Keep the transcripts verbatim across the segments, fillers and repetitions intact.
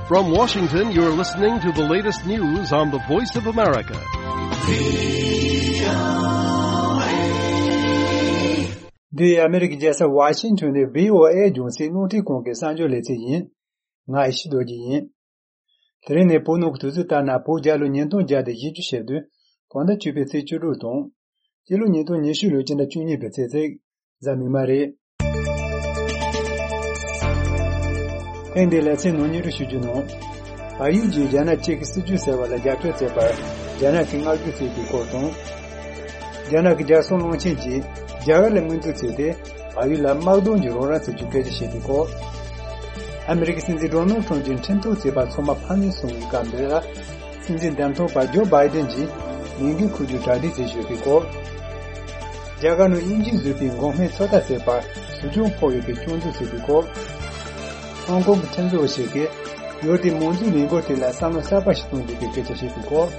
From Washington, you're listening to the latest news on the Voice of America. འདི་ཨ་མེ་རི་ཀའི་རྒྱལ་ས་ཝ་ཤིང་ཊོན་ནས་བྷི་ཨོ་ཨེ་རྒྱང་སྲིང་རླུང་འཕྲིན་ཁང་གི་གསར་འགྱུར་ལེ་ཚན་ཡིན། ང་ཨེ་ཤེ་རྡོ་རྗེ་ཡིན། དེ་རིང་ནི་བོད་ནང་གི་དུས་ཚོད་ལྟར་ན་བོད་རྒྱལ་ལོ་ཉིས་སྟོང་བརྒྱ་དང་བཞི་བཅུ་ཞེ་བདུན། བོད་ཟླ་བཅུ་པའི་ཚེས་བཅུ་དྲུག་དང་། སྤྱི་ལོ་ཉིས་སྟོང་ཉི་ཤུ་ལོའི་སྤྱི་ཟླ་བཅུ་གཉིས་པའི་ཚེས་གཅིག་གཟའ་མིག་དམར་རེད། ཐེངས་འདིའི་ལེ་ཚན་ནང་སྙན་སྒྲོན་ཞུ་རྒྱུ་ནང་། བལ་ཡུལ་གྱིས་རྒྱ་ནག་གཅིག་གི་སྲིད་བྱུས་ཟེར་བ་ལ་རྒྱབ་སྐྱོར་བྱས་པར་རྒྱ་ནག་གིས་བསྔགས་བརྗོད་བྱས་པའི་སྐོར་དང་། རྒྱ་ནག་གི་རྒྱལ་སྲུང་བློན་ཆེན་གྱིས་རྒྱ་གར་ལ་མངོན་འཛུགས་བྱས་ཏེ། བལ་ཡུལ་ལ་དམག་དོན་གྱི་རོགས་རམ་བྱེད་རྒྱུའི་སྐད་ཆ་བཤད་པའི་སྐོར། ཨ་མེ་རི་ཀའི་སྲིད་འཛིན་ཌོ་ནལ་ཊམ་གྱིས་འཁྲུན་ཐག་བཅད་པ་ཚང་མ་ཕམ་ཉེས་སོང་བའི་སྐབས་འདིར། སྲིད་འཛིན་འདེམས་ཐོན་པ་ཇོ་བྷའི་ཌེན་གྱིས་ལས་འགུལ་འཁོར་རྒྱུ་གྲ་སྒྲིག་བྱེད་བཞིན་ཡོད་པའི་སྐོར། རྒྱ་གར་ནང་དབྱིན་ཇིས་བཟོས་པའི་འགོག་སྨན་ཚོད་ལྟ་ཟེར་བར་ཟིང་ཆུ་ཕོག་ཡོད་པའི་སྐྱོན་འཛུགས་བྱས་པའི་སྐོར། ཧོང་ཀོང་གི་ཁྲིམས་བཟོ་བ་ཞིག་གིས་ཡུལ་དེའི་མང་གཙོའི་ལས་འགུལ་དེ་ལ་བསམ་བློ་གསར་པ་ཞིག་གཏོང་འདོད་པའི་སྐད་ཆ་བཤད་པའི་སྐོར།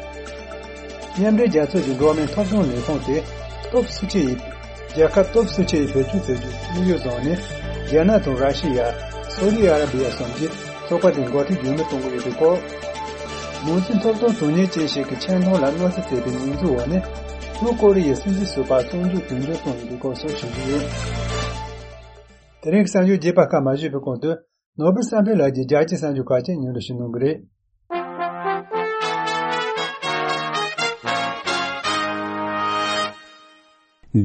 མཉམ་འབྲེལ་རྒྱལ་ཚོགས་ཀྱི་འགྲོ་བ་མིའི་ཐོབ་ཐང་ལས་ཁུངས་དེ་སྟོབས་ཤུགས་ཆེ་ཡིས། རྒྱལ་ཁབ་སྟོབས་ཤུགས་ཆེ་ཡིས་བེད་སྤྱོད་བྱ་རྒྱུའི་དམིགས་ཡུལ་བཟུང་ནས། རྒྱ་ནག་དང་ར་ཤི་ཡ། སོ་ལི་ཨ་ར་བི་ཡ་སོགས་ཀྱིས་ཚོགས་པ་དེ་འགོ་ཁྲིད་རྒྱུན་མི་གཏོང་གི་ཡོད་པའི་སྐོར། མང་གཙོའི་ཐོབ་ཐང་དོན་གཉེར་ཅན་ཞིག་གིས་ཆེས་མཐོ་ལ་གནོད་འཚེ་བྱས་པའི་ཉེས་འཛུགས་འོག་ནས། ལྷོ་ཀོ་རི་ཡའི་སྲིད་འཛིན་ཟུར་པ་བཙོན་འཇུག་དོན་འཁྱོལ་བཏང་ཡོད་པའི་སྐོར་སོགས་ཞུ་རྒྱུ་ཡོད། དེ་རིང་གི་གསར་འགྱུར་རྒྱས་པ་ཁག་མ་ཞུས་པའི་གོང་དུ། ནོར་བུ་བསམ་འཕེལ་ལགས་ཀྱིས་རྒྱལ་སྤྱིའི་གསར་འགྱུར་ཁག་ཅིག་སྙན་སྒྲོན་ཞུ་གནང་གི་རེད།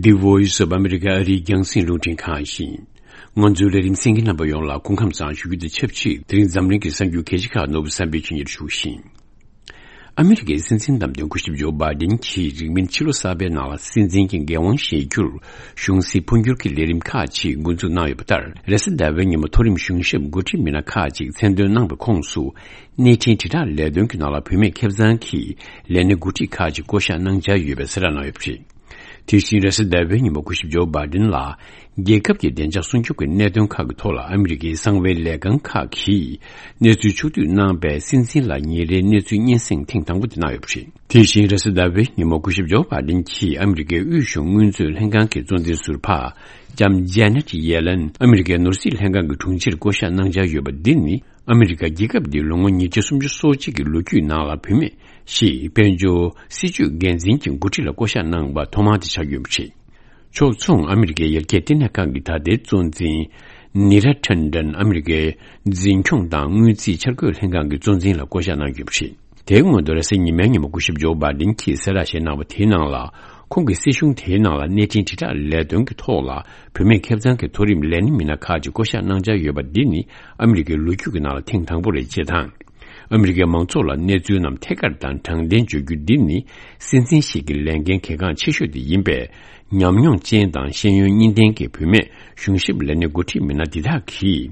The Voice of America ཨ་རིའི་རྒྱང་སྲིང་རླུང་འཕྲིན་ཁང་ཡིན། ང་ཚོའི་ལས་རིམ་གསན་མཁན་རྣམ་པ་ཡོངས་ལ་སྐུ་ཁམས་བཟང་ཞུ་རྒྱུ་དང་ཆབས་ཅིག་དེ་རིང་འཛམ་གླིང་གི་གསར་འགྱུར་གལ་ཆེ་ཁག་ནོར་བུ་བསམ་འཕེལ་གྱིས་སྙན་སྒྲོན་ཞུ་བཞིན། ཨ་མི་རི་ཀའི་སྲིད་འཛིན་བདམས་ཐོན་སྐུ་ཞབས་ཇོ་བྷའི་ཌེན་གྱིས་རིང་མིན་ཕྱི་ལོ་གསར་པའི་ནང་ལ་སྲིད་འཛིན་གྱི་འགན་དབང་བཞེས་རྒྱུར་གཞུང་སྲིད་འཕོ་འགྱུར་གྱི་ལས་རིམ་ཁག་ཅིག་འགོ་འཛུགས་གནང་ཡོད་པ་ལྟར། རེས་གཟའ་ཟླ་བའི་ཉིན་མོ་མཐོ་རིམ་གཞུང་ཞབས་འགོ་ཁྲིད་མི་སྣ་ཁག་ཅིག་མཚན་འདོན་གནང་པའི་ཁོངས་སུ། གནས་འཕྲིན་དྲིལ་བསྒྲགས་ལས་དོན་གྱི་ནང་ལ་བུད་མེད་ཁེ་བཟང་གི་ལས་སྣེ་འགོ་ཁྲིད་ཁག་ཅིག་བསྐོ་གཞག་གནང་འཆར་ཡོད་པའི་གསལ་བསྒྲགས་གནང་ཡོད་པ་རེད། དེ་བཞིན་རེས་གཟའ་ཟླ་བའི་ཉིན་མོ་སྐུ་ཞབས་ཇོ་བྷའི་ཌེན་ལ། རྒྱལ་ཁབ་ཀྱི་བདེ་འཇགས་སྲུང་སྐྱོབ་ཀྱི་གནད་དོན་ཁག་གི་ཐོག་ལ་ཨ་མི་རི་ཀའི་གསང་བའི་ལས་ཁང་ཁག་གིས་གནས་ཚུལ་ཕྱོགས་བསྡུས་གནང་པའི་སྲིད་འཛིན་ལ་ཉིན་རེའི་གནས་ཚུལ་སྙན་སེང་ཐེངས་དང་པོ་དེ་གནང་ཡོད་པ་རེད། དེ་བཞིན་རེས་གཟའ་ཟླ་བའི་ཉིན་མོ་སྐུ་ཞབས་ཇོ་བྷའི་ཌེན་གྱིས་ཨ་མི་རི་ཀའི་དབུས་གཞུང་དངུལ་མཛོད་ལྷན་ཁང་གི་གཙོ་འཛིན་ཟུར་པ་ལྕམ་ཇེ་ནེ་ཊི་ཡེ་ལན་ཨ་མི་རི་ཀའི་ནོར་སྲིད་ལྷན་ཁང་གི་དྲུང་ཆེར་བསྐོ་གཞག་གནང་འཆར་ཡོད་པ་འདི་ནི། ཨ་མི་རི་ཀ་རྒྱལ་ཁབ་འདིའི་ལོ་ངོ་ཉིས་བརྒྱ་སུམ་ཅུ་སོ་གཅིག་གི་ལོ་རྒྱུས་ནང་ལ་བུད་མེད་ཞིག་དཔལ་འབྱོར་སྲིད་ཇུས་འགན་འཛིན་གྱི་འགོ་ཁྲིད་ལ་བསྐོ་གཞག་གནང་བ་ཐོག་མ་དེ་ཆགས་ཡོད་པ་རེད། ཕྱོགས་མཚུངས་ཨ་མི་རི་ཀའི་ཡར་རྒྱས་ལྟེ་གནས་ཁང་གི་ད་ལྟའི་གཙོ་འཛིན་ནི་ར་ཐན་ཌན་ཨ་མི་རི་ཀའི་འཛིན་སྐྱོང་དང་དངུལ་རྩིས་འཆར་འགོད་ལྷན་ཁང་གི་གཙོ་འཛིན་ལ་བསྐོ་གཞག་གནང་ཡོད་པ་རེད། དེའི་སྔོན་དུ་རེས་གཟའ་ཉི་མའི་ཉིན་མོ་སྐུ་ཞབས་ཇོ་བྷའི་ཌེན་གྱིས་གསལ་བསྒྲགས་ཤིག་གནང་བ་དེའི་ནང་ལ། ཁོང་གིས་སྲིད་གཞུང་དེའི་ནང་ལ་གནས་འཕྲིན་དྲིལ་བསྒྲགས་ལས་དོན་གྱི་ཐོག་ལ་བུད་མེད་ཁེ་བཟང་གི་མཐོ་རིམ་ལས་སྣེ་མི་སྣ་ཁག་ཅིག་བསྐོ་གཞག་གནང་འཆར་ཡོད་པ་འདི་ནི་ཨ་མི་རི་ཀའི་ལོ་རྒྱུས་ཀྱི་ནང་ལ་ཐེངས་དང་པོ་རེད་ཅེས་དང་། ཨ་མི་རི་ཀའི་མང་ཚོགས་ལ་གནས་ཚུལ་རྣམས་ཐད་ཀར་དང་དྲང་བདེན་བརྗོད་རྒྱུ་འདི་ནི་སྲིད་འཛིན་ཞིག་གི་ལས་འགན་གལ་འགངས་ཆེ་ཤོས་དེ་ཡིན་པས། ཉམས་མྱོང་ཅན་དང་ཤེས་ཡོན་གཉིས་ལྡན་གྱི་བུད་མེད་གཞུང་ཞབས་ལས་སྣེ་འགོ་ཁྲིད་མི་སྣ་འདི་དག་གིས།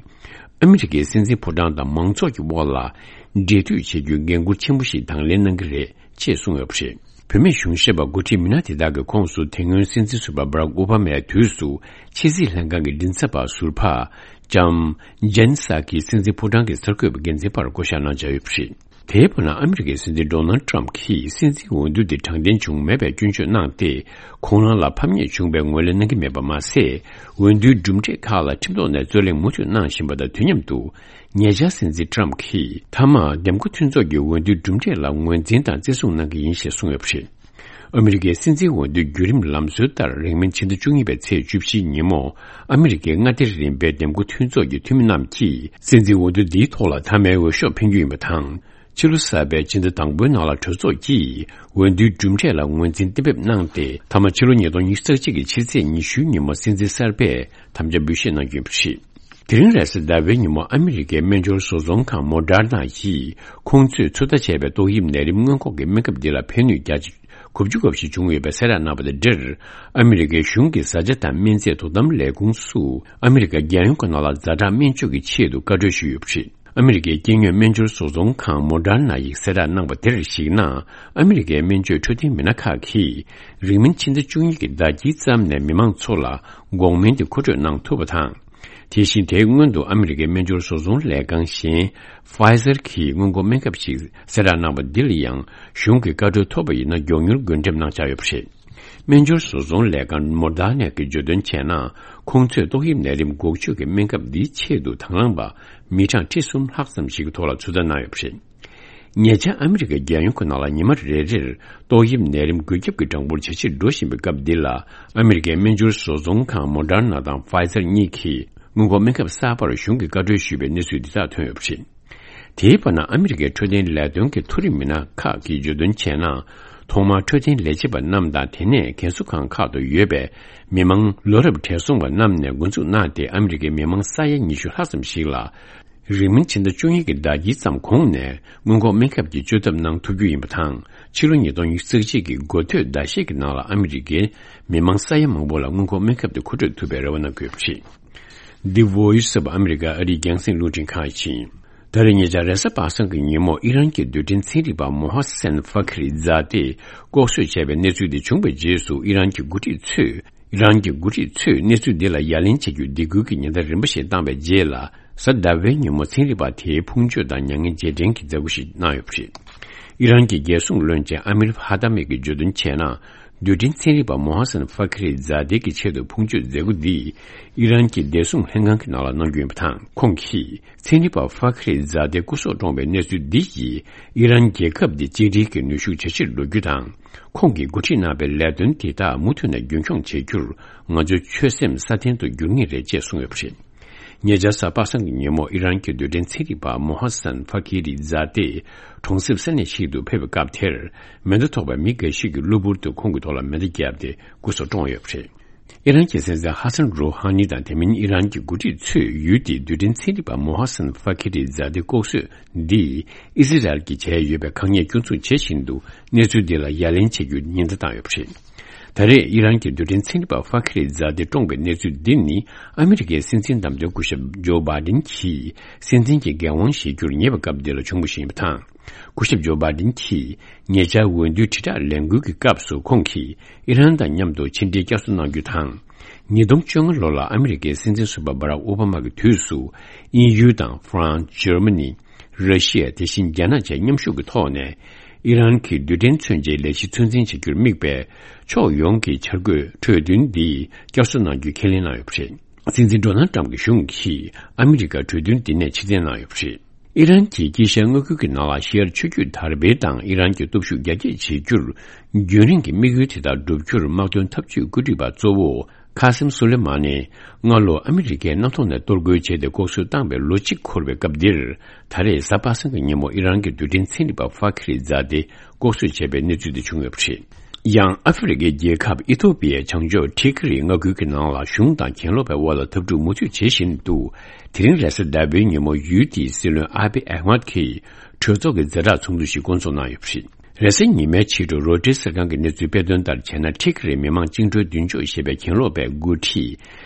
ཨ་མི་རི་ཀའི་སྲིད་འཛིན་ཕོ་བྲང་དང་མང་ཚོགས་ཀྱི་དབར་ལ་འབྲེལ་མཐུད་བྱེད་རྒྱུའི་འགན་འཁུར་ཆེན་པོ་ཞིག་དང་ལེན་གནང་གི་རེད་ཅེས་གསུངས་ཡོད་པ་རེད། བུད་མེད་གཞུང་ཞབས་པ་འགོ་ཁྲིད་མི་སྣ་དེ་དག་གི་ཁོངས་སུ་དེ་སྔོན་སྲིད་འཛིན་ཟུར་པ་སྦ་རག་ཨོ་བྷ་མའི་དུས་སུ་ཕྱི་སྲིད་ལྷན་ཁང་གི་མགྲིན་ཚབ་པ་ཟུར་པ་ལྕམ་ཇན་སཱ་ཁི་སྲིད་འཛིན་ཕོ་བྲང་གི་གསར་འགོད་པ་འགན་འཛིན་པར་བསྐོ་གཞག་གནང་འཆར་ཡོད་པ་རེད། དེའི་བར་ན་ཨ་མི་རི་ཀའི་སྲིད་འཛིན་ཌོ་ནལ་ཊམ་གྱིས་སྲིད་འཛིན་འོས་བསྡུ་དེ་དྲང་བདེན་བྱུང་མེད་པའི་སྐྱོན་བརྗོད་གནང་སྟེ། ཁོང་རང་ལ་ཕམ་ཉེས་བྱུང་བའི་ངོས་ལེན་གནང་གི་མེད་པ་མ་ཟད། འོས་བསྡུའི་གྲུབ་འབྲས་ཁག་ལ་ཁྲིམས་ཐོག་ནས་རྩོད་གླེང་མུ་མཐུད་གནང་བཞིན་པ་དང་དུས་མཉམ་དུ། ཉེ་ཆར་སྲིད་འཛིན་ཊམ་གྱིས་མཐའ་མ་འདེམས་བསྐོ་མཐུན་ཚོགས་ཀྱི་འོས་བསྡུའི་གྲུབ་འབྲས་ལ་ངོས་འཛིན་དང་བརྩི་སྲུང་གནང་གི་ཡིན་ཞེས་གསུངས་ཡོད་པ་རེད། ཨ་མི་རི་ཀའི་སྲིད་འཛིན་འོས་བསྡུའི་བརྒྱུད་རིམ་ལམ་སྲོལ་ལྟར། རིང་མིན་ཕྱི་ཟླ་བཅུ་གཉིས་པའི་ཚེས་བཅུ་བཞིའི་ཉིན་མོ། ཨ་མི་རི་ཀའི་མངའ་སྡེ་རིམ་པའི་འདེམས་བསྐོ་མཐུན་ཚོགས་ཀྱི་འཐུས་མི་རྣམས་ཀྱིས། སྲིད་འཛིན་འོས་བསྡུ་འདིའི་ཐོག་ལ་མཐའ་མའི་འོས་ཤོག་འཕེན་རྒྱུ་ཡིན་པ་དང་། ཕྱི་ལོ་གསར་པའི་ཕྱི་ཟླ་དང་པོའི་ནང་ལ་གྲོས་ཚོགས་ཀྱིས། འོས་བསྡུའི་གྲུབ་འབྲས་ལ་ངོས་འཛིན་གཏན་འབེབས་གནང་སྟེ། མཐའ་མ་ཕྱི་ལོ་ཉིས་སྟོང་ཉི་ཤུ་རྩ་གཅིག་གི་ཕྱི་ཚེས་ཉི་ཤུའི་ཉིན་མོ། སྲིད་འཛིན་གསར་པས་དམ་བཅའ་འབུལ་བཞེས་གནང་རྒྱུ་ཡིན་པ་རེད། དེ་རིང་རེས་གཟའ་ཟླ་བའི་ཉིན་མོ། ཨ་མི་རི་ཀའི་སྨན་སྦྱོར་བཟོ་ཚོང་ཁང་མོ་ཌར་ན་ཡིས། ཁོང་ཚོས་ཚོད་ལྟ་བྱས་པའི་ཏོག་དབྱིབས་ནད་རིམས་སྔོན་འགོག་གི་སྨན་ཁབ་འདི་ལ་ཕན་ནུས་བརྒྱ་ཆ་དགུ་བཅུ་གོ་བཞི་བྱུང་ཡོད་པའི་གསལ་བསྒྲགས་གནང་བ་དང་འབྲེལ། ཨ་མི་རི་ཀའི་གཞུང་གི་བཟའ་བཅའ་དང་སྨན་རྫས་དོ་དམ་ལས་ཁུངས་སུ། ཨ་མི་རི་ཀ་རྒྱལ་ཡོངས་ཀྱི་ནང་ལ་ཛ་དྲག་སྨན་བཅོས་ཀྱི་ཆེད་དུ་བཀའ་འཁྲོལ་ཞུས་ཡོད་པ་རེད། ཨ་མི་རི་ཀའི་སྐྱེ་དངོས་སྨན་སྦྱོར་བཟོ་ཚོང་ཁང་མོ་ཌར་ན་ཡིས་གསལ་བསྒྲགས་གནང་བ་དེར་གཞིགས་ན། ཨ་མི་རི་ཀའི་སྨན་བཅོས་འཕྲོད་བསྟེན་མི་སྣ་ཁག་གིས། རིང་མིན་ཕྱི་ཟླ་བཅུ་གཉིས་ཀྱི་ཟླ་དཀྱིལ་ཙམ་ནས་མི་མང་ཚོ་ལ་འགོག་སྨན་དེ་མཁོ་སྤྲོད་གནང་ཐུབ་པ་དང་། དེ་བཞིན་དེའི་སྔོན་དུ་ཨ་མི་རི་ཀའི་སྨན་སྦྱོར་བཟོ་ཚོང་ལས་ཁང་གཞན་Pfizer གྱིས་སྔོན་འགོག་སྨན་ཁབ་ཞིག་གསལ་བསྒྲགས་གནང་བ་འདི་ལ་ཡང་གཞུང་གི་བཀའ་འཁྲོལ་ཐོབ་པ་ཡིན་ན་མགྱོགས་མྱུར་བགོ་འགྲེམས་གནང་འཆར་ཡོད་པ་རེད། སྨན་སྦྱོར་བཟོ་ཚོང་ལས་ཁང་མོ་ཌར་ནེ་གིས་བརྗོད་དོན་བྱས་ན། ཁོང་ཚོས་ཏོག་དབྱིབས་ནད་རིམས་འགོག་བཅོས་ཀྱི་སྨན་ཁབ་འདིའི་ཆེད་དུ་དང་བླངས་པ་མི་གྲངས་ཁྲི་གསུམ་ལྷག་ཙམ་ཞིག་གི་ཐོག་ལ་ཚོད་ལྟ་གནང་ཡོད་པ་རེད། ཉེ་ཆར་ཨ་མི་རི་ཀའི་རྒྱལ་ཡོངས་ཀྱི་ནང་ལ་ཉི་མ་རེ་རེར་ཏོག་དབྱིབས་ནད་རིམས་འགོས་ཁྱབ་ཀྱི་གྲངས་འབོར་ཇེ་ཆེར་འགྲོ་བཞིན་པའི་སྐབས་འདི་ལ། ཨ་མི་རི་ཀའི་སྨན་སྦྱོར་བཟོ་ཚོང་ཁང་མོ་ཌར་ན་དང་ཕའི་ཛར་གཉིས་ཀྱིས་སྔོན་འགོག་སྨན་ཁབ་གསར་པར་གཞུང་གིས་བཀའ་འཁྲོལ་ཞུས་པའི་གནས་ཚུལ་འདི་དག་ཐོན་ཡོད་པ་རེད། དེའི་བར་ན་ཨ་མི་རི་ཀའི་འཕྲོད་བསྟེན་ལས་དོན་གྱི་མཐོ་རིམ་མི་སྣ་ཁག་གིས་བརྗོད་དོན་བྱས་ན། ཐོག་མར་འཕྲོད་བསྟེན་ལས་བྱེད་པ་རྣམས་དང་། དེ་ནས་རྒན་གསོ་ཁང་ཁག་ཏུ་ཡོད་པའི་མི་མང་ལོ་རབས་བགྲེས་སོང་བ་རྣམས་ནས་འགོ་འཛུགས་གནང་སྟེ། ཨ་མི་རི་ཀའི་མི་མང་ས་ཡ་ཉི་ཤུ་ལྷག་ཙམ་ཞིག་ལ། རིང་མིན་ཕྱི་ཟླ་བཅུ་གཉིས་ཀྱི་ཟླ་དཀྱིལ་ཙམ་གོང་ནས་སྔོན་འགོག་སྨན་ཁབ་ཀྱི་བཅོས་ཐབས་གནང་ཐུབ་རྒྱུ་ཡིན་པ་དང་། ཕྱི་ལོ་ཉིས་སྟོང་ཉི་ཤུ་རྩ་གཅིག་གི་འགོ་སྟོད་ཟླ་ཤས་ཀྱི་ནང་ལ་ཨ་མི་རི་ཀའི་མི་མང་ས་ཡ་མང་པོ་ལ་སྔོན་འགོག་སྨན་ཁབ་དེ་མཁོ་སྤྲོད་ཐུབ་པའི་རེ་བ་གནང་གི་ཡོད་པ་རེད། འདི་Voice of America ཨ་རིའི་རྒྱང་སྲིང་རླུང་འཕྲིན་ཁང་ཡིན། ད་རེས་ཉེ་ཆར་རེས་གཟའ་པ་སངས་ཀྱི་ཉིན་མོ་ཨི་རན་གྱི་རྡུལ་ཕྲན་ཚན་རིག་པ་མོ་ཧ་སན་ཧྥ་ཁི་རི་རྫ་སྟེ་ལྐོག་གསོད་བྱས་པའི་གནས་ཚུལ་དེ་བྱུང་བའི་རྗེས་སུ། ཨི་རན་གྱི་འགོ་ཁྲིད་ཚོས། ཨི་རན་གྱི་འགོ་ཁྲིད་ཚོས་གནས་ཚུལ་འདི་ལ་ཡ་ལན་བྱེད་རྒྱུའི་སྡིགས་སྐུལ་གྱི་ཉེན་བརྡ་རིམ་པ་ཞིག་བཏང་བའི་རྗེས་ལ། གཟའ་ཟླ་བའི་ཉིན་མོ་ཚན་རིག་པ་དེའི་ཕུང་མཆོད་དང་མྱ་ངན་རྗེས་དྲན་གྱི་མཛད་སྒོ་ཞིག་གནང་ཡོད་པ་རེད། ཨི་རན་གྱི་རྒྱལ་སྲུང་བློན་ཆེན་ཨ་མིར་ཧ་ཏ་མི་གིས་བརྗོད་དོན་བྱས་ན། རྡུལ་ཕྲན་ཚན་རིག་པ་མོ་ཧ་སན་ཧྥ་ཁི་རི་རྫ་སྟེ་གྱི་ཆེད་དུ་ཕུང་མཆོད་མཛད་སྒོ་འདིས། ཨི་རན་གྱི་བདེ་སྲུང་ལྷན་ཁང་གི་ནང་ལ་གནང་རྒྱུ་ཡིན་པ་དང་། ཁོང་གིས་ཚན་རིག་པ་ཧྥ་ཁི་རི་རྫ་སྟེ་སྐུ་སྲོག་བཀྲོངས་པའི་གནས་ཚུལ་འདི་ཡིས། ཨི་རན་རྒྱལ་ཁབ་འདི་གཅིག་སྒྲིལ་གྱི་ནུས་ཤུགས་ཇེ་ཆེར་འགྲོ་རྒྱུ་དང་། ཁོང་གིས་འགོ་ཁྲིད་གནང་པའི་ལས་དོན་དེ་དག་མུ་མཐུད་ནས་རྒྱུན་འཁྱོངས་བྱེད་རྒྱུར། ང་ཚོའི་ཆོད་སེམས་སྲ་བརྟན་དུ་འགྱུར་ངེས་རེད་ཅེས་གསུངས་ཡོད་པ་རེད། ཉེ་ཆར་གཟའ་པ་སངས་ཀྱི་ཉིན་མོ་ཨི་རན་གྱི་རྡུལ་ཕྲན་ཚན་རིག་པ་མོ་ཧ་སན་ཧྥ་ཁི་རི་རྫ་སྟེ་གྲོང་གསེབ་ས་གནས་ཤིག་ཏུ་ཕེབས་པའི་སྐབས་དེར། མེ་མདའ་ཐོགས་པའི་མི་འགའ་ཞིག་གིས་གློ་བུར་དུ་ཁོང་གི་ཐོག་ལ་མེ་མདའ་བརྒྱབ་སྟེ་སྐུ་སྲོག་བཀྲོངས་ཡོད་པ་རེད། ཨི་རན་གྱི་སྲིད་འཛིན་ཧ་སན་རུ་ཧ་ནི་དང་། དེ་མིན་ཨི་རན་གྱི་འགོ་ཁྲིད་ཚོས་ཡུལ་དེའི་རྡུལ་ཕྲན་ཚན་རིག་པ་མོ་ཧ་སན་ཧྥ་ཁི་རི་རྫ་སྟེ་ལྐོག་གསོད་འདིས་ཨི་ཟི་རལ་གྱིས་བྱས་ཡོད་པའི་དཀའ་ངལ་སྐྱོན་འཛུགས་བྱེད་བཞིན་དུ། གནས་ཚུལ་འདི་ལ་ཡ་ལན་བྱེད་རྒྱུའི་ཉེན་བརྡ་བཏང་ཡོད་པ་རེད། ད་རེས་ཨི་རན་གྱི་རྡུལ་ཕྲན་ཚན་རིག་པ་ཧྥ་ཁི་རི་རྫ་སྟེ་བཀྲོངས་པའི་གནས་ཚུལ་འདི་ནི། ཨ་མི་རི་ཀའི་སྲིད་འཛིན་བདམས་ཐོན་སྐུ་ཞབས་ཇོ་བྷ་ཌེན་གྱིས་སྲིད་འཛིན་གྱི་འགན་དབང་བཞེས་རྒྱུར་ཉེ་བའི་སྐབས་འདི་ལ་བྱུང་བ་ཞིག་ཡིན་པ་དང་། སྐུ་ཞབས་ཇོ་བྷ་ཌེན་གྱིས་ཉེ་ཆར་འོས་བསྡུའི་དྲིལ་བསྒྲགས་ལས་འགུལ་གྱི་སྐབས་སུ། ཁོང་གིས་ཨི་རན་དང་མཉམ་དུ་ཕྱི་འབྲེལ་བསྐྱར་གསོ་གནང་རྒྱུ་དང་། ཉིས་སྟོང་བཅོ་ལྔ་ལོ་ལ་ཨ་མི་རི་ཀའི་སྲིད་འཛིན་ཟུར་པ་སྦ་རག་ཨོ་བྷ་མ་གི་དུས་སུ། དབྱིན་ཡུལ་དང་ཧྥ་རན་སི། འཇར་མ་ནི། ར་ཤི་ཡ། དེ་བཞིན་རྒྱ་ནག་བཅས་མཉམ་ཞུགས་ཀྱི་ཐོག་ནས། ཨི་རན་གྱི་རྡུལ་ཕྲན་མཚོན་ཆའི་ལས་གཞི་ཚོད་འཛིན་བྱ་རྒྱུར་དམིགས་པའི་ཕྱོགས་ཡོངས་ཀྱི་འཆར་འགོད་གྲོས་མཐུན་འདི་བསྐྱར་གསོ་གནང་རྒྱུའི་ཁས་ལེན་གནང་ཡོད་པ་རེད། སྲིད་འཛིན་ཌོ་ནལ་ཊམ་གྱི་གཞུང་གིས་ཨ་མི་རི་ཀར་གྲོས་མཐུན་འདི་ནས་ཕྱིར་འཐེན་གནང་ཡོད་པ་རེད། ཨི་རན་གྱི་དཀྱིལ་ཤར་མངའ་ཁུལ་གྱི་ནང་ལ་ཤར་ཆུ་རྒྱུད་དར་སྤེལ་དང་ཨི་རན་གྱི་སྟོབས་ཤུགས་རྒྱ་སྐྱེད་བྱེད་རྒྱུར། རྒྱུན་རིང་གི་དམིགས་ཡུལ་དེ་དག་བསྒྲུབ་རྒྱུར་དམག་དོན་འཐབ་ཇུས་བཀོད་སྒྲིག་པ་གཙོ་བོ་ཁ་སིམ་སུ་ལེ་མ་ནི། སྔ་ལོ་ཨ་མི་རི་ཀས་གནམ་ཐོག་ནས་གཏོར་རྒོལ་བྱས་ཏེ་ལྐོག་གསོད་བཏང་བའི་ལོ་གཅིག་འཁོར་བའི་སྐབས་འདིར། ད་རེས་གཟའ་པ་སངས་ཀྱི་ཉིན་མོ་ཨི་རན་གྱི་རྡུལ་ཕྲན་ཚན་རིག་པ་ཧྥ་ཁི་རི་རྫ་སྟེ་ལྐོག་གསོད་བྱས་པའི་གནས་ཚུལ་དེ་བྱུང་ཡོད་པ་རེད། ཡང་ཨ་ཧྥེ་རི་ཁའི་རྒྱལ་ཁབ་ཨི་ཐོ་པི་ཡའི་བྱང་ཕྱོགས་ཊི་ཁི་རི་མངའ་ཁུལ་གྱི་ནང་ལ་གཞུང་དང་གྱེན་ལོག་པའི་དབར་ལ་འཐབ་འཁྲུག་མུ་མཐུད་བྱེད་བཞིན་འདུག་དེ་རིང་རེས་གཟའ་ཟླ་བའི་ཉིན་མོ་ཡུལ་དེའི་སྲིད་བློན་ཨ་བྷི་ཨ་ཧ་མད་ཀྱིས་གྲོས་ཚོགས་ཀྱི་ཛ་དྲག་ཚོགས་འདུ་ཞིག་བསྐོང་ཚོགས་གནང་ཡོད་པ་རེད། རེས་གཟའ་ཉི་མའི་ཕྱི་དྲོ་རོའི་ཊར་གསར་ཁང་གི་གནས་ཚུལ་སྤེལ་དོན་ལྟར་བྱས་ན། ཊི་ཁི་རི་མི་དམངས་བཅིངས་འགྲོལ་མདུན་ཕྱོགས་ཞེས་པའི་གྱེན་ལོག་པའི་འགོ་ཁྲིད་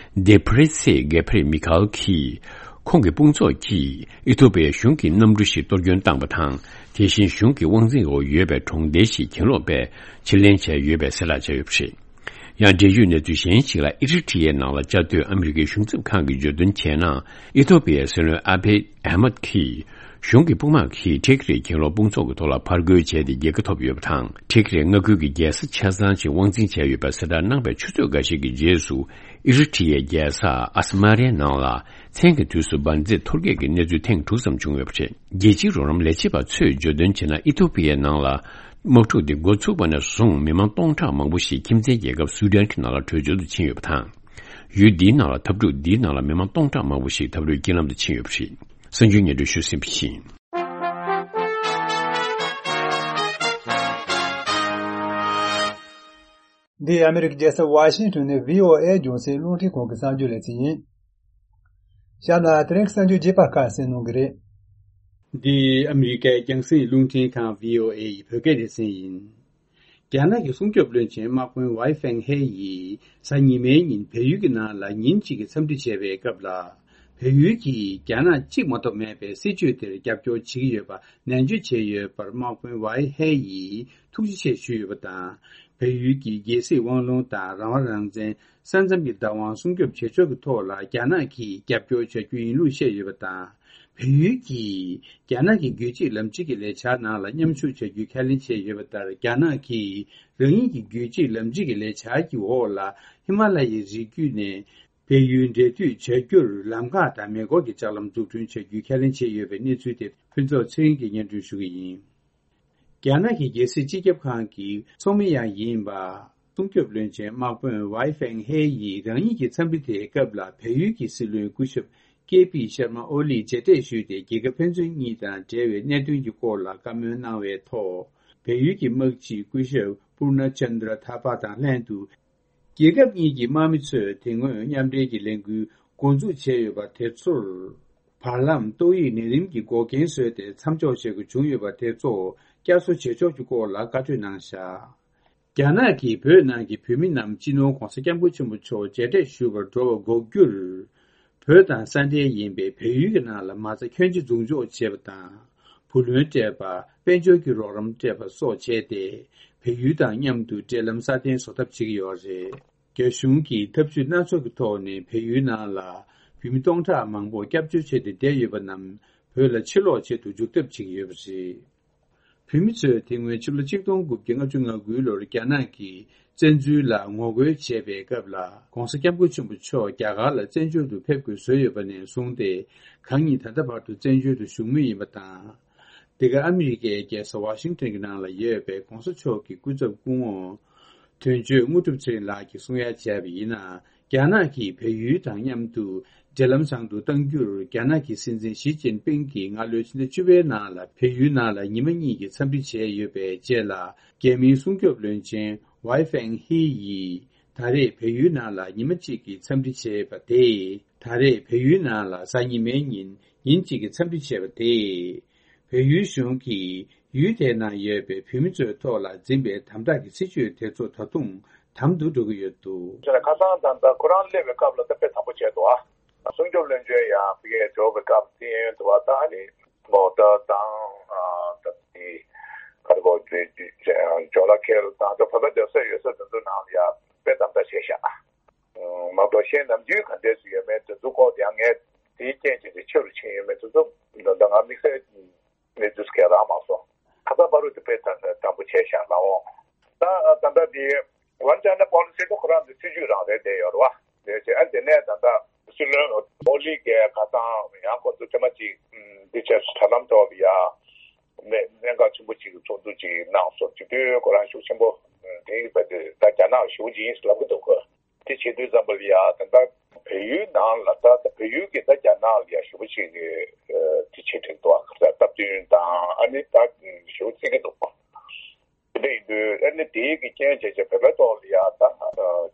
དེ་བྷི་རི་ཚེ་གེ་ཕ་རི་མི་ཁ་ཨེལ་གྱིས། ཁོང་གི་དཔུང་ཚོགས་ཀྱིས་ཨི་ཐོ་པི་ཡའི་གཞུང་གི་གནམ་གྲུ་ཞིག་གཏོར་སྐྱོན་བཏང་པ་དང་། དེ་བཞིན་གཞུང་གི་དབང་འཛིན་འོག་ཡོད་པའི་གྲོང་རྡལ་ཞིག་གྱེན་ལོག་པས་ཕྱིར་ལེན་བྱས་ཡོད་པའི་གསལ་བསྒྲགས་བྱས་ཡོད་པ་རེད། ཡང་འབྲེལ་ཡོད་གནས་ཚུལ་གཞན་ཞིག་ལ། ཨི་རི་ཊི་ཡའི་ནང་ལ་བཅའ་སྡོད་ཨ་མི་རི་ཀའི་གཞུང་ཚབ་ཁང་གིས་བརྗོད་དོན་བྱས་ན། ཨི་ཐོ་པི་ཡའི་སྲིད་བློན་ཨ་བྷི་ཨ་ཧ་མད་ཀྱིས། གཞུང་གི་དཔུང་དམག་གིས་ཊི་ཁི་རིའི་གྱེན་ལོག་དཔུང་ཚོགས་ཀྱི་ཐོག་ལ་ཕར་རྒོལ་བྱས་ཏེ་རྒྱལ་ཁ་ཐོབ་ཡོད་པ་དང་། ཊི་ཁི་རིའི་མངའ་ཁུལ་གྱི་རྒྱལ་ས་ཆ་ཚང་ཞིག་དབང་འཛིན་བྱས་ཡོད་པའི་གསལ་བསྒྲགས་གནང་བའི་ཆུ་ཚོད་འགའ་ཤས་ཀྱི་རྗེས་སུ། ཨི་རི་ཊི་ཡའི་རྒྱལ་ས་ཨ་སི་མ་རའི་ནང་ལ་མཚན་གྱི་དུས་སུ་འབར་རྫས་ཐོར་རྒྱས་ཀྱི་གནས་ཚུལ་ཐེངས་དྲུག་ཙམ་བྱུང་ཡོད་པ་རེད། རྒྱལ་སྤྱིའི་རོགས་རམ་ལས་བྱེད་པ་ཚོས་བརྗོད་དོན་བྱས་ན། ཨི་ཐོ་པི་ཡའི་ནང་ལ་དམག་འཁྲུག་འདི་འགོ་ཚུགས་པ་ནས་བཟུང་མི་མང་སྟོང་ཕྲག་མང་པོ་ཞིག་ཁྱིམ་མཚེས་རྒྱལ་ཁབ་སུའུ་ཌན་གྱི་ནང་ལ་བྲོས་བྱོལ་དུ་ཕྱིན་ཡོད་པ་དང་། ཡུལ་འདིའི་ནང་ལ་འཐབ་འཁྲུག་འདིའི་ནང་ལ་མི་མང་སྟོང་ཕྲག་མང་པོ་ཞིག་འཐབ་རོགས་རྐྱེན་ལམ་དུ་ཕྱིན་ཡོད་པ་རེད། གསར་འགྱུར་སྙན་སྒྲོན་ཞུས་ཟིན་པ་ཡིན། འདི་ཨ་མི་རི་ཀའི་རྒྱལ་ས་ཝ་ཤིང་ཊོན་ནས་བྷི་ཨོ་ཨེ་རྒྱང་སྲིང་རླུང་འཕྲིན་ཁང་གི་གསར་འགྱུར་ལེ་ཚན་ཡིན། ཞག་ན་དེ་རིང་གི་གསར་འགྱུར་རྒྱས་པ་ཁ་གསན་གནང་གི་རེད། འདི་ཨ་མི་རི་ཀའི་རྒྱང་སྲིང་རླུང་འཕྲིན་ཁང་བྷི་ཨོ་ཨེ་ཡི་བོད་སྐད་སྡེ་ཚན་ཡིན། རྒྱ་ནག་གི་སྲུང་སྐྱོབ་བློན་ཆེན་དམག་དཔོན་ཝའེ་ཧྥེང་ཧེ་ཡིས་གཟའ་ཉི་མའི་ཉིན་བལ་ཡུལ་གྱི་ནང་ལ་ཉིན་གཅིག་གི་འཚམས་འདྲི་བྱས་པའི་སྐབས་ལ། བལ་ཡུལ་གྱིས་རྒྱ་ནག་གཅིག་མ་གཏོགས་མེད་པའི་སྲིད་བྱུས་དེར་རྒྱབ་སྐྱོར་བྱེད་ཀྱི་ཡོད་པ་ནན་བརྗོད་བྱས་ཡོད་པར། དམག་དཔོན་ཝའེ་ཧེ་ཡིས་ཐུགས་རྗེ་ཆེ་ཞུས་ཡོད་པ་དང་། བལ་ཡུལ་གྱི་རྒྱལ་སྲིད་དབང་ལུང་དང་རང་དབང་རང་བཙན། ས་མཚམས་ཀྱི་བདག་དབང་སྲུང་སྐྱོབ་བྱེད་ཕྱོགས་ཀྱི་ཐོག་ལ་རྒྱ་ནག་གིས་རྒྱབ་སྐྱོར་བྱ་རྒྱུ་ཡིན་ལུགས་བཤད་ཡོད་པ་དང་། བལ་ཡུལ་གྱིས་རྒྱ་ནག་གི་རྒྱུད་གཅིག་ལམ་གཅིག་གི་ལས་འཆར་ནང་ལ་མཉམ་ཞུགས་བྱ་རྒྱུའི་ཁས་ལེན་བྱས་ཡོད་པ་ལྟར། རྒྱ་ནག་གིས་རང་ཉིད་ཀྱི་རྒྱུད་གཅིག་ལམ་གཅིག་གི་ལས་འཆར་གྱི་འོག་ལ་ཧི་མ་ལ་ཡའི་རི་རྒྱུད་ནས་བལ་ཡུལ་འབྲེལ་མཐུད་བྱ་རྒྱུར་ལམ་ཁ་དང་མེ་འཁོར་གྱི་ལྕགས་ལམ་འཛུགས་སྐྲུན་བྱ་རྒྱུའི་ཁས་ལེན་བྱས་ཡོད་པའི་གནས་ཚུལ་དེ་ཕུན་ཚོགས་ཚེ་རིང་གིས་སྙན་སྒྲོན་ཞུ་གི་ཡིན། རྒྱ་ནག་གི་རྒྱལ་སྲིད་སྤྱི་ཁྱབ་ཁང་གི་ཚོགས་མི་ཡང་ཡིན་པ། སྲུང་སྐྱོབ་བློན་ཆེན་དམག་དཔོན་ཝའེ་ཧྥེང་ཧེ་ཡིས་རང་ཉིད་ཀྱི་འཚམས་འདྲི་དེའི་སྐབས་ལ་བལ་ཡུལ་གྱི་སྲིད་བློན་སྐུ་ཞབས་ཀེ་པི་ཤར་མ་ཨོ་ལིས་མཇལ་འཕྲད་ཞུས་ཏེ། རྒྱལ་ཁབ་ཕན་ཚུན་གཉིས་དང་འབྲེལ་བའི་གནད་དོན་གྱི་སྐོར་ལ་བཀའ་མོལ་གནང་བའི་ཐོག་བལ་ཡུལ་གྱི་དམག་སྤྱི་སྐུ་ཞབས་པུར་ན་ཅན་དྲ་ཐ་པ་དང་ལྷན་དུ། རྒྱལ་ཁབ་གཉིས་ཀྱི་དམག་མི་ཚོས་དེ་སྔོན་མཉམ་འབྲེལ་གྱི་ལས་འགུལ་འགོ་འཛུགས་བྱས་ཡོད་པ་དེ་ཚོར། བར་ལམ་ཏོག་དབྱིབས་ནད་རིམས་ཀྱི་འགོག་རྐྱེན་བཟོས་ཏེ་མཚམས་འཇོག་བྱེད་དགོས་བྱུང་ཡོད་པ་དེ་ཚོ་བསྐྱར་གསོ་བྱེད་ཕྱོགས་ཀྱི་སྐོར་ལ་བཀའ་གྲོས་གནང་བཞག་རྒྱ་ནག་གིས་བོད་ནང་གི་བོད་མི་རྣམས་སྤྱི་ནོར་༧གོང་ས་༧སྐྱབས་མགོན་ཆེན་པོ་མཆོག་མཇལ་འཕྲད་ཞུ་བར་འགྲོ་བ་འགོག་རྒྱུར། བོད་དང་ས་འབྲེལ་ཡིན་པའི་བལ་ཡུལ་གྱི་ནང་ལ་མ་རྩ་ཁྱོན་ཆེ་འཛུགས་འཇོག་བྱས་པ་དང་། བུ་ལོན་སྤྲད་པ། དཔལ་འབྱོར་གྱི་རོགས་རམ་སྤྲད་པ་སོགས་བྱས་ཏེ། བལ་ཡུལ་དང་མཉམ་དུ་འབྲེལ་ལམ་སྲ་བརྟན་བཟོ་ཐབས་བྱེད་ཀྱི་ཡོད་རེད། རྒྱ་གཞུང་གིས་ཐབས་ཇུས་སྣ་ཚོགས་ཀྱི་ཐོག་ནས་བལ་ཡུལ་ནང་ལ་བོད་མི་སྟོང་ཕྲག་མང་པོ་སྐྱབས་བཅོལ་བྱས་ཏེ་བསྡད་ཡོད་པ་རྣམས་བོད་ལ་ཕྱིར་ལོག་ཆེད་དུ་འཇུག་ཐབས་བྱེད་ཀྱི་ཡོད་པ་རེད། བོད་མི་ཚོས་དེ་སྔོན་ཕྱི་ལོ་ཆིག་སྟོང་དགུ་བརྒྱ་ལྔ་བཅུ་ང་དགུ་ལོར་རྒྱ་ནག་གིས་བཙན་འཛུལ་ལ་ངོ་རྒོལ་བྱས་པའི་སྐབས་ལ། ༧གོང་ས་༧སྐྱབས་མགོན་ཆེན་པོ་མཆོག་རྒྱ་གར་ལ་བཙན་བྱོལ་དུ་ཕེབས་དགོས་བཟོས་ཡོད་པ་ནས་བཟུང་སྟེ། གང་ཉིད་ད་ལྟ་བར་དུ་བཙན་བྱོལ་དུ་བཞུགས་མུས་ཡིན་པ་དང་། འདི་ག་ཨ་མི་རི་ཀའི་རྒྱལ་ས་ཝ་ཤིང་ཊོན་གྱི་ནང་ལ་ཡོད་པའི་༧གོང་ས་མཆོག་གི་སྐུ་ཚབ་སྐུ་ངོ་དོན་གཅོད་དངོས་གྲུབ་ཚེ་རིང་ལགས་ཀྱིས་གསུང་ཡ་བྱས་པ་ཡིན་ན། རྒྱ་ནག་གིས་བལ་ཡུལ་དང་མཉམ་དུ་འབྲེལ་ལམ་བཟང་དུ་གཏང་རྒྱུར། རྒྱ་ནག་གི་སྲིད་འཛིན་ཞི་ཅིན་ཕིང་གིས་སྔ་ལོའི་ཕྱི་ཟླ་བཅུ་པའི་ནང་ལ་བལ་ཡུལ་ནང་ལ་ཉི་མ་གཉིས་ཀྱི་འཚམས་འདྲི་བྱས་ཡོད་པའི་རྗེས་ལ། རྒྱ་མིའི་སྲུང་སྐྱོབ་བློན་ཆེན་ཝའེ་ཧྥེང་ཧི་ཡིས་ད་རེས་བལ་ཡུལ་ནང་ལ་ཉི་མ་གཅིག་གི་འཚམས་འདྲི་བྱས་པ་དེས། ད་རེས་བལ་ཡུལ་ནང་ལ་གཟའ་ཉི་མའི་ཉིན་ཉིན་གཅིག་གི་འཚམས་འདྲི་བྱས་པ་དེས། བལ་ཡུལ་གཞུང་གིས་ཡུལ་དེའི་ནང་ཡོད་པའི་བོད་མི་ཚོའི་ཐོག་ལ་འཛིན་པའི་དམ་དྲག་གི་སྲིད་བྱུས་དེ་ཚོ་ད་དུང་དམ་དུ་འགྲོ་གི་ཡོད་འདུག་ཁ་སང་ད་ལྟ་ཁོ་རང་སླེབས་པའི་སྐབས་ལ་ད་དཔེ་དམ་པོ་བྱས་འདུག་ཨ། སྲུང་སྐྱོབ་བློན་ཆེན་ཡང་ཕ་གིར་འགྲོ་བའི་སྐབས་དེ་ཡོད་འདུག་བ། ད་ཨ་ནི་མོ་ཊ་དང་ཨ་ད་དེ་ག་རེ་གོ་ཇོ་ཇོ་ལ་ཁེལ་དང་ད་བོད་པ་སྡོད་ས་ཡོད་ས་དེ་ཚོ་ནང་ལ་ཡང་དཔེ་དམ་དྲག་བྱས་ཤག་མ་གཏོགས་གཞན་ནམ་རྒྱུན་ག་འདྲས་སུ་ཡོད་མེད་དེ་ཚོ་སྐོར་དེ་ཡང་ངས་དེའི་རྐྱེན་བྱས་ཏེ་ཆེ་རུ་ཕྱིན་ཡོད་མེད་དེ་ཚོ་ད་ལྟ་ང་དམིགས་བསལ་གནས་ཚུལ་གང་ཡང་རག་མ་སོང་། ཁ་སང་བར་དུ་དེ་དཔེ་དམ་དམ་པོ་བྱས་ཤག་ལགས་འོང་། ད་ད་ལྟ་དེ་ཝན་ཅའི་ན་པོ་ལི་སི་དེ་ཁོ་རང་ཚོའི་སྲིད་ཇུས་རང་རེད་བསྡད་ཡོད་རེད་བ། དེ་བྱས་ཨ་དེ་ནས་ད་ལྟ་སྲིད་བློན་ཨོ་ལི་གིས་ཁ་སང་ཡང་ཁོ་ཚོ་ཐེངས་མ་གཅིག་འདི་བྱས་དྲ་ལམ་ཐོག་ལ་ཡ་གནད་གནད་འགག་ཆེན་པོ་གཅིག་གི་ཚོགས་འདུ་གཅིག་གནང་སོང་། དེ་དུས་ཁོ་རང་ཤུགས་ཆེན་པོ་དེ་ཡིན་པ་དེ་ད་རྒྱ་ནག་ཞེ་པོ་ཅིག་ཡིན་ཟེར་ལབ་ཀྱི་འདུག་གོ། དེ་བྱེད་དུས་ཙམ་པ་ལ་ཡ་ད་ལྟ་བལ་ཡུལ་ནང་ལ་ད་ལྟ་བལ་ཡུལ་གྱི་ད་རྒྱ་ནག་ལ་ཡ་ཞེ་པོ་ཅིག་གི་དེ་བྱེད་ཀྱི་འདུག་ཨ། སྟབས་བསྟུན་དང་ཨ་ནི་ད་ཞེ་པོ་བརྩི་གི་འདུག་དེ་འདྲ་ཡིན་དུས་ཨ་ནི་དེའི་གི་རྐྱེན་བྱས་བྱས་བོད་པའི་ཐོག་ལ་ཡ་ད་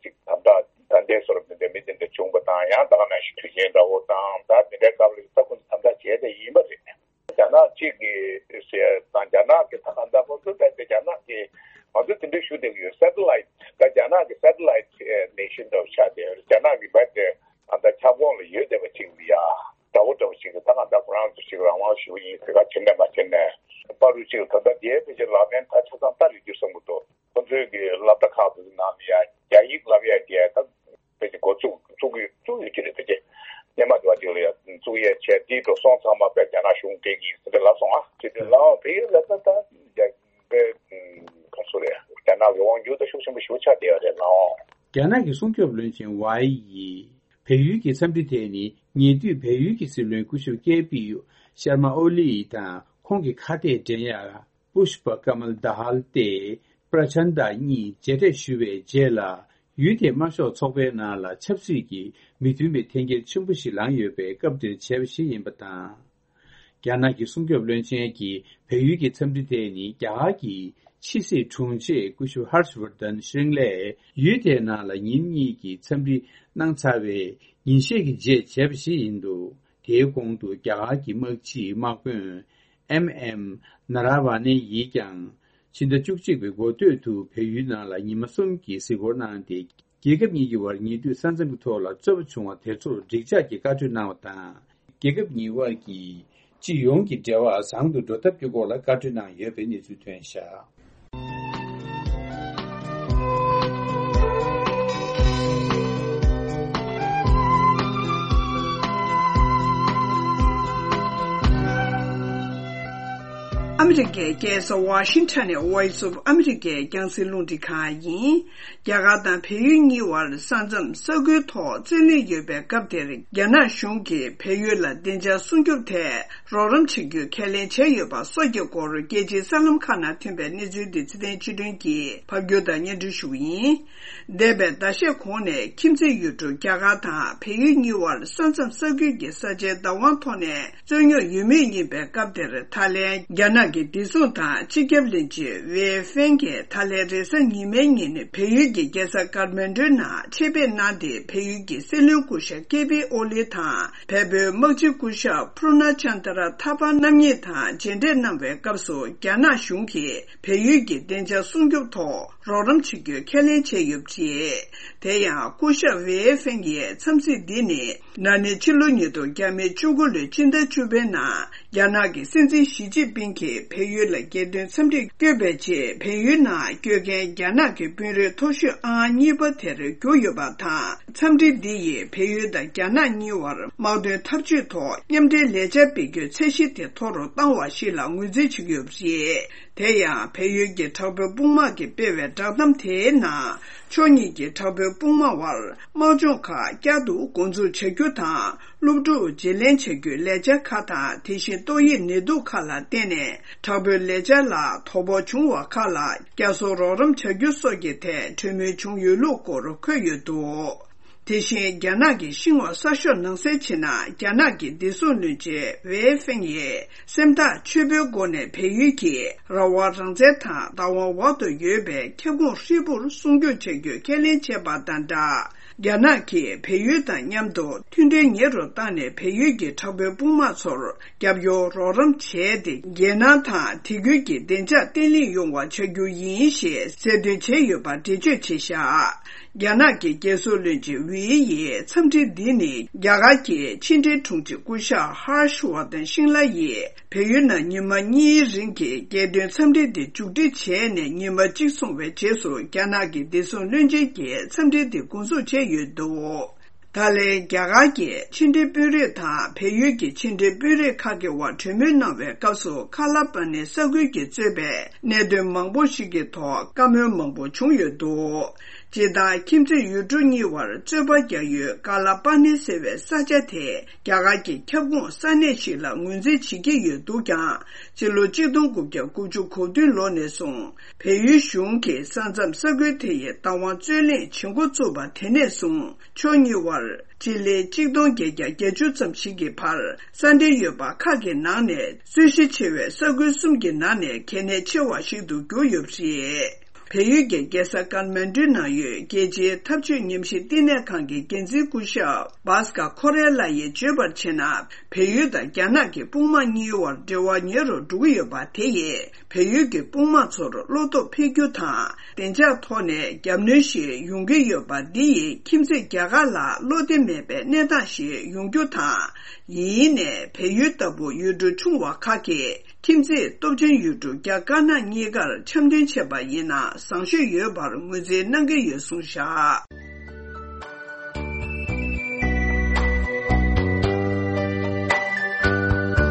ཅིག་དམ་དྲག་ད་ལྟའི་བཟོ་འདྲ་དེ་འདྲ་མི་དེ་འདྲ་བྱུང་བ་དང་། ཡང་ད་ག་ནང་བཞིན་དུས་ཆེན་འདྲ་བོ་དང་ད་དེ་འདྲའི་སྐབས་ལ་ད་ཁོ་ཚོ་དམ་དྲག་བྱས་ཏེ་ཡིན་པ་རེད། རྒྱ་ནག་གཅིག་གིས་ཟེར་དང་རྒྱ་ནག་གི་ད་ག་འདྲ་ཁོ་ཚོ་ད་ལྟ་རྒྱ་ནག་གི་ང་ཚོ་དེ་འདྲ་ཞུ་བསྡད་ཀྱི་ཡོད། སེ་ཊི་ལའེ་ཊི་ད་རྒྱ་ནག་གི་སེ་ཊི་ལའེ་ཊི་ནེ་ཤན་འདྲ་བོ་ཆགས་བསྡད་ཡོད་རེད། རྒྱ་ནག་གི་བར་དེ་ད་ལྟ་ཁྱབ་ཁོངས་ལ་ཡོད་བསྡད་པ་གཅིག་ལ་ཡ་འདྲ་བོ་འདྲ་བོ་ཞིག་གི་ད་ག་འདྲ་ཁོ་རང་ཚོ་ཞིག་རང་དབང་ཞུ་གི་ཡིན་ཟེར་ག་བྱེད་ནས་མ་བྱེད་ནས་པ་རུ་གཅིག་ད་ལྟ་དེའི་ཕལ་ཆེར་ལག་ལེན་ད་ཆ་ཚང་བསྟར་ཡོད་རྒྱུ་བསམ་གྱི་འདུག་ཁོ་ཚོའི་གི་སློབ་གྲྭ་ཁག་ཏུ་ནང་ལ་ཡ་རྒྱ་ཡིག་བསླབ་ཡ་དེ་ད་ཕལ་ཆེར་འགོ་བཙུགས་བཙུགས་ཀྱི་བཙུགས་ཡོད་ཀྱི་རེད། ཕལ་ཆེར་སྔོན་མ་དེ་བ་ཅིག་ལ་ཡ་བཙུགས་ཡས་བྱས་དེའི་འགྲོ་སོང་ཚང་མ་དཔེ་རྒྱ་ནག་གཞུང་སྤྲད་ཀྱི་ཡིན་ཟེར་ཏེ་ལབ་སོང་ཨ། དེ་དུས་ལའོ་བལ་ཡུལ་ལ་ད་ད་རྒྱ་དཔེ་ག་ཚོད་རེད། རྒྱ་ནག་གི་དབང་སྒྱུར་ད་ཤུགས་ཆེན་པོ་ཞེ་པོ་ཆགས་བསྡད་ཡོད་རེད་ལའོ། རྒྱ་ནག་གི་སྲུང་སྐྱོབ་བློན་ཆེན་ཝའེ་ཡིས་བལ་ཡུལ་གྱི་འཚམས་འདྲི་དེ་ནི་ཉེ་དུས་བལ་ཡུལ་གྱི་སྲིད་བློན་སྐུ་ཞབས་ཀེ་པི་ཤར་མ་ཨོ་ལི་དང་ཁོང་གི་ཁ་གཏད་འགྲན་ཡ་པུཤ་པ་ཀ་མལ་དྷ་ཧལ་ཏེ་པྲ་ཆན་དྷ་གཉིས་མཇལ་འཕྲད་ཞུ་བའི་རྗེས་ལ། ཡུལ་དེའི་དམར་ཤོག་ཚོགས་པའི་ནང་ལ་ཆབ་སྲིད་ཀྱི་མི་མཐུན་པའི་འཐེན་འཁྱེར་ཆེན་པོ་ཞིག་ལངས་ཡོད་པའི་སྐབས་དེར་བྱས་པ་ཞིག་ཡིན་པ་དང་། རྒྱ་ནག་གི་སྲུང་སྐྱོབ་བློན་ཆེན་གྱིས་བལ་ཡུལ་གྱི་འཚམས་འདྲི་དེ་ནི་རྒྱ་གར་གྱི་ཕྱི་སྲིད་དྲུང་ཆེ་སྐུ་ཞབས་ཧར་ཤ་ཝར་དན་ཤྲིང་ལས་ཡུལ་དེའི་ནང་ལ་ཉིན་གཉིས་ཀྱི་འཚམས་འདྲི་གནང་ཚར་བའི་ཉིན་ཤས་ཀྱི་རྗེས་བྱས་པ་ཞིག་ཡིན་འདུག་དེའི་གོང་དུ་རྒྱ་གར་གྱི་དམག་སྤྱིའི་དམག་དཔོན་ཨེམ་ཨེམ་ནཱ་ར་ཝ་ནེ་ཡིས་ཀྱང་ཕྱི་ཟླ་བཅུ་གཅིག་པའི་འགོ་སྟོད་དུ་བལ་ཡུལ་ནང་ལ་ཉི་མ་གསུམ་གྱི་གཟིགས་སྐོར་གནང་སྟེ། རྒྱལ་ཁབ་གཉིས་ཀྱི་དབར་ཉེ་དུས་ས་མཚམས་ཀྱི་ཐོག་ལ་རྩོད་པ་བྱུང་བ་དེ་ཚོར་འགྲིག་འཇགས་ཀྱི་བཀའ་འཁྲོལ་གནང་བ་དང་། རྒྱལ་ཁབ་གཉིས་དབར་གྱི་སྤྱི་ཡོངས་ཀྱི་འབྲེལ་བ་བཟང་དུ་འགྲོ་ཐབས་ཀྱི་སྐོར་ལ་བཀའ་འཁྲོལ་གནང་ཡོད་པའི་གནས་ཚུལ་ཐོན་བཞག་ཨ་མི་རི་ཀའི་རྒྱལ་ས་ཝ་ཤིང་ཊོན་ནས་Voice of America་རྒྱང་སྲིང་རླུང་འཕྲིན་ཁང་ཡིན། རྒྱ་གར་དང་བལ་ཡུལ་གཉིས་བར་ས་མཚམས་ས་ཁུལ་ཐོག་རྩོད་གླེང་ཡོད་པའི་སྐབས་དེར། རྒྱ་ནག་གཞུང་གིས་བལ་ཡུལ་ལ་བདེ་འཇགས་སྲུང་སྐྱོབ་ཐད་རོགས་རམ་བྱེད་རྒྱུའི་ཁས་ལེན་བྱས་ཡོད་པ་སོགས་ཀྱི་སྐོར། རྒྱལ་སྤྱིའི་གསར་ལམ་ཁག་ནང་ཐོན་པའི་གནས་ཚུལ་འདི་ཚེ་བརྟན་ཆོས་སྒྲོན་གྱིས་ཕབ་སྒྱུར་དང་སྙན་སྒྲོན་ཞུ་གི་ཡིན། འདས་པའི་ཟླ་ཤས་གོང་ནས་ཁྱིམ་མཚེས་ཡུལ་གྲུ་རྒྱ་གར་དང་བལ་ཡུལ་གཉིས་བར་ས་མཚམས་ས་ཁུལ་གྱི་ས་ཆའི་བདག་དབང་ཐོག་ནས་རྩོད་རྙོག་ཡོད་མུས་ཡིན་པའི་སྐབས་དེར། ཐའི་ལེན། རྒྱ་ནག་གི་བདེ་སྲུང་དང་སྤྱི་ཁྱབ་བློན་ཆེན་ཝེ་ཧྥེང་གིས་ད་ལན་རེས་གཟའ་ཉི་མའི་ཉིན་བལ་ཡུལ་གྱི་རྒྱལ་ས་ཀར་མན་ཌུའི་ནང་ཆེད་ཕེབས་གནང་སྟེ། བལ་ཡུལ་གྱི་སྲིད་བློན་སྐུ་ཞབས་ཀེ་པི་ཨོ་ལི་དང་བལ་པོའི་དམག་སྤྱི་སྐུ་ཞབས་པུ་རུ་ན་ཅན་དྲ་ཐ་པ་རྣམ་གཉིས་དང་མཇལ་འཕྲད་གནང་བའི་སྐབས་སུ། རྒྱ་ནག་གཞུང་གིས་བལ་ཡུལ་གྱི་བདེ་འཇགས་སྲུང་སྐྱོབ་ཐོག་རོགས་རམ་བྱེད་རྒྱུའི་ཁས་ལེན་བྱས་ཡོད་པ་རེད། དེ་ཡང་སྐུ་ཞབས་ཝེ་ཧྥེང་ཡིས་འཚམས་གཟིགས་འདི་ནི། ན་ནིང་ཕྱི་ལོ་ཉིས་སྟོང་ཉེར་དགུ་ལོའི་ཕྱི་ཟླ་བཅུ་པའི་ནང་རྒྱ་ནག་གི་སྲིད་འཛིན་ཞི་ཅིན་ཕིང་གིས་བལ་ཡུལ་ལ་རྒྱལ་དོན་འཚམས་འདྲིར་བསྐྱོད་པའི་རྗེས། བལ་ཡུལ་ནང་བསྐྱོད་མཁན་རྒྱ་ནག་གི་དཔོན་རིགས་མཐོ་ཤོས་ཨང་གཉིས་པ་དེར་གྱུར་ཡོད་པ་དང་། འཚམས་འདྲི་འདི་ཡིས་བལ་ཡུལ་དང་རྒྱ་ནག་གཉིས་བར་དམག་དོན་འཐབ་ཇུས་ཐོག་མཉམ་འབྲེལ་ལས་འཆར་སྤེལ་རྒྱུའི་ཚད་གཞི་དེ་མཐོ་རུ་བཏང་བ་ཞིག་ལ་ངོས་འཛིན་བྱེད་ཀྱི་ཡོད་པ་རེད། དེ་ཡང་བལ་ཡུལ་གྱི་དྲག་པོའི་དཔུང་དམག་གིས་སྤེལ་བའི་བསྒྲགས་གཏམ་དེའི་ནང་། ཕྱོགས་གཉིས་ཀྱི་དྲག་པོའི་དཔུང་དམག་བར་དམག་སྦྱོང་ཁག་བསྐྱར་དུ་འགོ་འཛུགས་བྱ་རྒྱུ་དང་། སློབ་ཕྲུག་བརྗེ་ལེན་བྱ་རྒྱུའི་ལས་འཆར་ཁག་དང་། དེ་བཞིན་ཏོག་དབྱིབས་ནད་དུག་ཁག་ལ་བརྟེན་ནས་དྲག་པོའི་ལས་འཆར་ལ་དོ་ཕོག་བྱུང་བ་ཁག་ལ་བསྐྱར་གསོ་རོགས་རམ་བྱ་རྒྱུ་སོགས་ཀྱི་ཐད་གྲོས་མོལ་བྱུང་ཡོད་ལུགས་སྐོར་འཁོད་ཡོད་འདུག། དེ་བཞིན་རྒྱ་ནག་གི་ཤིན་ཧྭ་གསར་ཤོག་ནང་གསལ་བྱས་ན། རྒྱ་ནག་གི་བདེ་སྲུང་བློན་ཆེན་ཝེ་ཧྥེང་ཡིས་སེམས་ཐག་ཆོད་པོའི་སྒོ་ནས་བལ་ཡུལ་གྱི་རང་དབང་རང་བཙན་དང་བདག་དབང་འོག་ཏུ་ཡོད་པའི་ཁྱབ་ཁོངས་ཧྲིལ་པོར་སྲུང་སྐྱོབ་བྱ་རྒྱུའི་ཁས་ལེན་བྱས་པ་དང་སྦྲགས། རྒྱ་ནག་གིས་བལ་ཡུལ་དང་མཉམ་དུ་མཐུན་སྒྲིལ་ཉེ་རུ་བཏང་ནས། བལ་ཡུལ་གྱི་དྲག་པོའི་དཔུང་དམག་ཚོར་རྒྱབ་སྐྱོར་རོགས་རམ་བྱས་ཏེ། རྒྱལ་ནང་དང་དེ་ཁུལ་གྱི་བདེ་འཇགས་བརྟན་ལྷིང་ཡོང་བ་བྱ་རྒྱུ་ཡིན་ཞེས་གསལ་སྟོན་བྱས་ཡོད་པ་འགྲེལ་བརྗོད་བྱས་བཞག། རྒྱ་ནག་གི་རྒྱལ་སྲུང་བློན་ཆེན་ཝེ་ཡིས་འཚམས་འདྲི་འདི་ནི་རྒྱ་གར་གྱི་ཕྱི་འབྲེལ་དྲུང་ཆེ་སྐུ་ཞབས་ཧར་ཤ་ཝར་དན་ཤིང་ལ་ཡིས་བལ་ཡུལ་ནང་ཉི་མ་གཉིས་རིང་གི་རྒྱལ་དོན་འཚམས་འདྲི་འདི་མཇུག་སྒྲིལ་བྱས་ནས་ཉི་མ་གཅིག་སོང་བའི་རྗེས་སུ། རྒྱ་ནག་གི་བདེ་སྲུང་བློན་ཆེན་གྱིས་འཚམས་འདྲི་འདི་འགོ་འཛུགས་བྱས་ཡོད་འདུག། ད་ལན་རྒྱ་གར་གྱི་ཕྱི་འབྲེལ་དཔོན་རིགས་དང་བལ་ཡུལ་གྱི་ཕྱི་འབྲེལ་དཔོན་རིགས་ཁག་གི་དབར་གྲོས་མོལ་གནང་བའི་སྐབས་སུ། ཁ་ལ་པ་ནི་ས་ཁུལ་གྱིས་གཙོས་པའི་གནད་དོན་མང་པོ་ཞིག་གི་ཐོག་བཀའ་མོལ་མང་པོ་བྱུང་ཡོད་འདུག། སྤྱིར་བཏང་ཁྱིམ་མཚེས་ཡུལ་གྲུ་གཉིས་བར་རྩོད་པ་རྒྱག་ཡུལ་ཀ་ལ་པ་ནི་ཟེར་བའི་ས་ཆ་དེ་རྒྱ་གར་གྱི་ཁྱབ་ཁོངས་ས་གནས་ཤིག་ལ་ངོས་འཛིན་བྱེད་ཀྱི་ཡོད་འདུག་ཀྱང་། སྤྱི་ལོ་གཅིག་སྟོང་དགུ་བརྒྱ་དགུ་བཅུ་གོ་བདུན་ལོ་ནས་བཟུང་བལ་ཡུལ་གཞུང་གིས་ས་མཚམས་ས་ཁུལ་དེ་ཡི་བདག་དབང་རྩོད་གླེང་བྱེད་འགོ་བཙུགས་པ་དེ་ནས་བཟུང་ཕྱོགས་གཉིས་བར་སྤྱི་ལེ་གཅིག་སྟོང་བརྒྱད་བརྒྱ་བརྒྱད་ཅུ་ཙམ་ཞིག་གི་བར་ས་འབྲེལ་ཡོད་པ་ཁག་གི་ནང་ནས། རྩོད་གཞི་ཆེ་བའི་ས་ཁུལ་གསུམ་གྱི་ནང་ནས་གལ་གནད་ཆེ་བ་ཞིག་ཏུ་གྱུར་ཡོད་པ་རེད། བལ་ཡུལ་གྱི་རྒྱལ་ས་ཀར་མན་ཌུའི་ནང་ཡོད་རྒྱལ་སྤྱིའི་འཐབ་ཇུས་ཉམས་ཞིབ་བསྟི་གནས་ཁང་གི་འགན་འཛིན་སྐུ་ཞབས་བྷཱ་སྐར་ཁོ་རེ་ལ་ཡིས་བརྗོད་པར་བྱས་ན། བལ་ཡུལ་དང་རྒྱ་ནག་གི་དཔུང་དམག་གཉིས་བར་འབྲེལ་བ་ཉེ་རུ་འགྲོ་གི་ཡོད་པ་དེ་ཡིས། བལ་ཡུལ་གྱི་དཔུང་དམག་ཚོར་བློ་སྟོབས་འཕེལ་རྒྱུ་དང་། བདེ་འཇགས་ཐོག་ནས་རྒྱབ་གནོན་ཞིག་ཡོང་གི་ཡོད་པ་འདི་ཡིས་ཁྱིམ་མཚེས་རྒྱ་གར་ལ་བློ་བདེ་མེད་པའི་གནས་སྟངས་ཤིག་ཡོང་རྒྱུ་དང་། ཡིན་ནའི་བལ་ཡུལ་ལྟ་བུ་ཡུལ་གྲུ་ཆུང་བ་ཁག་གིས་ཁྱིམ་མཚེས་སྟོབས་ཆེན་ཡུལ་གྲུ་རྒྱ་དཀར་ནག་གཉིས་ཀར་འཆམ་མཐུན་བྱས་པ་ཡིན་ན་བཟང་ཤོས་ཡོད་པར་ངོས་འཛིན་གནང་གི་ཡོད་གསུངས་བཞག།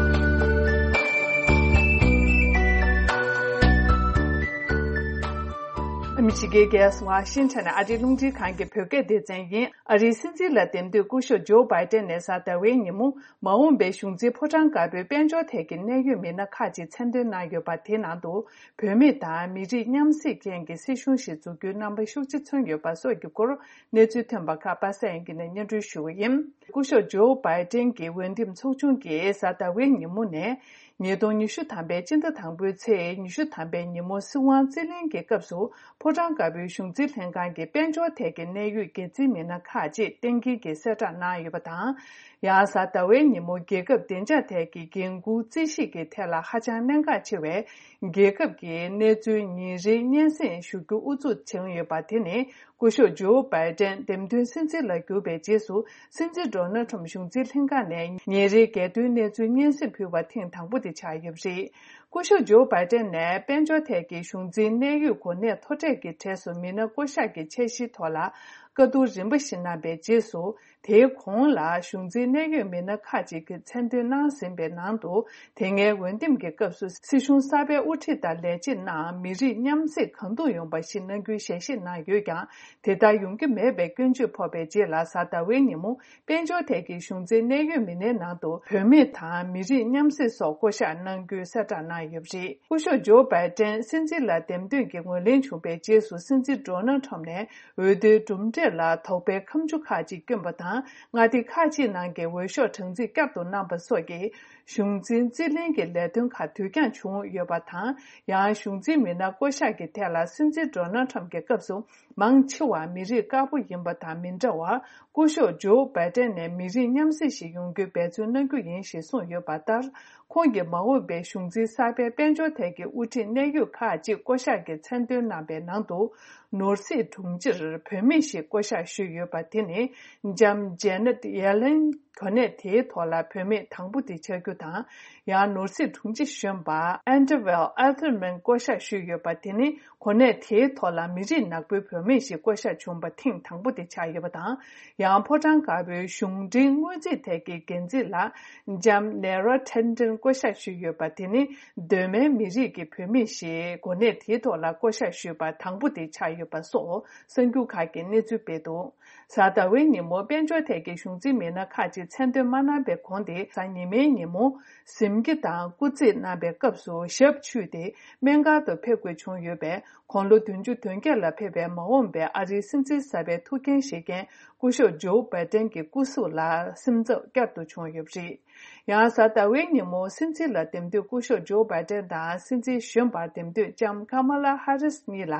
ཨ་མི་རི་ཀའི་རྒྱལ་ས་ཝ་ཤིང་ཊོན་ནས་ཨ་རིའི་རླུང་འཕྲིན་ཁང་གི་བོད་སྐད་སྡེ་ཚན་ཡིན། ཨ་རིའི་སྲིད་འཛིན་ལ་འདེམས་ཐོན་སྐུ་ཞབས་ཇོ་བྷའི་ཏན་ནས་གཟའ་ཟླ་བའི་ཉིན་མོ། མ་འོངས་པའི་གཞུང་འཛིན་ཕོ་བྲང་དཀར་པོའི་དཔལ་འབྱོར་ཐད་ཀྱི་གནད་ཡོད་མི་སྣ་ཁག་ཅིག་མཚན་འདོན་གནང་ཡོད་པ། དེའི་ནང་དུ་བོད་མི་དང་མི་རིགས་མཉམ་བསྲེས་ཅན་གྱི་སྲིད་གཞུང་ཞིག་འཛུགས་རྒྱུའི་རྣམ་པ་ཤུགས་ཆེ་མཚོན་ཡོད་པ་སོགས་ཀྱི་སྐོར། གནས་ཚུལ་ཐོན་པ་ཁག་པ་སངས་དབྱངས་སྐྱིད་ནས་སྙན་སྒྲོན་ཞུ་གི་ཡིན། སྐུ་ཞབས་ཇོ་བྷའི་ཏན་གྱི་འོས་འདེམས་ཚོགས་ཆུང་གིས་གཟའ་ཟླ་བའི་ཉིན་མོ་ནས། ཉིས་སྟོང་ཉི་ཤུ་ཐམ་པའི་སྤྱི་ཟླ་དང་པོའི་ཚེས་ཉི་ཤུ་ཐམ་པའི་ཉིན་མོ་སྲིད་དབང་རྩིས་ལེན་གྱི་སྐབས་སུ། ཕོ་བྲང་དཀར་པོའི་གཞུང་འཛིན་ལྷན་ཁང་གི་དཔལ་འབྱོར་ཐད་ཀྱི་གནད་ཡོད་འགན་འཛིན་མི་སྣ་ཁག་ཅིག་གཏན་འཁེལ་གྱིས་གསལ་བསྒྲགས་གནང་ཡོད་པ་དང་། ཡང་གཟའ་ཟླ་བའི་ཉིན་མོ་རྒྱལ་ཁབ་བདེ་འཇགས་ཐད་ཀྱི་འགན་འཁུར་རྩིས་ཞིབ་ཀྱི་ཐད་ལ་ཧ་ཅང་གནད་འགག་ཆེ་བའི་རྒྱལ་ཁབ་ཀྱི་གནས་ཚུལ་ཉིན་རེའི་སྙན་སེང་ཞུ་རྒྱུ་དབུ་འཛུགས་བྱུང་ཡོད་པ། དེ་ནི་སྐུ་ཞབས་ཇོ་བྷའི་ཏན་འདེམས་ཐོན་སྲིད་འཛིན་ལ་གྱུར་པའི་རྗེས་སུ། སྲིད་འཛིན་ཌོ་ནལ་ཁྲམ་གཞུང་འཛིན་ལྷན་ཁང་ནས་ཉིན་རེའི་རྒྱལ་དོན་གནས་ཚུལ་སྙན་སེང་ཕུལ་བ་ཐེངས་དང་པོ་དེ་ཆགས་ཡོད་པ་རེད། སྐུ་ཞབས་ཇོ་བྷའི་ཏན་ནས་དཔལ་འབྱོར་ཐད་ཀྱི་གཞུང་འཛིན་གནད་ཡོད་གོ་གནས་མཐོ་གྲས་ཀྱི་གྲས་སུ་མི་སྣ་བསྐོ་གཞག་གི་འཆར་གཞིའི་ཐོག་ལ་བཀའ་བསྡུར་རིམ་པ་ཞིག་གནང་བའི་རྗེས་སུ། དེའི་གོང་ལ་གཞུང་འཛིན་གནད་ཡོད་མི་སྣ་ཁག་ཅིག་གིས་མཚན་འདོན་གནང་ཟིན་པའི་ནང་དུ། དེ་སྔའི་འོས་འདེམས་ཀྱི་སྐབས་སུ་སྲིད་གཞུང་གསར་པའི་དབུ་ཁྲིད་དང་ལས་བྱེད་རྣམས་མི་རིགས་མཉམ་བསྲེས་གང་ཐུབ་ཡོང་བ་ཞིག་གནང་རྒྱུའི་ཞལ་བཞེས་གནང་ཡོད་ཀྱང་། དེ་ལྟར་ཡོང་གི་མེད་པའི་སྐྱོན་བརྗོད་ཕོག་པའི་རྗེས་ལ། གཟའ་ཟླ་བའི་ཉིན་མོ་དཔལ་འབྱོར་ཐད་ཀྱི་གཞུང་འཛིན་གནད་ཡོད་མི་སྣའི་ནང་དུ་བུད་མེད་དང་མི་རིགས་མཉམ་བསྲེས་སོགས་བསྐོ་གཞག་གནང་རྒྱུའི་གསལ་བསྒྲགས་གནང་ཡོད་པ་རེད། སྐུ་ཞབས་ཇོ་བྷའི་ཏན་སྲིད་འཛིན་ལ་འདེམས་ཐོན་གྱི་ངོས་ལེན་བྱུང་བའི་རྗེས་སུ། སྲིད་འཛིན་ཌོ་ནལ་ཁྲམ་ནས་འོས་བསྡུའི་གྲུབ་འབྲས་ལ་དོགས་པའི་ཁ་མཆུ་ཁག་ཅིག་བསྐྱོན་པ་དང་། མངའ་སྡེ་ཁག་ཅིག་ནང་གི་འོས་ཤོག་གྲངས་རྩིས་བསྐྱར་དུ་གནང་པ་སོགས་ཀྱིས། གཞུང་འཛིན་རྩིས་ལེན་གྱི་ལས་དོན་ཁག་དུས་འགྱངས་བྱུང་ཡོད་པ་དང་། ཡང་གཞུང་འཛིན་མི་སྣ་བསྐོ་གཞག་གི་ཐད་ལ། སྲིད་འཛིན་ཌོ་ནལ་ཁྲམ་གྱི་སྐབས་སུ་མང་ཆེ་བ་མི་རིགས་དཀར་པོ་ཡིན་པ་དང་མི་འདྲ་བར། སྐུ་ཞབས་ཇོ་བྷའི་ཏན་ནས་མི་རིགས་མཉམ་བསྲེས་ཤིག་ཡོང་རྒྱུའི་འབད་བརྩོན་གནང་རྒྱུ་ཡིན་ཞེས་གསུངས་ཡོད་པ་ལྟར། ཁོང་གིས་མ་འོངས་པའི་གཞུང་འཛིན་གསར་པའི་དཔལ་འབྱོར་ཐད་ཀྱི་དབུ་ཁྲིད་གནད་ཡོད་ཁག་ཅིག་བསྐོ་གཞག་གི་མཚན་འདོན་གནང་པའི་ནང་དུ། ནོར་སྲིད་དྲུང་ཆེར་བུད་མེད་ཞིག་བསྐོ་གཞག་ཞུས་ཡོད་པ་དེ་ནི། ལྕམ་ཇེ་ནེད་ཡེ་ལེན་གོ་གནས་དེའི་ཐོག་ལ་བུད་མེད་དང་པོ་དེ་ཆགས་རྒྱུ་དང་། ཡང་ནོར་སྲིད་དྲུང་ཆེ་གཞོན་པ་ཨན་ཏི་ཝེལ་ཨལ་ཐེར་མན་བསྐོ་གཞག་ཞུས་ཡོད་པ་དེ་ནི། གོ་གནས་དེའི་ཐོག་ལ་མི་རིགས་ནག་པོའི་བུད་མེད་ཞིག་བསྐོ་གཞག་བྱུང་བ་ཐེངས་དང་པོ་དེ་ཆགས་ཡོད་པ་དང་། ཡང་ཕོ་བྲང་དཀར་པོའི་གཞུང་འབྲེལ་སྔོན་རྩིས་ཐད་ཀྱི་འགན་འཛིན་ལ་ལྕམ་ནེ་ར་ཐན་ཏན་བསྐོ་གཞག་ཞུས་ཡོད་པ་དེ་ནི། གདོད་མའི་མི་རིགས་ཀྱི་བུད་མེད་ཞིག་གོ་གནས་དེའི་ཐོག་ལ་བསྐོ་གཞག་ཞུས་པ་དང་པོ་དེ་ཆགས་ཡོད་པ་སོགས་གསར་འགྱུར་ཁག་གིས་གནས་ཚུལ་སྤེལ་འདུག་གཟའ་ཟླ་བའི་ཉིན་མོ་དཔལ་འབྱོར་ཐད་ཀྱི་གཞུང་འཛིན་མི་སྣ་ཁག་ཅིག་མཚན་འདོན་མ་གནང་པའི་གོང་དེ། གཟའ་ཉི་མའི་ཉིན་མོ་གཟིམ་དཀྱིལ་དང་སྐུ་རྩེད་གནང་པའི་སྐབས་སུ་ཞབས་འཁྱུད་དེ་སྨན་ཁང་དུ་ཕེབས་དགོས་བྱུང་ཡོད་པས། དགུང་ལོ་བདུན་ཅུ་དོན་བརྒྱད་ལ་ཕེབས་པའི་མ་འོངས་པའི་ཨ་རིའི་སྲིད་འཛིན་གསར་པའི་ཐུགས་འགན་བཞེས་མཁན་སྐུ་ཞབས་ཇོ་བྷའི་ཏན་གྱི་སྐུ་གཟུགས་ལ་སིམ་འཛག་བསྐྱར་དུ་བྱུང་ཡོད་པ་རེད། ཡང་གཟའ་ཟླ་བའི་ཉིན་མོ་སྲིད་འཛིན་ལ་འདེམས་ཐོན་སྐུ་ཞབས་ཇོ་བྷའི་ཏན་དང་སྲིད་འཛིན་གཞོན་པར་འདེམས་ཐོན་ལྕམ་ཀ་མ་ལ་ཧ་རིས་གཉིས་ལ་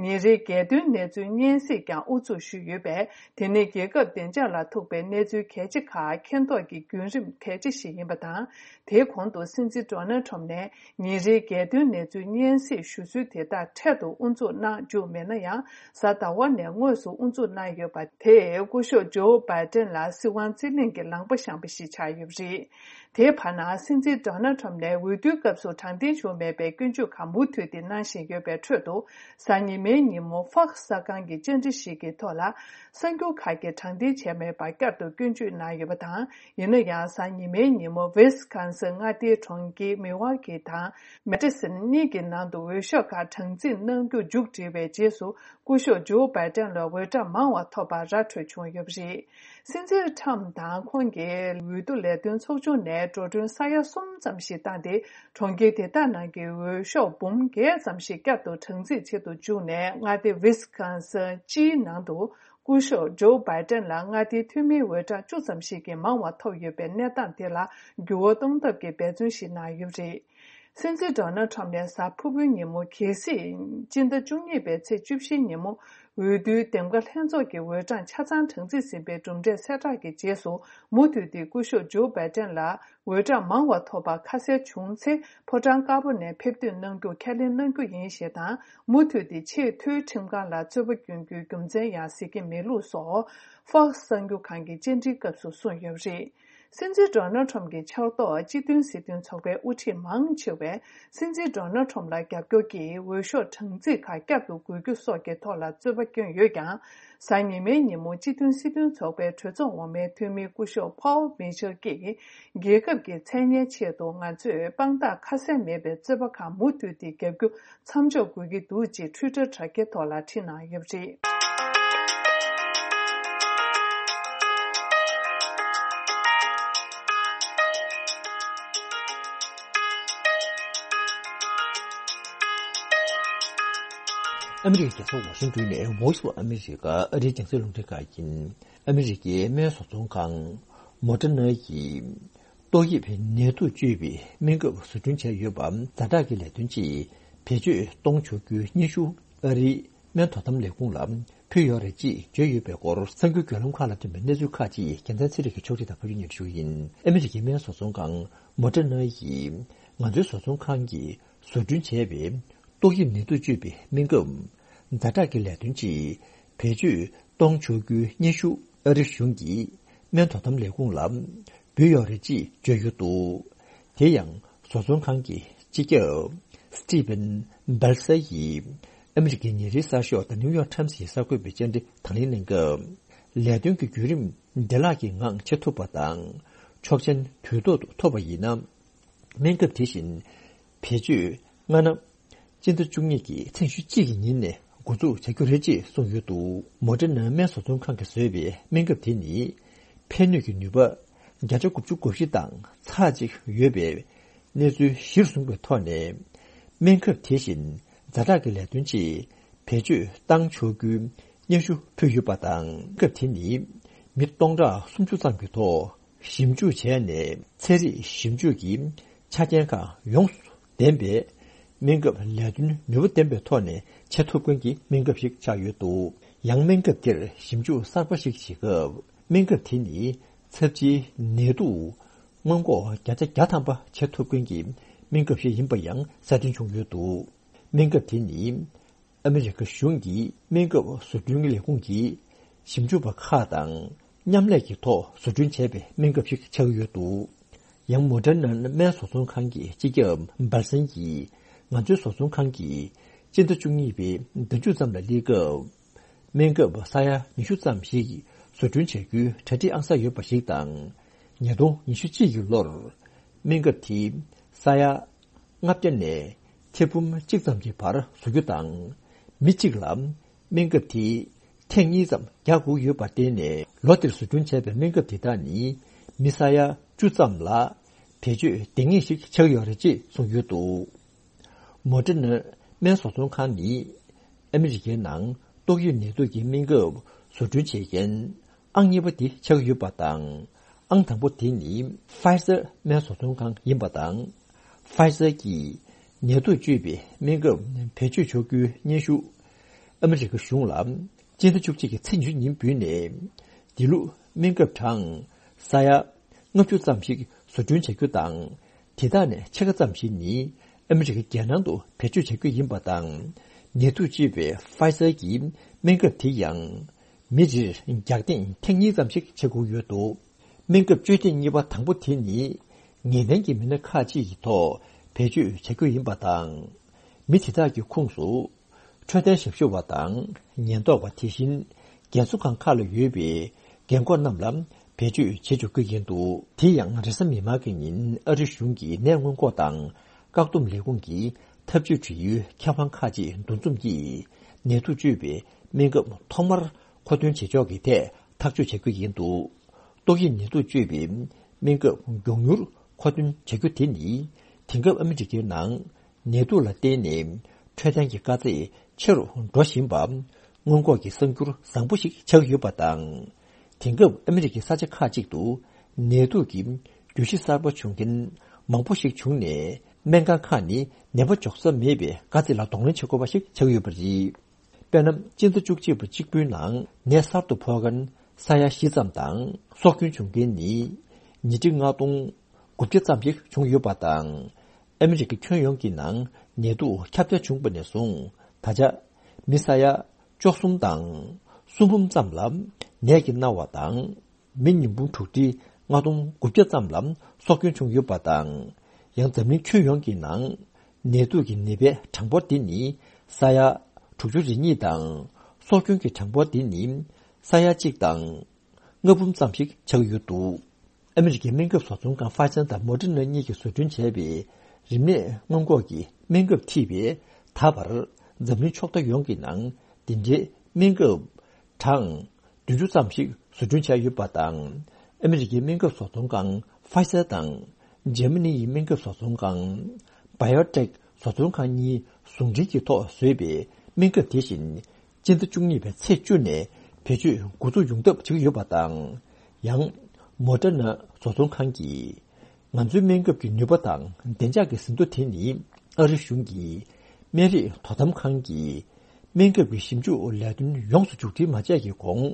ཉིན་རེའི་རྒྱལ་དོན་གནས་ཚུལ་སྙན་སེང་ཀྱང་དབུ་འཛུགས་ཞུས་ཡོད་པས། དེ་ནི་རྒྱལ་ཁབ་བདེ་འཇགས་ལ་ཐུག་པའི་གནས་ཚུལ་གལ་ཆེ་ཁག་མཁྱེན་རྟོགས་ཀྱི་བརྒྱུད་རིམ་གལ་ཆེ་ཞིག་ཡིན་པ་དང་། དེའི་གོང་དུ་སྲིད་འཛིན་ཌོ་ནལ་ཁྲམ་ནས་ཉིན་རེའི་རྒྱལ་དོན་གནས་ཚུལ་སྙན་སེང་ཞུ་སྲོལ་དེ་དག་འཕྲལ་དུ་དབུ་འཛུགས་གནང་བཅུག་མེད་ན་ཡང་། གཟའ་ཟླ་བ་ནས་དངོས་སུ་དབུ་འཛུགས་གནང་ཡོད་པ་དེས་སྐུ་ཞབས་ཇོ་བྷའི་ཏན་ལ་སྲིད་དབང་རྩིས་ལེན་གྱི་ལངས་པ་བཤངས་པ་ཞིག་ཆགས་ཡོད་པ་རེད། དེའི་བར་ན། སྲིད་འཛིན་ཌོ་ནལ་ཁྲམ་ནས་འོས་བསྡུའི་སྐབས་སུ་དྲང་བདེན་བྱུང་མེད་པའི་སྐྱོན་བརྗོད་ཁག་མུ་མཐུད་དེ་གནང་བཞིན་ཡོད་པའི་ཁྲོད་དུ། གཟའ་ཉི་མའི་ཉིན་མོ་ཧྥོག་སི་གསར་ཁང་གི་བཅར་འདྲི་ཞིག་གི་ཐོག་ལ། གསར་འགྱུར་ཁག་གིས་དྲང་བདེན་བྱས་མེད་པར་བསྐྱར་དུ་སྐྱོན་བརྗོད་གནང་ཡོད་པ་དང་། ཡིན་ན་ཡང་། གཟའ་ཉི་མའི་ཉིན་མོ་ཝི་སི་ཀོན་སིན་མངའ་སྡེའི་གྲོང་ཁྱེར་མི་ཝ་ཀི་དང་མེ་ཏི་སོན་གཉིས་ཀྱི་ནང་དུ་འོས་ཤོག་ཁག་གྲངས་རྩིས་གནང་རྒྱུ་མཇུག་བསྒྲིལ་བའི་རྗེས་སུ། སྐུ་ཞབས་ཇོ་བྷའི་ཏན་ལ་འོས་གྲངས་མང་བ་ཐོབ་པར་ར་འཕྲོད་བྱུང་ཡོད་པ་རེད། སྲིད་འཛིན་ཁྲམ་དང་ཁོང་གི་འོས་བསྡུ་ལས་དོན་ཚོགས་ཆུང་ནས་འགྲོ་གྲོན་ས་ཡ་གསུམ་ཙམ་ཞིག་བཏང་སྟེ། གྲོང་ཁྱེར་དེ་དག་ནང་གི་འོས་ཤོག་འབུམ་བརྒྱད་ཙམ་ཞིག་བསྐྱར་དུ་གྲངས་རྩིས་བྱེད་དུ་བཅུག་ནས། མངའ་སྡེ་ཝི་སི་ཀོན་སིན་སྤྱིའི་ནང་དུ་སྐུ་ཞབས་ཇོ་བྷའི་ཏན་ལ་མངའ་སྡེའི་འཐུས་མིའི་འོས་གྲངས་བཅུ་ཙམ་ཞིག་གིས་མང་བ་ཐོབ་ཡོད་པའི་གནས་སྟངས་དེ་ལ་འགྱུར་བ་གཏོང་ཐབས་ཀྱི་འབད་བརྩོན་ཞིག་གནང་ཡོད་པ་རེད། སྲིད་འཛིན་ཌོ་ནལ་ཁྲམ་ནས་གཟའ་ཕུར་བུའི་ཉིན་མོ། གལ་སྲིད་སྤྱི་ཟླ་བཅུ་གཉིས་པའི་ཚེས་བཅུ་བཞིའི་ཉིན་མོ། འོས་བསྡུའི་འདེམས་ཀ་ལྷན་ཚོགས་ཀྱི་འོས་གྲངས་ཆ་ཚང་གྲངས་རྩིས་ཟིན་པའི་གྲུབ་འབྲས་གསལ་བསྒྲགས་ཀྱི་རྗེས་སུ། མུ་མཐུད་དེ་སྐུ་ཞབས་ཇོ་བྷའི་ཏན་ལ་འོས་གྲངས་མང་བ་ཐོབ་པ་ཁ་གསལ་བྱུང་ཚེ། ཕོ་བྲང་དཀར་པོ་ནས་ཕེབས་ཐོན་གནང་རྒྱུ་ཁས་ལེན་གནང་རྒྱུ་ཡིན་ཞེས་དང་། མུ་མཐུད་དེ་ཆེས་མཐོའི་ཁྲིམས་ཁང་ལ་རྩོད་པ་བསྐྱོན་རྒྱུའི་རྒྱུ་མཚན་ཡང་གཟིགས་ཀྱི་མེད་ལུགས་སོགས། ཧྥོག་སི་གསར་འགྱུར་ཁང་གི་བཅར་འདྲིའི་སྐབས་སུ་གསུངས་ཡོད་པ་རེད། སྲིད་འཛིན་ཌོ་ནལ་ཁྲམ་གྱི་ཕྱག་ཐོག་སྤྱི་མཐུན་སྲིད་དོན་ཚོགས་པའི་དབུ་ཁྲིད་མང་ཆེ་བས། སྲིད་འཛིན་ཌོ་ནལ་ཁྲམ་ལ་རྒྱབ་སྐྱོར་གྱིས་འོས་ཤོག་གྲངས་རྩིས་ཁག་བསྐྱར་དུ་དགོས་རྒྱུ་སོགས་ཀྱི་ཐོག་ལ་རྩོད་པ་བསྐྱོན་ཡོད་ཀྱང་། གཟའ་ཉི་མའི་ཉིན་མོ་སྤྱི་མཐུན་སྲིད་དོན་ཚོགས་པའི་གྲོས་ཚོགས་འོག་མའི་འཐུས་མི་སྐུ་ཞབས་ཕོལ་མི་ཆེལ་གྱིས། རྒྱལ་ཁབ་ཀྱི་མཚན་སྙན་ཆེད་དུ་ང་ཚོས་དཔང་རྟགས་ཁ་གསལ་མེད་པའི་རྩོད་པ་ཁག་མུ་མཐུད་དེ་རྒྱབ་རྒྱུ་མཚམས་འཇོག་དགོས་ཀྱི་འདུག་ཅེས་ཊུའི་ཊར་དྲ་རྒྱའི་ཐོག་ལ་བྲིས་གནང་ཡོད་པ་རེད། ཨ་མི་རི་ཀའི་རྒྱལ་ས་ཝ་ཤིང་ཏོན་ནས་Voice of America ཨ་རིའི་རྒྱང་སྲིང་རླུང་འཕྲིན་ཁང་ཡིན། ཨ་མི་རི་ཀའི་སྨན་བཟོ་ཚོང་ཁང་མོ་ཌར་ན་ཡིས། ཏོག་དབྱིབས་ནད་དུག་བཅོས་པའི་སྨན་ཁབ་བཟོ་སྐྲུན་བྱས་ཡོད་པ་ཛ་དྲག་གི་ལས་དོན་ཆེད་བེད་སྤྱོད་གཏོང་ཆོག་རྒྱུའི་སྙན་ཞུ་ཨ་རིའི་སྨན་དོ་དམ་ལས་ཁུངས་ལ་ཕུལ་ཡོད་རེད་ཅེས་བརྗོད་ཡོད་པའི་སྐོར་གསར་འགྱུར་བརྒྱུད་ལམ་ཁག་ལ་ཐོན་པའི་གནས་ཚུལ་ཁག་ཅིག་རྒྱལ་མཚན་ཚེ་རིང་གིས་ཕྱོགས་སྒྲིག་དང་ཕབ་སྒྱུར་སྙན་སྒྲོན་ཞུ་གི་ཡིན། ཨ་མི་རི་ཀའི་སྨན་བཟོ་ཚོང་ཁང་མོ་ཌར་ན་ཡིས་ང་ཚོའི་བཟོ་ཚོང་ཁང་གིས་བཟོ་སྐྲུན་བྱས་པའི་ཏོག་དབྱིབས་ནད་དུག་བཅོས་པའི་སྨན་ཁབ་ཛ་དྲག་གི་ལས་དོན་ཆེད་བེད་སྤྱོད་གཏོང་ཆོག་རྒྱུའི་སྙན་ཞུ་ཨ་རི་གཞུང་གིས་སྨན་དོ་དམ་ལས་ཁུངས་ལ་འབུལ་ཡོད་རེད་ཅེས་བརྗོད་ཡོད་འདུག་དེ་ཡང་བཟོ་ཚོང་ཁང་གི་སྤྱི་ཁྱབ་Steven Balzar ཡིས་ཨ་མི་རི་ཀའི་ཉིན་རེའི་གསར་ཤོག་The New York Times ཡི་གསར་འགོད་པའི་བཅར་འདྲི་དང་ལེན་གནང་སྐབས། ལས་དོན་གྱི་བརྒྱུད་རིམ་བདེ་བླག་གི་ངང་བྱེད་ཐུབ་པ་དང་། ཆོག་མཆན་དུས་ཐོག་ཏུ་ཐོབ་པ་ཡིན་ན། སྨན་ཁབ་དེ་བཞིན་བེད་སྤྱོད་སྔ་ན་སྤྱི་ཟླ་བཅུ་གཉིས་ཀྱི་ཚེས་ཉི་ཤུ་གཅིག་གི་ཉིན་ནས་འགོ་འཛུགས་བྱ་རྒྱུ་རེད་ཅེས་གསུངས་ཡོད་འདུག་མོ་ཌར་ན་སྨན་བཟོ་ཚོང་ཁང་གིས་བཟོས་པའི་སྨན་ཁབ་དེ་ནི། ཕན་ནུས་ཀྱི་ནུས་པ་བརྒྱ་ཆ་དགུ་བཅུ་གོ་བཞི་དང་ཚེག་གཅིག་ཡོད་པའི་གནས་ཚུལ་གཞིར་བཟུང་བའི་ཐོག་ནས། སྨན་ཁབ་དེ་བཞིན་ཛ་དྲག་གི་ལས་དོན་ཆེད་བེད་སྤྱོད་བཏང་ཆོག་རྒྱུའི་སྙན་ཞུ་ཕུལ་ཡོད་པ་དང་། སྨན་ཁབ་དེ་ནི་མི་སྟོང་ཕྲག་སུམ་ཅུ་ཙམ་གྱི་ཐོག་ཞིབ་འཇུག་བྱས་ནས། ཚན་རིག་ཞིབ་འཇུག་གི་ཆ་རྐྱེན་ཁག་ཡོངས་སུ་ལྡན་པའི་སྨན་ཁབ་ལས་དོན་ནུས་པ་ལྡན་པའི་ཐོག་ནས་བྱེད་ཐུབ་མཁན་གྱི་སྨན་ཁབ་ཞིག་ཆགས་ཡོད་འདུག་ཡང་སྨན་ཁབ་དེར་ཞིབ་འཇུག་གསར་པ་ཞིག་བྱེད་སྐབས། སྨན་ཁབ་དེ་ནི་ཚབས་ཆེའི་ནད་དུག་སྔོན་འགོག་བརྒྱ་ཆ་བརྒྱ་ཐམ་པ་བྱེད་ཐུབ་མཁན་གྱི་སྨན་ཁབ་ཞིག་ཡིན་པ་ཡང་གསལ་སྟོན་བྱུང་ཡོད་འདུག་སྨན་ཁབ་དེ་ནི་ཨ་མི་རི་ཀ་གཞུང་གི་སྨན་ཁབ་བཟོ་སྐྲུན་ལས་ཁུངས་ཀྱི་ཞིབ་འཇུག་པ་ཁག་དང་མཉམ་ལས་ཀྱི་ཐོག་བཟོ་སྐྲུན་བྱས་པའི་སྨན་ཁབ་ཞིག་ཆགས་ཀྱི་ཡོད་འདུག་ཡང་མོ་ཌར་ན་སྨན་བཟོ་ཚོང་ཁང་གི་སྤྱི་ཁྱབ་འབར་སན་གྱིས། ང་ཚོའི་བཟོ་ཚོང་ཁང་གིས་སྤྱི་ཟླ་བཅུ་གཉིས་པའི་ཟླ་མཇུག་ཙམ་ལ་སླེབས་སྐབས། སྨན་ཁབ་ས་ཡ་ཉི་ཤུ་ཙམ་ཞིག་བཟོ་སྐྲུན་བྱ་རྒྱུའི་གྲ་སྒྲིག་ཨང་གསར་ཡོད་པ་ཞིག་དང་། ཉིས་སྟོང་ཉི་ཤུ་གཅིག་གི་ལོར་སྨན་ཁབ་དེ་ས་ཡ་ལྔ་བརྒྱ་ནས་ཐེར་འབུམ་གཅིག་ཙམ་གྱི་བར་བཟོ་རྒྱུ་དང་། མི་གཅིག་ལ་སྨན་ཁབ་དེ་ཐེངས་གཉིས་ཙམ་རྒྱག་དགོས་ཡོད་པར་བརྟེན་ནས། ལོ་དེར་བཟོ་སྐྲུན་བྱས་པའི་སྨན་ཁབ་དེ་དག་ནི་མི་ས་ཡ་བཅུ་ཙམ་ལ་བེད་སྤྱོད་ལྡང་ངེས་ཤིག་ཆགས་ཡོད་རེད་ཅེས་གསུངས་ཡོད་འདུག་མོ་ཌར་ན་སྨན་བཟོ་ཚོང་ཁང་ནི་ཨ་མི་རི་ཀའི་ནང་ཏོག་དབྱིབས་ནད་དུག་གི་སྨན་ཁབ་བཟོ་སྐྲུན་བྱེད་མཁན་ཨང་གཉིས་པ་དེ་ཆགས་ཡོད་པ་དང་། ཨང་དང་པོ་དེ་ནི་ཕའི་ཟར་སྨན་བཟོ་ཚོང་ཁང་ཡིན་པ་དང་། ཕའི་ཟར་གྱིས་ནད་དུག་བཅོས་པའི་སྨན་ཁབ་བེད་སྤྱོད་ཆོག་རྒྱུའི་སྙན་ཞུ་ཨ་མི་རི་ཀ་གཞུང་ལ་སྤྱི་ཟླ་བཅུ་གཅིག་གི་ཚེས་ཉི་ཤུ་ཉིན་འབུལ་ནས། དེ་ལུགས་སྨན་ཁབ་གྲངས་ས་ཡ་ལྔ་བཅུ་ཙམ་ཞིག་བཟོ་སྐྲུན་བྱ་རྒྱུ་དང་། དེ་དག་ནས་ཕྱེད་ཀ་ཙམ་ཞིག་ནི་ཨ་མི་རི་ཀའི་རྒྱལ་ནང་དུ་བེད་སྤྱོད་བྱ་རྒྱུ་ཡིན་པ་དང་། ནད་དུག་བཅོས་པའི་ཕའི་ཟར་གྱི་སྨན་ཁབ་དེ་ཡང་མི་རེར་རྒྱག་ཐེངས་ཐེངས་གཉིས་ཙམ་ཞིག་བྱེད་དགོས་ཡོད་འདུག་སྨན་ཁབ་བཅོས་ཐེངས་གཉིས་པ་དང་པོ་དེ་ནི་ངེས་གཏན་གྱི་མི་སྣ་ཁག་ཅིག་གི་ཐོག་བེད་སྤྱོད་བྱ་རྒྱུ་ཡིན་པ་དང་། མི་དེ་དག་གི་ཁོངས་སུ་འཕྲོད་བསྟེན་ཞབས་ཞུ་བ་དང་ཉེན་རྟོག་པ། དེ་བཞིན་རྒན་གསོ་ཁང་ཁག་ལ་ཡོད་པའི་རྒན་འཁོགས་རྣམས་ལ་བེད་སྤྱོད་བྱེད་ཆོག་གི་ཡིན་འདུག་དེ་ཡང་རེས་གཟའ་མིག་དམར་གྱི་ཉིན་ཨ་རི་གཞུང་གི་ནད་སྔོན་འགོག་དང་བཀག་སྡོམ་ལས་ཁུངས་ཀྱི་ཐབས་ཇུས་འབྲེལ་ཡོད་ཁྱབ་ཁང་ཁག་ཅིག་འདུ་འཛོམས་ཀྱིས་ནད་དུག་བཅོས་པའི་སྨན་ཁབ་ཐོག་མར་མཁོ་འདོན་བྱེད་ཕྱོགས་ཀྱི་ཐད་ཐག་གཅོད་བྱ་རྒྱུ་ཡིན་འདུག་ཏོག་དབྱིབས་ནད་དུག་བཅོས་པའི་སྨན་ཁབ་མགྱོགས་མྱུར་མཁོ་འདོན་བྱ་རྒྱུ་དེ་ནི། དེང་སྐབས་ཨ་མི་རི་ཀའི་ནང་ནད་དུག་ལ་བརྟེན་ནས་འཕྲོད་བསྟེན་གྱི་དཀའ་ཚེགས་ཆེ་རུ་འགྲོ་བཞིན་པ། སྔོན་འགོག་གི་གསར་འགྱུར་བཟང་པོ་ཞིག་ཆགས་ཡོད་པ་དང་། དེང་སྐབས་ཨ་མི་རི་ཀའི་ས་ཆ་ཁག་ཅིག་ཏུ་ནད་དུག་གི་རྒྱུད་གཞི་གསར་པ་བྱུང་མཁན་མང་པོ་ཞིག་བྱུང་ནས། སྨན་ཁང་ཁག་ནི་ནད་པ་འཇོག་ས་མེད་པའི་དཀའ་ཚེགས་ལ་གདོང་ལེན་བྱེད་དགོས་པ་ཞིག་ཆགས་ཡོད་པ་རེད། དཔེར་ན། སྤྱི་ཟླ་བཅུ་གཅིག་པ་གཅིག་པུའི་ནང་ནད་གསར་དུ་ཕོག་མཁན་ས་ཡ་བཞི་ཙམ་དང་། སྲོག་སྐྱོན་བྱུང་མཁན་ནི་ཉིས་ཁྲི་ལྔ་སྟོང་དགུ་བརྒྱ་ཙམ་ཞིག་བྱུང་ཡོད་པ་དང་། ཨ་མི་རི་ཀའི་ཁྱོན་ཡོངས་ཀྱི་ནང་ནད་དུག་ཁྱབ་གདལ་བྱུང་བ་ནས་བཟུང་། ད་ཆ་མི་ས་ཡ་བཅུ་གསུམ་དང་སུམ་འབུམ་ཙམ་ལ་ནད་ཀྱིས་མནར་བ་དང་། མི་ཉིས་འབུམ་དྲུག་ཁྲི་ལྔ་སྟོང་དགུ་བརྒྱ་ཙམ་ལ་སྲོག་སྐྱོན་བྱུང་ཡོད་པ་དང་། ཡང་འཛམ་གླིང་ཁྱོན་ཡོངས་ཀྱི་ནང་ནད་དུག་གི་ནད་པའི་གྲངས་འབོར་འདི་ནི་ས་ཡ་དྲུག་ཅུ་རེ་གཉིས་དང་། སྲོག་སྐྱོན་གྱི་གྲངས་འབོར་འདི་ནི་ས་ཡ་གཅིག་དང་ལྔ་འབུམ་ཙམ་ཞིག་ཆགས་ཡོད་འདུག་ཨ་མི་རི་ཀའི་སྨན་ཁབ་བཟོ་ཚོང་ཁང་ཕ་ཛར་དང་མོ་ཌར་ན་གཉིས་ཀྱིས་བཟོ་སྐྲུན་བྱས་པའི་རིམས་ནད་སྔོན་འགོག་གི་སྨན་ཁབ་ཐེ་བའི་ད་བར་འཛམ་གླིང་ཕྱོགས་མཐའ་ཡོངས་ཀྱི་ནང་འདི་འདྲའི་སྨན་ཁབ་གྲངས་བདུན་ཅུ་ཙམ་ཞིག་བཟོ་སྐྲུན་བྱས་ཡོད་པ་དང་། ཨ་མི་རི་ཀའི་སྨན་ཁབ་བཟོ་ཚོང་ཁང་ཕ་ཛར་དང་འཇར་མ་ནི་ཡི་སྨན་ཁབ་བཟོ་ཚོང་ཁང་བྷ་ཡོ་ཊེག་བཟོ་ཚོང་ཁང་གཉིས་ཟུང་འབྲེལ་གྱི་ཐོག་བཟོས་པའི་སྨན་ཁབ་དེ་བཞིན་སྤྱི་ཟླ་བཅུ་གཉིས་པའི་ཚེས་བཅུ་ནས་བེད་སྤྱོད་འགོ་འཛུགས་ཡོང་ཐབས་བྱེད་ཀྱི་ཡོད་པ་དང་། ཡང་མོ་ཌར་ན་བཟོ་ཚོང་ཁང་གིས། ང་ཚོའི་སྨན་ཁབ་ཀྱི་ནུས་པ་དང་བདེ་འཇགས་ཀྱི་ཟིན་ཐོ་དེ་ནི་ཨ་རི་གཞུང་གི་སྨན་རིགས་དོ་དམ་ཁང་གིས་སྨན་ཁབ་ཀྱི་ཞིབ་འཇུག་ལས་དོན་ཡོངས་སུ་མཇུག་སྒྲིལ་མ་བྱས་ཀྱི་གོང་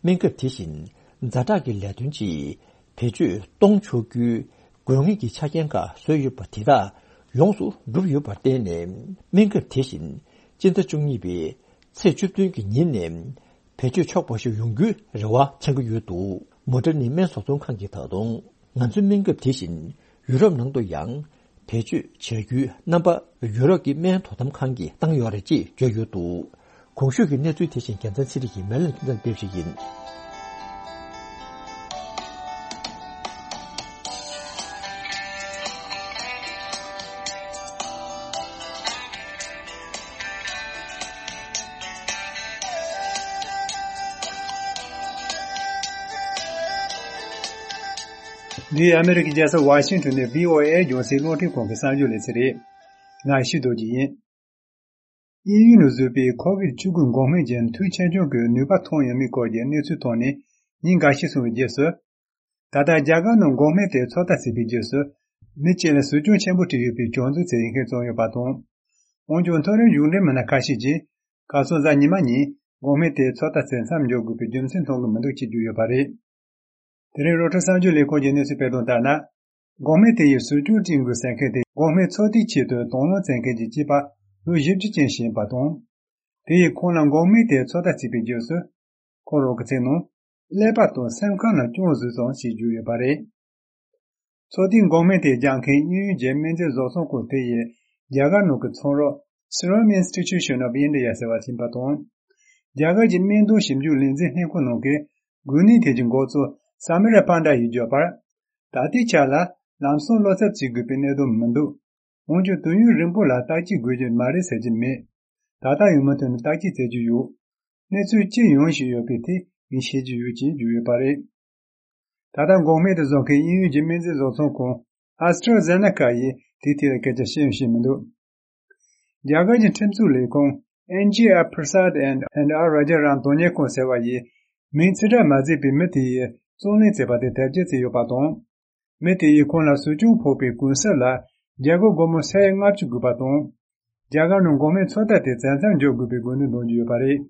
སྨན་ཁབ་དེ་བཞིན་ཛ་དྲག་གི་ལས་དོན་ཆེད་བེད་སྤྱོད་གཏོང་ཆོག་རྒྱུའི་དགོས་ངེས་ཀྱི་ཆ་རྐྱེན་ཁག་བཟོས་ཡོད་པ་དེ་དག་ཡོངས་སུ་གྲུབ་ཡོད་པར་བརྟེན་ནས། སྨན་ཁབ་དེ་བཞིན་སྤྱི་ཟླ་བཅུ་གཉིས་པའི་ཚེས་བཅུ་བདུན་གྱི་ཉིན་ནས། བེད་སྤྱོད་ཆོག་པ་ཞིག་ཡོང་རྒྱུའི་རེ་བ་འཆང་གི་ཡོད་འདུག་མོ་ཌར་ནའི་སྨན་བཟོ་ཚོང་ཁང་གིས་ད་དུང་ང་ཚོའི་སྨན་ཁབ་དེ་བཞིན་ཡུ་རོབ་ནང་དུ་ཡང་བེད་སྤྱོད་བྱ་རྒྱུའི་རྣམ་པ་ཡུ་རོབ་ཀྱི་སྨན་དོ་དམ་ཁང་གིས་བཏང་ཡོད་རེད་ཅེས་བརྗོད་ཡོད་འདུག་གོང་ཞུས་ཀྱི་གནས་ཚུལ་དེ་བཞིན་རྒྱལ་མཚན་ཚེ་རིང་གིས་མེ་ལན་ཁྱིམ་ཚང་ཕེབས་ཤིག་ཡིན། འདི་ཨ་མེ་རི་ཁའི་རྒྱལ་ས་ཝ་ཤིང་ཊོན་ནས་བྷི་ཨོ་ཨེ་རྒྱང་སྲིང་རླུང་འཕྲིན་ཁང་གི་གསར་འགྱུར་ལེ་ཚན་རེད། ང་ཡེ་ཤེས་རྡོ་རྗེ་ཡིན། དབྱིན་ཡུལ་ནང་བཟོས་པའི་ཁོ་ཝིད་བཅུ་དགུ་འགོག་སྨན་གྱི་མཐུད་ཆེད་སྦྱོང་གི་ནུས་པ་ཐོན་ཡོད་མེད་སྐོར་གྱི་གནས་ཚུལ་ཐོན་ནས་ཉིན་འགའ་ཤས་སོང་བའི་རྗེས་སུ། ད་ལྟ་རྒྱ་གར་ནང་འགོག་སྨན་དེ་ཚོད་ལྟ་བྱེད་པའི་རྗེས་སུ། མི་གཅིག་ལ་ཟུག་སྐྱོན་ཆེན་པོ་སྤྲད་ཡོད་པའི་བྱུང་ཚུལ་དེ་ཡིན་མཁན་བྱུང་ཡོད་པ་དང་། འོན་ཀྱང་མཐོ་རིམ་གཞུང་འབྲེལ་མི་སྣ་ཁ་ཤས་ཀྱིས། ཁ་སང་གཟའ་ཉི་མ་ཉིན་འགོག་སྨན་དེ་ཚོད་ལྟ་བྱེད་མཚམས་འཇོག་དགོས་པའི་རྒྱུ་མཚན་མཐོང་གི་མི་འདུག་ཅེས་བརྗོད་ཡོད་པ་རེད། དེ་རིང་རོའི་ཊར་གསར་འགྱུར་ལས་ཁང་གིས་གནས་ཚུལ་སྤེལ་དོན་ལྟར་ན། འགོག་སྨན་དེ་ཡིས་ཟུག་སྐྱོན་སྤྲད་དགོས་ཟེར་མཁན་དེ་འགོག་སྨན་ཚོད་ལྟའི་ཆེད་དུ་དང་བླངས་བྱེད་མཁན་གྱི་སྐྱེས་པ་ལོ་བཞི་བཅུ་ཅན་ཞིག་ཡིན་པ་དང་། དེ་ཡིས་ཁོང་ལ་འགོག་སྨན་དེ་ཚོད་ལྟ་བྱས་པའི་རྗེས་སུ། ཁོ་རང་གི་ཚིག་ནང་། ཀླད་པ་དང་སེམས་ཁམས་ལ་སྐྱོན་བཟོས་སོང་ཞེས་བརྗོད་ཡོད་པ་རེད། ཚོད་ལྟའི་འགོག་སྨན་དེ་རྒྱག་མཁན་དབྱིན་ཡུལ་གྱི་སྨན་རྫས་བཟོ་ཚོང་ཁང་དེ་ཡིས་རྒྱ་གར་ནང་གི་ཚོང་རོགས་Serum Institution of India ཟེར་བ་ཞིག་ཡིན་པ་དང་། རྒྱ་གར་གྱི་སྨན་དོན་ཞིབ་འཇུག་ལས་འཛིན་ལྷན་ཁང་ནང་གི་འགོས་ནད་ཐད་ཀྱི་འགོ་གཙོ་Samir Panda ཡིས་བརྗོད་པར། ད་ལྟའི་ཆ་ལ་ལམ་སང་བློ་འཚབ་བྱེད་དགོས་པའི་གནད་དོན་མི་འདུག་འོན་ཀྱང་དུས་ཡུན་རིང་པོ་ལ་བརྟག་དཔྱད་དགོས་ཀྱི་མ་རེད་ཟེར་གྱི་མེད། ད་ལྟ་ཡང་མུ་མཐུད་ནས་བརྟག་དཔྱད་བྱེད་ཀྱི་ཡོད། གནས་ཚུལ་ཅི་ཡོང་བཞིན་ཡོད་པའི་ཐད་ངས་ཤེས་ཀྱི་ཡོད་ཅེས་བརྗོད་ཡོད་པ་རེད། ད་ལྟ་འགོག་སྨན་དེ་བཟོ་མཁན་དབྱིན་ཡུལ་གྱི་སྨན་རྫས་བཟོ་ཚོང་ཁང་AstraZeneca ཡིས་དེའི་ཐད་ལ་སྐད་ཆ་བཤད་ཡང་བཤད་མི་འདུག་རྒྱ་གར་གྱི་ཁྲིམས་བཟོ་ལས་ཁུངས་N G R Prasad and and R Rajaram དོན་གཉེར་ཁང་ཟེར་བ་ཡིས་མིང་ཕྱིར་བསྒྲགས་མ་བྱས་པའི་མི་དེ་ཡིས་རྩོད་གླེང་བྱས་པ་དེ་དེབ་སྐྱེལ་བྱས་ཡོད་པ་དང་། མི་དེ་ཡིས་ཁོང་ལ་ཟུག་སྐྱོན་ཕོག་པའི་གུང་གསེང་ལ་རྒྱ་སྒོར་སྒོར་མོ་ས་ཡ་ལྔ་བཅུ་དགོས་པ་དང་། རྒྱ་གར་ནང་འགོག་སྨན་ཚོད་ལྟ་དེ་མཚམས་མཚམས་འཇོག་དགོས་པའི་དགོས་འདུན་འདོན་གྱི་ཡོད་པ་རེད།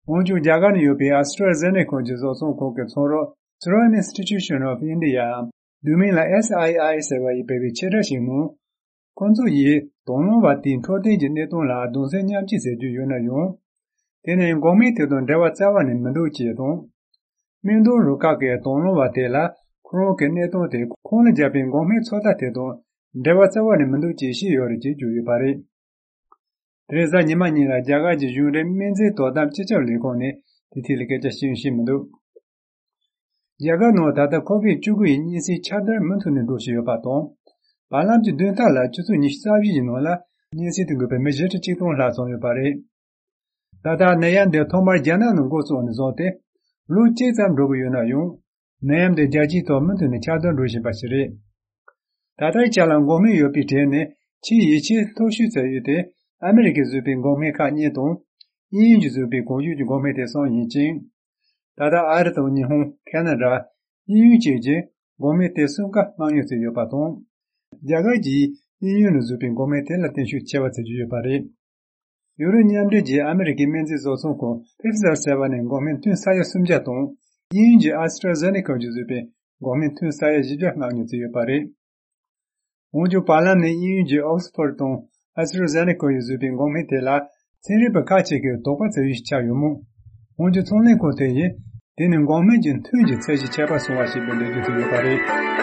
འོན་ཀྱང་རྒྱ་གར་ནང་ཡོད་པའི་AstraZeneca གྱི་བཟོ་ཚོང་ཁང་གི་ཚོང་རོགས་Serum Institution of India འམ་བསྡུས་མིང་ལ S I I ཟེར་བ་ཡིས་སྤེལ་བའི་ཕྱིར་བསྒྲགས་ཤིག་ནང་། ཁོང་ཚོ་ཡིས་དང་བླངས་པ་དེའི་འཕྲོད་བསྟེན་གྱི་གནད་དོན་ལ་གདུང་སེམས་མཉམ་སྐྱེད་ཟེར་རྒྱུ་ཡོད་ན་ཡང་། དེ་ནི་འགོག་སྨན་དེ་དང་འབྲེལ་བ་རྩ་བ་ནས་མི་འདུག་ཅེས་དང་། སྨན་དོན་རུ་ཁག་གིས་དང་བླངས་པ་དེ་ལ་ཁོ་རང་གི་གནད་དོན་དེ་ཁོང་ལ་བརྒྱབ་པའི་འགོག་སྨན་ཚོད་ལྟ་དེ་དང་འབྲེལ་བ་རྩ་བ་ནས་མི་འདུག་ཅེས་བཤད་ཡོད་རེད་ཅེས་བརྗོད་ཡོད་པ་རེད། དེ་རིང་གཟའ་ཉི་མ་ཉིན་ལ་རྒྱ་གར་གྱི་གཞུང་འབྲེལ་སྨན་རྫས་དོ་དམ་སྤྱི་ཁྱབ་ལས་ཁུངས་ནས་དེའི་ཐད་ལ་སྐད་ཆ་བཤད་ཡང་བཤད་མི་འདུག་རྒྱ་གར་ནང་ད་ལྟ་ཁོ་ཝིད་བཅུ་དགུ་ཡི་གཉན་སྲིན་ཁྱབ་གདལ་མུ་མཐུད་ནས་འགྲོ་བཞིན་ཡོད་པ་དང་། བར་ལམ་གྱི་བདུན་ཕྲག་ལ་ཆུ་ཚོད་ཉི་ཤུ་རྩ་བཞི་ཡི་ནང་ལ་གཉན་སྲིན་དུ་འགོས་པའི་མི་བཞི་ཁྲི་གཅིག་སྟོང་ལྷག་ཙམ་ཡོད་པ་རེད། ད་ལྟ་ནད་ཡམས་འདི་ཐོག་མར་རྒྱ་ནག་ནང་འགོ་བཙུགས་ནས་བཟུང་སྟེ་ལོ་གཅིག་ཙམ་འགྲོ་གི་ཡོད་ན་ཡང་། ནད་ཡམས་འདི་རྒྱལ་སྤྱིའི་ཐོག་མུ་མཐུད་ནས་ཁྱབ་གདལ་འགྲོ་བཞིན་པ་ཞིག་རེད། ད་ལྟའི་ཆ་ལ་འགོག་སྨན་ཡོད་པའི་གྲས་ནས་ཆེས་ཡིད་ཆེས་མཐོ་ཤོས་ཟེར་ཡུལ་དེ་ཨ་མི་རི་ཀས་བཟོས་པའི་འགོག་སྨན་ཁག་གཉིས་དང་། དབྱིན་ཡུལ་གྱིས་བཟོས་པའི་གོང་ཞུས་ཀྱི་འགོག་སྨན་དེ་གསུམ་ཡིན་ཅིང་། ད་ལྟ་ཨ་རི་དང་ཉི་ཧོང་། ཁེ་ན་ཌ། དབྱིན་ཡུལ་བཅས་ཀྱིས་འགོག་སྨན་དེ་གསུམ་ཀ་མངགས་ཉོ་བྱས་ཡོད་པ་དང་། རྒྱ་གར་གྱིས་དབྱིན་ཡུལ་ནས་བཟོས་པའི་འགོག་སྨན་དེ་ལ་བརྟེན་ཤུགས་ཆེ་བ་བྱེད་ཀྱི་ཡོད་པ་རེད། ཡུ་རོབ་མཉམ་འབྲེལ་གྱིས་ཨ་མི་རི་ཀའི་སྨན་རྫས་བཟོ་ཚོང་ཁང་Pfizer ཟེར་བ་ནས་འགོག་སྨན་ཐུན་ས་ཡ་སུམ་བརྒྱ་དང་། དབྱིན་ཡུལ་གྱི་AstraZeneca གྱིས་བཟོས་པའི་འགོག་སྨན་ཐུན་ས་ཡ་བཞི་བརྒྱ་མངགས་ཉོ་བྱས་ཡོད་པ་རེད། འོན་ཀྱང་བར་ལམ་ནས་དབྱིན་ཡུལ་གྱི་Oxford དང་AstraZeneca ཡིས་བཟོས་པའི་འགོག་སྨན་དེ་ལ་ཚན་རིག་པ་ཁག་ཅིག་གིས་དོགས་པ་བྱེད་ཡུལ་ཞིག་ཆགས་ཡོད་མོད། འོན་ཀྱང་ཚོང་ལས་ཁང་དེ་ཡིས་དེ་ནི་འགོག་སྨན་གྱི་ཐུན་གྱི་ཚད་གཞི་ཁྱད་པར་སོང་བ་ཞིག་ཏུ་འགྲེལ་བརྗོད་བྱས་ཡོད་པ་རེད།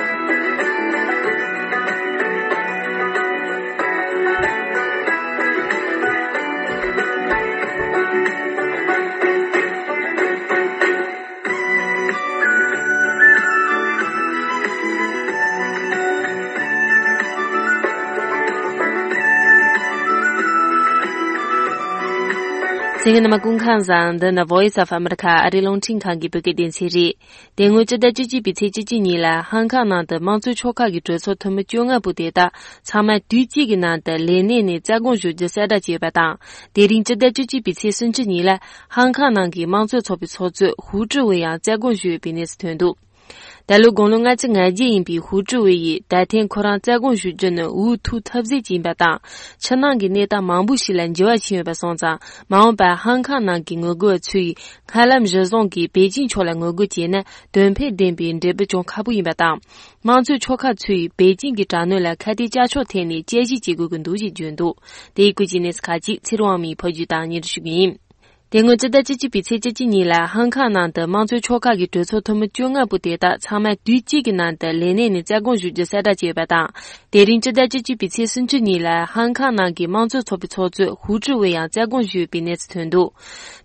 གསན་མཁན་རྣམ་པ་སྐུ་ཁམས་བཟང་། འདི་ནི་Voice of America ཨ་རིའི་རླུང་འཕྲིན་ཁང་གི་བོད་སྐད་སྡེ་ཚན་རེད། དེ་སྔོན་སྤྱི་ཟླ་བཅུ་གཅིག་པའི་ཚེས་བཅུ་གཅིག་ཉིན་ལ་ཧང་ཁང་ནང་དུ་དམངས་གཙོའི་ཆོལ་ཁ་གི་གྲོས་ཚོགས་འཐུས་མི་བཅོ་ལྔ་པོ་དེ་དག་ཚང་མ་དུས་གཅིག་གི་ནང་དུ་ལས་གནས་ནས་རྩ་དགོངས་ཞུ་རྒྱུ་གསལ་བསྒྲགས་བྱས་ཡོད་པ་དང་། དེ་རིང་སྤྱི་ཟླ་བཅུ་གཅིག་པའི་ཚེས་སུམ་ཅུ་ཉིན་ལ་ཧང་ཁང་ནང་གི་དམངས་གཙོའི་ཚོགས་པའི་ཚོགས་གཙོས་ཧུའུ་ཀྲི་ཝེ་ཡང་རྩ་དགོངས་ཞུས་ཡོད་པའི་གནས་ཚུལ་ཐོན་འདུག་ད་ལོ་དགུང་ལོ་ལྔ་བཅུ་ང་བརྒྱད་ཡིན་པའི་ཧུའུ་ཀྲི་ཝེ་ཡིས་ད་ཐེངས་ཁོ་རང་རྩ་དགོངས་ཞུ་རྒྱུ་ནི་འུ་ཐུག་ཐབས་ཟད་ཅིག་ཡིན་པ་དང་། ཕྱི་ནང་གི་གནས་སྟངས་མང་པོ་ཞིག་ལ་འགྱུར་བ་ཕྱིན་ཡོད་པ་སོང་ཙང་། མ་འོངས་པར་ཧང་ཁང་ནང་གི་ངོ་རྒོལ་བ་ཚོས་སྔར་ལམ་གཞིར་བཟུང་གིས་པེ་ཅིང་ཕྱོགས་ལ་ངོ་རྒོལ་བྱས་ན་དོན་ཕན་ལྡན་པའི་འབྲས་བུ་བྱུང་ཁག་པོ་ཡིན་པ་དང་། དམངས་གཙོའི་ཆོལ་ཁ་ཚོས་པེ་ཅིང་གི་དྲག་གནོན་ལ་ཁ་གཏད་བཅག་ཆོག་ཐད་ནས་དཔྱད་ཞིབ་བྱེད་དགོས་ཀྱི་འདུག་ཅེས་བརྗོད་འདུག་དེ་ཡི་སྐོར་གྱི་གནས་ཚུལ་ཁག་ཅིག་ཚེ་རིང་དབང་མོས་ཕབ་སྒྱུར་དང་སྙན་སྒྲོན་ཞུ་གི་ཡིན། དེ་སྔོན་སྤྱི་ཟླ་བཅུ་གཅིག་པའི་ཚེས་བཅུ་གཅིག་ཉིན་ལ་ཧང་ཁང་ནང་དུ་དམངས་གཙོའི་ཆོལ་ཁ་གི་གྲོས་ཚོགས་འཐུས་མི་བཅོ་ལྔ་པོ་དེ་དག་ཚང་མ་དུས་གཅིག་གི་ནང་དུ་ལས་གནས་ནས་རྩ་དགོངས་ཞུ་རྒྱུ་གསལ་བསྒྲགས་བྱས་ཡོད་པ་དང་། དེ་རིང་སྤྱི་ཟླ་བཅུ་གཅིག་པའི་ཚེས་སུམ་ཅུ་ཉིན་ལ་ཧང་ཁང་ནང་གི་དམངས་གཙོའི་ཚོགས་པའི་ཚོགས་གཙོས་ཧུའུ་ཀྲི་ཝེ་ཡང་རྩ་དགོངས་ཞུས་ཡོད་པའི་གནས་ཚུལ་ཐོན་འདུག་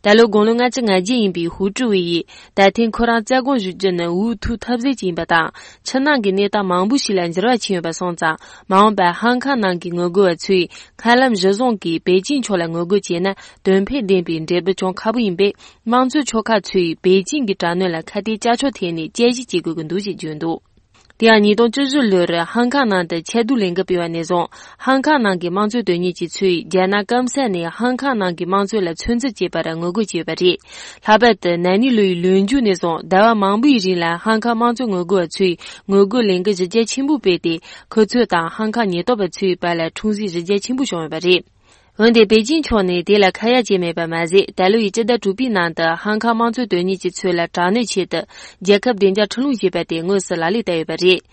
ད་ལོ་དགུང་ལོ་ལྔ་བཅུ་ང་བརྒྱད་ཡིན་པའི་ཧུའུ་ཀྲི་ཝེ་ཡིས་ད་ཐེངས་ཁོ་རང་རྩ་དགོངས་ཞུ་རྒྱུ་ནི་འུ་ཐུག་ཐབས་ཟད་ཅིག་ཡིན་པ་དང་། ཕྱི་ནང་གི་གནས་སྟངས་མང་པོ་ཞིག་ལ་འགྱུར་བ་ཕྱིན་ཡོད་པ་སོང་ཙང་། མ་འོངས་པར་ཧང་ཁང་ནང་གི་ངོ་རྒོལ་བ་ཚོས་སྔར་ལམ་གཞི་བཟུང་གིས་པེ་ཅིང་ཕྱོགས་ལ་ངོ་རྒོལ་བྱས་ན་དོན་ཕན་ལྡན་པའི་འབྲས་བུ་ ཅུང་ཁག་པོ་ཡིན་པས། དམངས་གཙོའི་ཕྱོགས་ཁག་ཚོས་པེ་ཅིང་གི་དྲག་གནོན་ལ་ཁ་གཏད་བཅག་ཆོག་ཐད་ནས་དཔྱད་ཞིབ་བྱེད་དགོས་ཀྱི་འདུག་ཅེས་བརྗོད་འདུག་དེ་ཡང་ཉིས་སྟོང་བཅུ་བཞི་ལོར་ཧང་ཀང་ནང་དུ་ཆེས་སྡུག་ལས་འགུལ་སྤེལ་བ་ནས་བཟུང་། ཧང་ཀང་ནང་གི་དམངས་གཙོ་དོན་གཉེར་གྱི་ཚོས་རྒྱ་ནག་སྐམ་ས་ནས་ཧང་ཀང་ནང་གི་དམངས་གཙོ་ལ་ཚོད་འཛིན་བྱས་པར་ངོ་རྒོལ་བྱས་ཡོད་པ་རེད། ལྷག་པར་དུ་ན་ནིང་ལོ་ཡི་ལོ་མཇུག་ནས་བཟུང་ཟླ་བ་མང་པོའི་རིང་ལ་ཧང་ཀང་དམངས་གཙོ་ངོ་རྒོལ་བ་ཚོས་ངོ་རྒོལ་ལས་འགུལ་གཞི་རྒྱ་ཆེན་པོ་སྤེལ་ཏེ། ཁོ་ཚོ་དང་ཧང་ཀང་ཉེན་རྟོག་པ་ཚོའི་བར་ལ་འཁྲུག་འཛིང་གཞི་རྒྱ་ཆེན་པོ་བྱུང་ཡོད་པ་རེད། འོན་ཏེ་པེ་ཅིང་ཕྱོགས་ནས་དེ་ལ་ཁ་ཡ་བྱས་མེད་པ་མ་ཟད། ད་ལོ་ཡི་སྤྱི་ཟླ་དྲུག་པའི་ནང་དུ་ཧང་ཀང་དམངས་གཙོ་དོན་གཉེར་གྱི་ཚོས་ལ་དྲག་གནོན་ཆེད་དུ་རྒྱལ་ཁབ་བདེ་འཇགས་ཁྲིམས་ལུགས་ཞེས་པ་དེ་དངོས་སུ་ལག་ལེན་བསྟར་ཡོད་པ་རེད།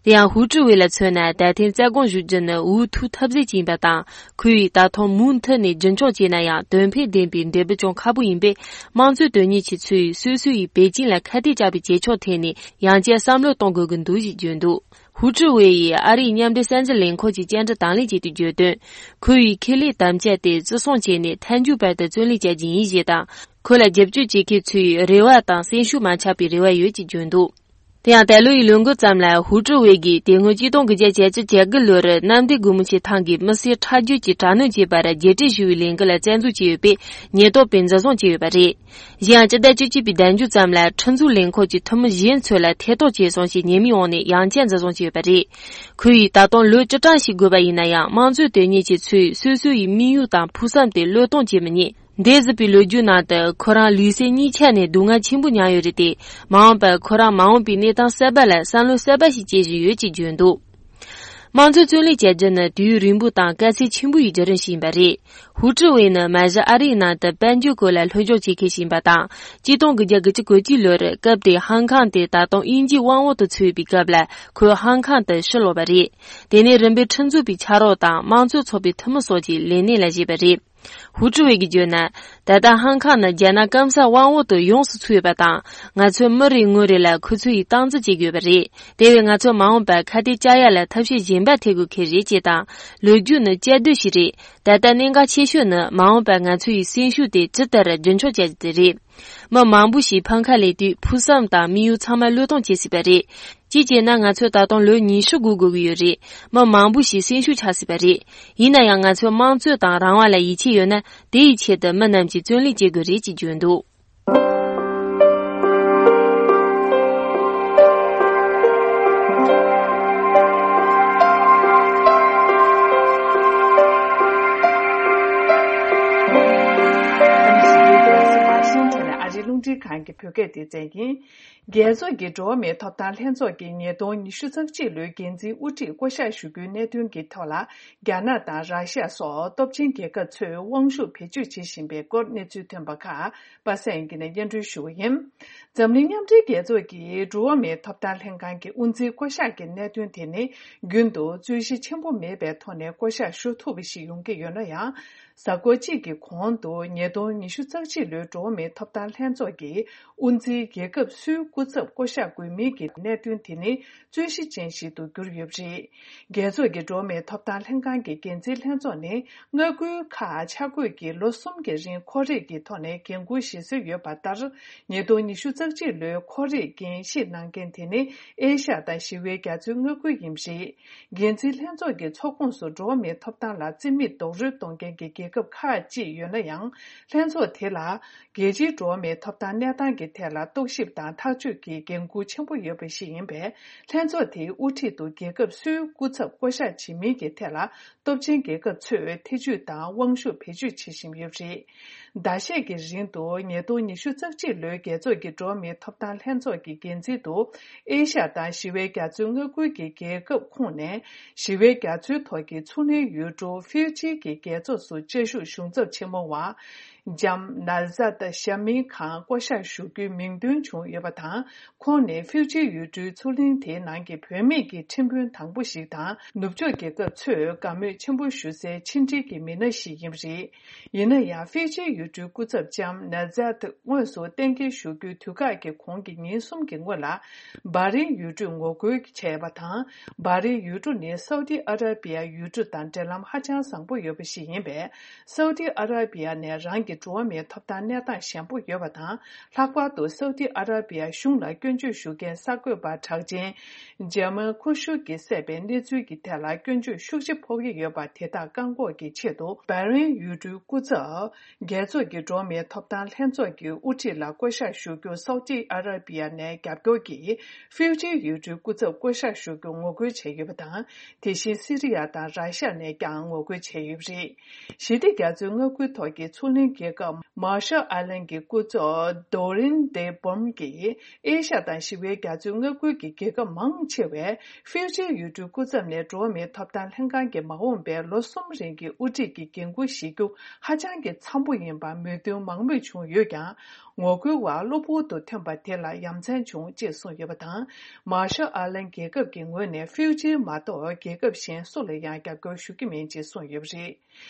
དེ་ཡང་ཧུའུ་ཀྲི་ཝེ་ལ་མཚོན་ན། ད་ཐེངས་རྩ་དགོངས་ཞུ་རྒྱུ་ནི་འུ་ཐུག་ཐབས་ཟད་ཅིག་ཡིན་པ་དང་། ཁོས་ད་ཐེངས་མུ་མཐུད་ནས་རྒྱུན་འཁྱོངས་བྱས་ན་ཡང་དོན་ཕན་ལྡན་པའི་འབྲས་བུ་ཅུང་ཁག་པོ་ཡིན་པས། དམངས་གཙོ་དོན་གཉེར་གྱི་ཚོས་སོ་སོ་ཡིས་པེ་ཅིང་ལ་ཁ་གཏད་བཅག་པའི་བྱེད་ཕྱོགས་ཐད་ནས་ཡང་བསྐྱར་བསམ་བློ་གཏོང་དགོས་ཀྱི་འདུག་ཅེས་བརྗོད་འདུག་ཧུའུ་ཀྲི་ཝེ་ཡིས་ཨ་རིའི་མཉམ་འབྲེལ་གསར་འགྱུར་ལས་ཁང་གི་བཅར་འདྲི་དང་ལེན་བྱས་ཏེ་བརྗོད་དོན། ཁོ་བོས་ཁེ་ལས་དམ་བཅའ་དེ་བརྩི་སྲུང་བྱས་ནས་མཐའ་མཇུག་བར་དུ་བརྩོན་ལེན་བྱ་རྒྱུ་ཡིན་ཞེས་དང་། ཁོ་ལ་རྒྱབ་སྐྱོར་བྱེད་མཁན་ཚོའི་རེ་བ་དང་སེམས་ཤུགས་མ་ཆག་པའི་རེ་བ་ཡོད་ཅེས་བརྗོད་འདུག་དེ་ཡང་ད་ལོ་ཡི་ལོ་འགོ་ཙམ་ལ་ཧུའུ་ཀྲི་ཝེ་གིས་དེ་སྔོན་གཅིག་སྟོང་དགུ་བརྒྱ་བརྒྱད་ཅུ་གྱ་དགུ་ལོར་གནམ་བདེ་སྒོ་མོ་ཆེའི་ཐང་གི་མི་སེར་ཁྲག་རྒྱུད་ཀྱི་དྲག་གནོན་བྱས་པར་རྒྱལ་སྤྱིའི་ཞི་བའི་ལས་འགུལ་ལ་བཙན་འཛུལ་བྱས་ཡོད་པས། ཉེན་རྟོག་པས་འཛིན་བཟུང་བྱས་ཡོད་པ་རེད། གཞན་ཡང་སྤྱི་ཟླ་བཅུ་གཅིག་པའི་ཟླ་མཇུག་ཙམ་ལ་ཁྲིམས་འཛུགས་ལས་ཁུངས་ཀྱི་འཐུས་མི་གཞན་ཚོ་ལ་ཐེ་གཏོགས་བྱས་སོང་ཞེས་ཉེས་མིང་འོག་ནས་ཡང་བསྐྱར་འཛིན་བཟུང་བྱས་ཡོད་པ་རེད། ཁོ་ཡིས་ད་དུང་ལོ་བཅུ་གྲངས་ཤིག་འགོར་བ་ཡིན་ན་ཡང་། དམངས་གཙོའི་དོན་གཉེར་གྱི་ཚོས་སོ་སོ་ཡི་དམིགས་ཡུལ་དང་ཕུགས་བསམ་དེ་བློས་གཏོང་བྱེད་མི་ཉན། འདས་ཟིན་པའི་ལོ་རྒྱུས་ནང་དུ་ཁོ་རང་ལུས་སེམས་གཉིས་ཆ་ནས་སྡུག་བསྔལ་ཆེན་པོ་མྱངས་ཡོད་རེད་དེ། མ་འོངས་པར་ཁོ་རང་མ་འོངས་པའི་གནས་སྟངས་གསར་པ་ལ་བསམ་བློ་གསར་པ་ཞིག་སྐྱེ་བཞིན་ཡོད་ཅེས་བརྗོད་འདུག་དམངས་གཙོ་བརྩོན་ལེན་བྱ་རྒྱུ་ནི་དུས་ཡུན་རིང་པོ་དང་དཀའ་ཚེགས་ཆེན་པོ་ཡི་བརྒྱུད་རིམ་ཞིག་ཡིན་པ་རེད། ཧུའུ་ཀྲི་ཝེ་ནི་མ་གཞི་ཨ་རིའི་ནང་དུ་དཔལ་འབྱོར་སྐོར་ལ་སློབ་སྦྱོང་བྱེད་མཁན་ཞིག་ཡིན་པ་དང་། གཅིག་སྟོང་དགུ་བརྒྱ་དགུ་བཅུ་གོ་གཅིག་ལོར་སྐབས་དེའི་ཧང་ཀང་དེ་ད་དུང་དབྱིན་ཇིའི་དབང་འོག་ཏུ་ཚུད་པའི་སྐབས་ལ་ཁོས་ཧང་ཀང་དུ་ཕྱིར་ལོག་པ་རེད། དེ་ནས་རིམ་པས་ཁྲིམས་འཛུགས་པའི་ཕྱག་རོགས་དང་དམངས་གཙོ་ཚོགས་པའི་འཐུས་མི་སོགས་ཀྱི་ལས་གནས་ལ་བཞེས་པ་རེད། ཧུའུ་ཀྲི་ཝེ་གིས་བརྗོད་ན། ད་ལྟ་ཧང་ཀང་ནི་རྒྱ་ནག་སྐམ་སའི་དབང་འོག་ཏུ་ཡོངས་སུ་ཚུད་ཡོད་པ་དང་། ང་ཚོས་མི་རེ་ངོ་རེ་ལ་ཁོ་ཚོ་ཡི་སྟངས་འཛིན་བྱེད་དགོས་པ་རེད། དེ་བས་ང་ཚོ་མ་འོངས་པར་ཁ་གཏད་བཅག་ཡ་ལ་ཐབས་ཤེས་གཞན་པ་འཐེན་དགོས་ཁེལ་རེད་ཅེས་དང་། ལོ་རྒྱུས་ནི་བཅའ་སྡོད་ཞིག་རེད། ད་ལྟ་གནད་འགག་ཆེ་ཤོས་ནི་མ་འོངས་པར་ང་ཚོ་ཡི་སེམས་ཤུགས་དེ་ཇི་ལྟར་རྒྱུན་འཁྱོངས་བྱ་རྒྱུ་དེ་རེད། མི་མང་པོ་ཞིག་ཕམ་ཁ་ལས་དུས་ཕུགས་བསམ་དང་དམིགས་ཡུལ་ཚང་མ་བློས་གཏོང་བྱེད་སྲིད་པ་རེད། གཅིག་བྱས་ན་ང་ཚོས་ད་དུང་ལོ་ཉི་ཤུ་སྒུག་དགོས་ཀྱི་ཡོད་རེད། མི་མང་པོ་ཞིག་སེམས་ཤུགས་ཆག་སྲིད་པ་རེད། ཡིན་ན་ཡང་ང་ཚོས་དམངས་གཙོ་དང་རང་དབང་ལ་ཡིད་ཆེས་ཡོད་ན། དེ་ཡི་ཆེད་དུ་མི་རྣམས་ཀྱིས་བརྩོན་ལེན་བྱེད་དགོས་རེད་ཅེས་བརྗོད་འདུག་ཨ་རིའི་རླུང་འཕྲིན་ཁང་གི་བོད་སྐད་སྡེ་ཚན་ཡིན། རྒྱལ་ཚོགས་ཀྱི་འགྲོ་བ་མིའི་ཐོབ་ཐང་ལྷན་ཚོགས་ཀྱི་ཉིས་སྟོང་ཉི་ཤུ་རྩ་གཅིག་ལོའི་འགན་འཛིན་དབུ་ཁྲིད་བསྐོ་གཞག་ཞུ་རྒྱུའི་གནད་དོན་གྱི་ཐོག་ལ། རྒྱ་ནག་དང་ར་ཤ་སོགས་སྟོབས་ཆེན་རྒྱལ་ཁབ་ཚོས་དབང་ཤུགས་བེད་སྤྱོད་བྱེད་བཞིན་པའི་སྐོར་གནས་ཚུལ་ཐོན་པ་ཁག་པ་སངས་སྐྱིད་ནས་སྙན་སྒྲོན་ཞུ་བ་ཡིན། འཛམ་གླིང་མཉམ་འབྲེལ་རྒྱལ་ཚོགས་ཀྱི་འགྲོ་བ་མིའི་ཐོབ་ཐང་ལྷན་ཁང་གི་དབུ་འཛིན་བསྐོ་གཞག་གི་གནད་དོན་དེ་ནི། རྒྱུན་དུ་རྩོད་གཞི་ཆེན་པོ་མེད་པའི་ཐོག་ནས་བསྐོ་གཞག་ཞུ་ཐུབ་པ་ཞིག་ཡོང་གི་ཡོད་ན་ཡང་། གཟའ་འཁོར་གཅིག་གི་གོང་དུ་ཉིས་སྟོང་ཉི་ཤུ་རྩ་གཅིག་ལོའི་འགྲོ་བ་མིའི་ཐོབ་ཐང་ལྷན་ཚོགས་ཀྱི་དབུ་འཛིན་རྒྱལ་ཁབ་སུའི་སྐུ་ཚབ་བསྐོ་གཞག་དགོས་མིན་གྱི་གནད་དོན་དེ་ནི་རྩོད་གཞི་ཅན་ཞིག་ཏུ་གྱུར་ཡོད་པ་རེད། རྒྱལ་ཚོགས་ཀྱི་འགྲོ་བ་མིའི་ཐོབ་ཐང་ལྷན་ཁང་གི་འགན་འཛིན་ལྷན་ཚོགས་ནི་མངའ་ཁུལ་ཁག་ཆ་བགོས་ཀྱིས་ལོ་གསུམ་གྱི་རིང་ཁོར་ཡུག་གི་ཐོག་ནས་འགན་འཁུར་བཞེས་སྲོལ་ཡོད་པ་ལྟར། ཉིས་སྟོང་ཉི་ཤུ་རྩ་གཅིག་ལོའི་ཁོར་ཡུག་འགན་བཞེས་གནང་མཁན་དེ་ནི་ཨེ་ཤ་ཡ་དང་ཞི་བའི་རྒྱ་མཚོའི་མངའ་ཁུལ་ཡིན་པ་རེད། འགན་འཛིན་ལྷན་ཚོགས་ཀྱི་ཚོགས་ཁོངས་སུ་འགྲོ་བ་མིའི་ཐོབ་ཐང་ལ་རྩིས་མེད་རྡོག་རོལ་གཏོང་མཁན་གྱི་རྒྱལ་ཁབ་ཁག་ཅིག་ཡོད་ན་ཡང་། ལྷན་ཚོགས་དེ་ལ་རྒྱལ་སྤྱིའི་འགྲོ་བ་མིའི་ཐོབ་ཐང་གནས་སྟངས་ཀྱི་ཐད་ལ་རྟོག་ཞིབ་དང་ཐག་གཅོད་ཀྱི་འགན་འཁུར་ཆེན་པོ་ཡོད་པ་ཞིག་ཡིན་པས། ལྷན་ཚོགས་དེའི་དབུ་ཁྲིད་དུ་རྒྱལ་ཁབ་སུའི་སྐུ་ཚབ་བསྐོ་གཞག་བྱེད་མིན་གྱི་ཐད་ལ་སྟོབས་ཆེན་རྒྱལ་ཁབ་ཚོས་ཐེ་ཇུས་དང་དབང་ཤུགས་བེད་སྤྱོད་བྱེད་བཞིན་ཡོད་པ་རེད། ཟླ་ཤས་ཀྱི་རིང་དུ་ཉིས་སྟོང་ཉི་ཤུ་རྩ་གཅིག་ལོའི་རྒྱལ་ཚོགས་ཀྱི་འགྲོ་བ་མིའི་ཐོབ་ཐང་ལྷན་ཚོགས་ཀྱི་འགན་འཛིན་དུ་ཨེ་ཤ་ཡ་དང་ཞི་བའི་རྒྱ་མཚོའི་མངའ་ཁུལ་གྱི་རྒྱལ་ཁབ་ཁོངས་ནས་ཞི་བའི་རྒྱ་མཚོའི་ཐོག་གི་མཚོ་གླིང་ཡུལ་གྲུ་ཧྥིའུ་ཅི་གི་རྒྱལ་ཚོགས་སུ་བཅའ་བཞུགས་གཞུང་ཚབ་ཆེན་མོ་བ་ཇམ་ནཱ་ཛད་ཞ་མིན་ཁང་བསྐོ་གཞག་ཞུ་རྒྱུའི་མིང་འདོན་བྱུང་ཡོད་པ་དང་། ཁོང་ནི་ཧྥིའུ་ཅི་ཡུལ་གྲུའི་མཚོ་གླིང་དེའི་ནང་གི་བུད་མེད་ཀྱི་ཁྲིམས་དཔོན་དང་པོ་ཞིག་དང་། ནུབ་ཕྱོགས་རྒྱལ་ཁབ་ཚོས་དགའ་མོས་ཆེན་པོ་ཞུ་སའི་ཕྱི་འབྲེལ་གྱི་མི་སྣ་ཞིག་ཡིན་པ་རེད། ཡིན་ན་ཡང་། ཧྥི་ཇི་ཡུལ་གྲུའི་སྐུ་ཚབ་ལྕམ་ནཱ་ཛད་དངོས་སུ་གཏན་འཁེལ་ཞུ་རྒྱུའི་དུས་བཀག་གི་གོང་གི་ཉིན་གསུམ་གྱི་སྔོན་ལ། སྦ་རིན་ཡུལ་གྲུས་ངོ་རྒོལ་བྱས་པ་དང་། སྦ་རིན་ཡུལ་གྲུ་ནི་སའུ་ཏི་ཨ་ར་པི་ཡ་ཡུལ་གྲུ་དང་འབྲེལ་ལམ་ཧ་ཅང་བཟང་པོ་ཡོད་པ་ཞིག་ཡིན་པས། སའུ་ཏི་ཨ་ར་པི་ཡ་ནས་རང་གི་ འགྲོ་བ་མིའི་ཐོབ་ཐང་གནས་སྟངས་ཞན་པོ་ཡོད་པ་དང་། ལྷག་པར་དུ་སའུ་ཏི་ཨ་ར་པི་ཡ་གཞུང་ལ་སྐྱོན་བརྗོད་ཞུ་མཁན་གསར་འགོད་པ་གྲགས་ཅན་ཇ་མལ་ཁུ་ཤུ་གིས་གསལ་བའི་གནས་ཚུལ་གྱི་ཐད་ལ་སྐྱོན་བརྗོད་ཤུགས་ཆེ་ཕོག་གི་ཡོད་པ་དེ་དག་བཀག་འགོག་གི་ཆེད་དུ། བྷ་རེན་ཡུལ་གྲུའི་སྐུ་ཚབ། རྒྱལ་ཚོགས་ཀྱི་འགྲོ་བ་མིའི་ཐོབ་ཐང་ལྷན་ཚོགས་ཀྱི་དབུ་ཁྲིད་ལ་བསྐོ་གཞག་ཞུ་རྒྱུ་སའུ་ཏི་ཨ་ར་པི་ཡ་ནས་རྒྱབ་སྐྱོར་གྱིས་ཧྥིའུ་ཅི་ཡུལ་གྲུའི་སྐུ་ཚབ་བསྐོ་གཞག་ཞུ་རྒྱུ་ངོ་རྒོལ་བྱས་ཡོད་པ་དང་། དེ་བཞིན་སི་རི་ཡ་དང་ར་ཤ་ནས་ཀྱང་ངོ་རྒོལ་བྱས་ཡོད་པ་རེད། ཞི་བདེ་རྒྱ་མཚོའི་མངའ་ཁུལ་ཐོག་གི་མཚོ་གླིང་རྒྱལ་ཁབ་མར་ཤལ་ཨའི་ལན་གྱི་སྐུ་ཚབ་Doreen de Boom གྱིས། ཨེ་ཤ་དང་ཞི་བའི་རྒྱ་མཚོའི་མངའ་ཁུལ་གྱི་རྒྱལ་ཁབ་མང་ཆེ་བས་ཧྥིའུ་ཅི་ཡུལ་གྲུའི་སྐུ་ཚབ་ནས་འགྲོ་བ་མིའི་ཐོབ་ཐང་ལྷན་ཁང་གི་མ་འོངས་པའི་ལོ་གསུམ་རིང་གི་དབུ་ཁྲིད་ཀྱི་འགན་འཁུར་བཞེས་རྒྱུ་ཧ་ཅང་གི་འཚམ་པོ་ཡིན་པར་མོས་མཐུན་མང་མོས་བྱུང་ཡོད་ཀྱང་། ངོ་རྒོལ་བ་གློ་བུར་དུ་ཐོན་པ་དེ་ལ་ཡ་མཚན་བྱུང་ཅེས་གསུངས་ཡོད་པ་དང་། མར་ཤལ་ཨའི་ལན་རྒྱལ་ཁབ་ཀྱི་ངོས་ནས་ཧྥིའུ་ཅི་མ་གཏོགས་རྒྱལ་ཁབ་གཞན་སུ་ལ་ཡང་རྒྱབ་སྐྱོར་ཞུ་གི་མིན་ཅེས་གསུངས་ཡོད་པ་རེད།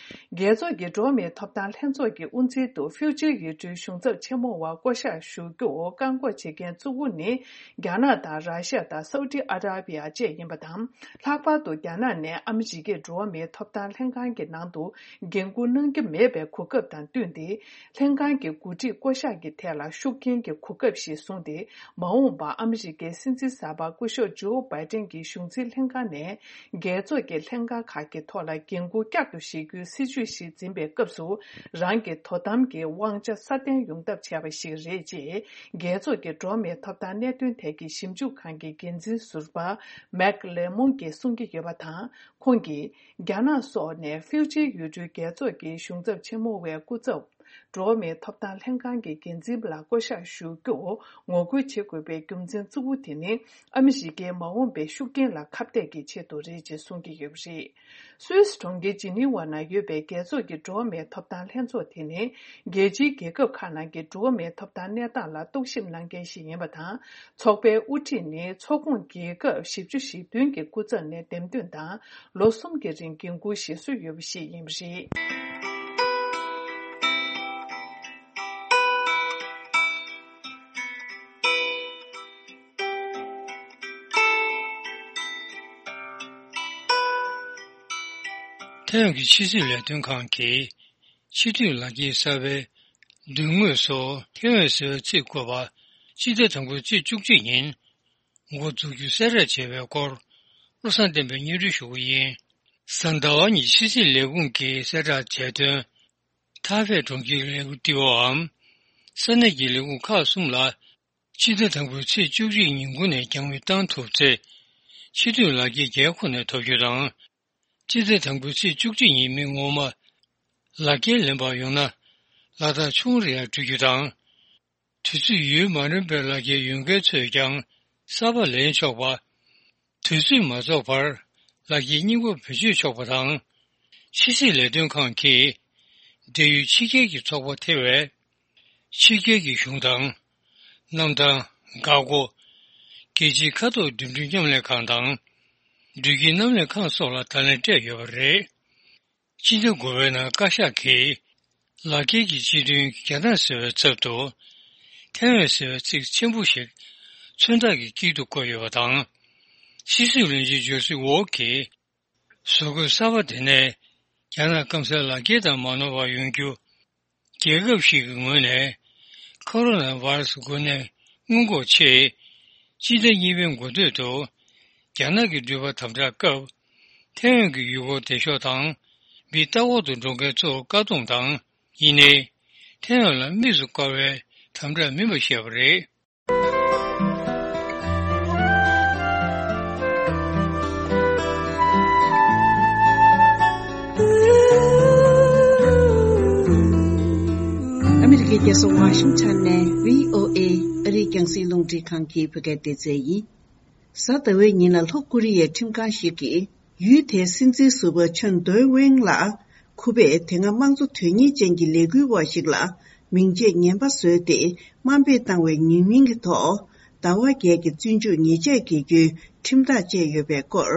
རྒྱལ་ཚོགས་ཀྱི་འགྲོ་བ་མིའི་ཐོབ་ཐང་ལྷན་ཚོགས་ཀྱི་དབུ་འཛིན་དུ་ཧྥིའུ་ཅི་ཡུལ་གྲུའི་གཞུང་ཚབ་ཆེན་མོ་བ་བསྐོ་གཞག་ཞུ་རྒྱུར་བཀག་འགོག་བྱེད་མཁན་གཙོ་བོ་ནི། རྒྱ་ནག་དང་ར་ཤ་དང་སའུ་ཏི་ཨ་ར་པི་ཡ་བཅས་ཡིན་པ་དང་། ལྷག་པར་དུ་རྒྱ་ནག་ནས་ཨ་མི་རི་ཀའི་འགྲོ་བ་མིའི་ཐོབ་ཐང་ལྷན་ཁང་གི་ནང་དུ་འགན་འཁུར་གནང་རྒྱུ་མེད་པའི་གོ་སྐབས་དང་བསྟུན་ཏེ། ལྷན་ཁང་གི་འགོ་ཁྲིད་བསྐོ་གཞག་གི་ཐད་ལ་ཤུགས་རྐྱེན་གྱི་གོ་སྐབས་ཤིག་བཟུང་སྟེ། མ་འོངས་པར་ཨ་མི་རི་ཀའི་སྲིད་འཛིན་གསར་པ་སྐུ་ཞབས་ཇོ་བྷའི་ཏན་གྱི་གཞུང་འཛིན་ལྷན་ཁང་ནས། རྒྱལ་ཚོགས་ཀྱི་ལྷན་ཁང་ཁག་གི་ཐོག་ལ་འགན་འཁུར་བསྐྱར་དུ་བཞེས་རྒྱུའི་སྲིད་ཇུས་ཤིག་འཛིན་པའི་སྐབས་སུ། རང་གི་དོ་དམ་གྱི་དབང་ཆ་སྲ་བརྟན་ཡོང་ཐབས་བྱས་པ་ཞིག་རེད་ཅེས། རྒྱལ་ཚོགས་ཀྱི་འགྲོ་བ་མིའི་ཐོབ་ཐང་གནད་དོན་ཐད་ཀྱི་ཞིབ་འཇུག་ཁང་གི་འགན་འཛིན་ཟུར་པ་མེག་ལེ་མོང་གིས་གསུང་གི་ཡོད་པ་དང་། ཁོང་གིས། རྒྱ་ནག་སོགས་ནས་ཧྥིའུ་ཅི་ཡུལ་གྲུའི་རྒྱལ་ཚོགས་ཀྱི་གཞུང་ཚབ་ཆེན་མོ་བའི་སྐུ་ཚབ། འགྲོ་བ་མིའི་ཐོབ་ཐང་ལྷན་ཁང་གི་འགན་འཛིན་ལ་བསྐོ་གཞག་ཞུ་རྒྱུར་ངོ་རྒོལ་བྱེད་དགོས་པའི་རྒྱུ་མཚན་གཙོ་བོ་དེ་ནི། ཨ་མི་རི་ཀའི་མ་འོངས་པའི་ཤུགས་རྐྱེན་ལ་ཁ་གཏད་ཀྱི་ཆེད་དུ་རེད་ཅེས་གསུང་གི་ཡོད་པ་རེད། སུད་སི་གྲོང་ཁྱེར་ཇི་ནི་ཝ་ན་ཡོད་པའི་རྒྱལ་ཚོགས་ཀྱི་འགྲོ་བ་མིའི་ཐོབ་ཐང་ལྷན་ཚོགས་དེ་ནི། རྒྱལ་སྤྱིའི་རྒྱལ་ཁབ་ཁག་ནང་གི་འགྲོ་བ་མིའི་ཐོབ་ཐང་གནས་སྟངས་ལ་རྟོག་ཞིབ་གནང་མཁན་ཞིག་ཡིན་པ་དང་། ཚོགས་པའི་དབུ་ཁྲིད་ནི་ཚོགས་ཁོངས་རྒྱལ་ཁབ་བཞི་བཅུ་ཞེ་བདུན་གྱི་སྐུ་ཚབ་ནས་འདེམས་ཐོན་དང་། ལོ་གསུམ་གྱི་རིང་འགན་འཁུར་བཞེས་སྲོལ་ཡོད་པ་ཞིག་ཡིན་པ་རེད། ཐའེ་ཝན་གྱི་ཕྱི་སྲིད་ལས་དོན་ཁང་གིས་ཕྱི་སྡོད་ལག་འཁྱེར་གསར་པའི་མདུན་ངོས་སུ་ཐའེ་ཝན་ཟེར་བའི་ཚིག་བཀོད་པ་སྤྱི་ཟླ་དང་པོའི་ཚེས་བཅུ་གཅིག་ཉིན་འགོ་འཛུགས་རྒྱུ་གསལ་བསྒྲགས་བྱས་པའི་སྐོར་བློ་བཟང་བསྟན་པས་སྙན་སྒྲོན་ཞུ་གི་ཡིན། གཟའ་ཟླ་བ་ཉིན་ཕྱི་སྲིད་ལས་ཁུངས་ཀྱིས་གསལ་བསྒྲགས་བྱས་དོན། ཐའེ་ཝན་གྲོང་ཁྱེར་ལས་འགུལ་ལྟེ་བའམ་ས་གནས་ཀྱི་ལས་ཁུངས་ཁག་གསུམ་ལ་ཕྱི་ཟླ་དང་པོའི་ཚེས་བཅུ་གཅིག་ཉིན་གུང་ནས་རྒྱང་འཕེན་བཏང་ཐུབ་ཚེ། ཕྱི་སྡོད་ལག་འཁྱེར་བརྒྱ་ཁོ་ནས་ཐོབ་རྒྱུ་དང་། ཕྱི་ཟླ་དང་པོའི་ཚེས་བཅུ་གཅིག་ཉིན་མི་ངོ་མ་ལག་འཁྱེར་ལེན་པར་ཡོང་ན། ལག་རྟགས་ཆུང་རུ་ཡང་འགྲོ་རྒྱུ་དང་། དུས་ཚོད་ཡུན་མ་རིང་བའི་ལག་འཁྱེར་ཡོད་མཁན་ཚོས་ཀྱང་གསར་པ་ལེན་ཆོག་པ། དུས་ཚོད་མ་རྫོགས་བར་ལག་འཁྱེར་རྙིང་པ་བེད་སྤྱོད་ཆོག་པ་དང་། ཕྱི་སྲིད་ལས་དོན་ཁང་གིས་འབྲེལ་ཡོད་ཕྱི་རྒྱལ་གྱི་ཚོགས་པ་ཐེ་བའི་ཕྱི་རྒྱལ་གྱི་གཞུང་དང་། གནམ་ཐང་། འགག་སྒོ། རྒྱལ་སྤྱིའི་མཁའ་ཐོག་འགྲིམ་འགྲུལ་མཉམ་ལས་ཁང་དང་། འགྲུལ་སྐྱེལ་མཉམ་ལས་ཁང་སོགས་ལ་བརྡ་ལན་སྤྲད་ཡོད་པ་རེད། སྤྱི་ཟླ་དགུ་པའི་ནང་བཀའ་ཤག་གིས་ལག་འཁྱེར་གྱི་སྤྱི་དོན་རྒྱ་ནག་ཟེར་བའི་ཚབ་ཏུ་ཐའེ་ཝན་ཟེར་བའི་ཚིག་ཆེན་པོ་ཞིག་མཚོན་རྟགས་ཀྱི་དཀྱིལ་དུ་བཀོད་ཡོད་པ་དང་། ཕྱི་སྲིད་བློན་ཆེན་ཇོ་སི་ཝོག་གིས་བཟོ་བཀོད་གསར་པ་དེ་ནས་རྒྱ་ནག་སྐམ་སའི་ལག་འཁྱེར་དང་མ་ནོར་བར་ཡོང་རྒྱུ། རྒྱལ་ཁབ་ཞིག་གི་ངོས་ནས་ཁོ་རོ་ན་བྷ་ར་སི་འགོས་ནད་སྔོན་འགོག་ཆེད་སྤྱི་ཟླ་གཉིས་པའི་འགོ་སྟོད་དུ་རྒྱ་ནག་གི་འགྲུལ་པ་དམ་དྲག་སྐབས་ཐའེ་ཝན་གྱི་ཡུལ་སྐོར་བདེ་ཤོག་དང་མི་ལྟ་སྐོར་དུ་འགྲོ་མཁན་ཚོར་བཀག་སྡོམ་དང་། ཡིན་ནའི། ཐའེ་ཝན་ལ་དམིགས་སུ་བཀར་བའི་དམ་དྲག་མིན་པ་བཤད་པ་རེད། ཨ་མི་རི་ཀའི་རྒྱལ་ས་ཝ་ཤིང་ཊོན་ནས་བྷི་ཨོ་ཨེ་ཨ་རིའི་རྒྱང་སྲིང་རླུང་འཕྲིན་ཁང་གི་བོད་སྐད་སྡེ་ཚན་ཡིན། གཟའ་ཟླ་བའི་ཉིན་ལ་ལྷོ་ཀོ་རི་ཡའི་ཁྲིམས་ཁང་ཞིག་གིས་ཡུལ་དེའི་སྲིད་འཛིན་ཟུར་པ་ཆོན་ཏོན་ཝེང་ལ། ཁུ་པས་དེ་སྔ་དམངས་གཙོ་དོན་གཉེར་ཅན་གྱི་ལས་འགུལ་བ་ཞིག་ལ་མིང་ཆད་ངན་པ་བཟོས་ཏེ་དམའ་འབེབས་བཏང་བའི་ཉེས་མིང་གི་ཐོག་ཟླ་བ་བརྒྱད་ཀྱི་བཙོན་འཇུག་ཉེས་ཆད་འགེལ་རྒྱུའི་ཁྲིམས་ཐག་བཅད་ཡོད་པའི་སྐོར།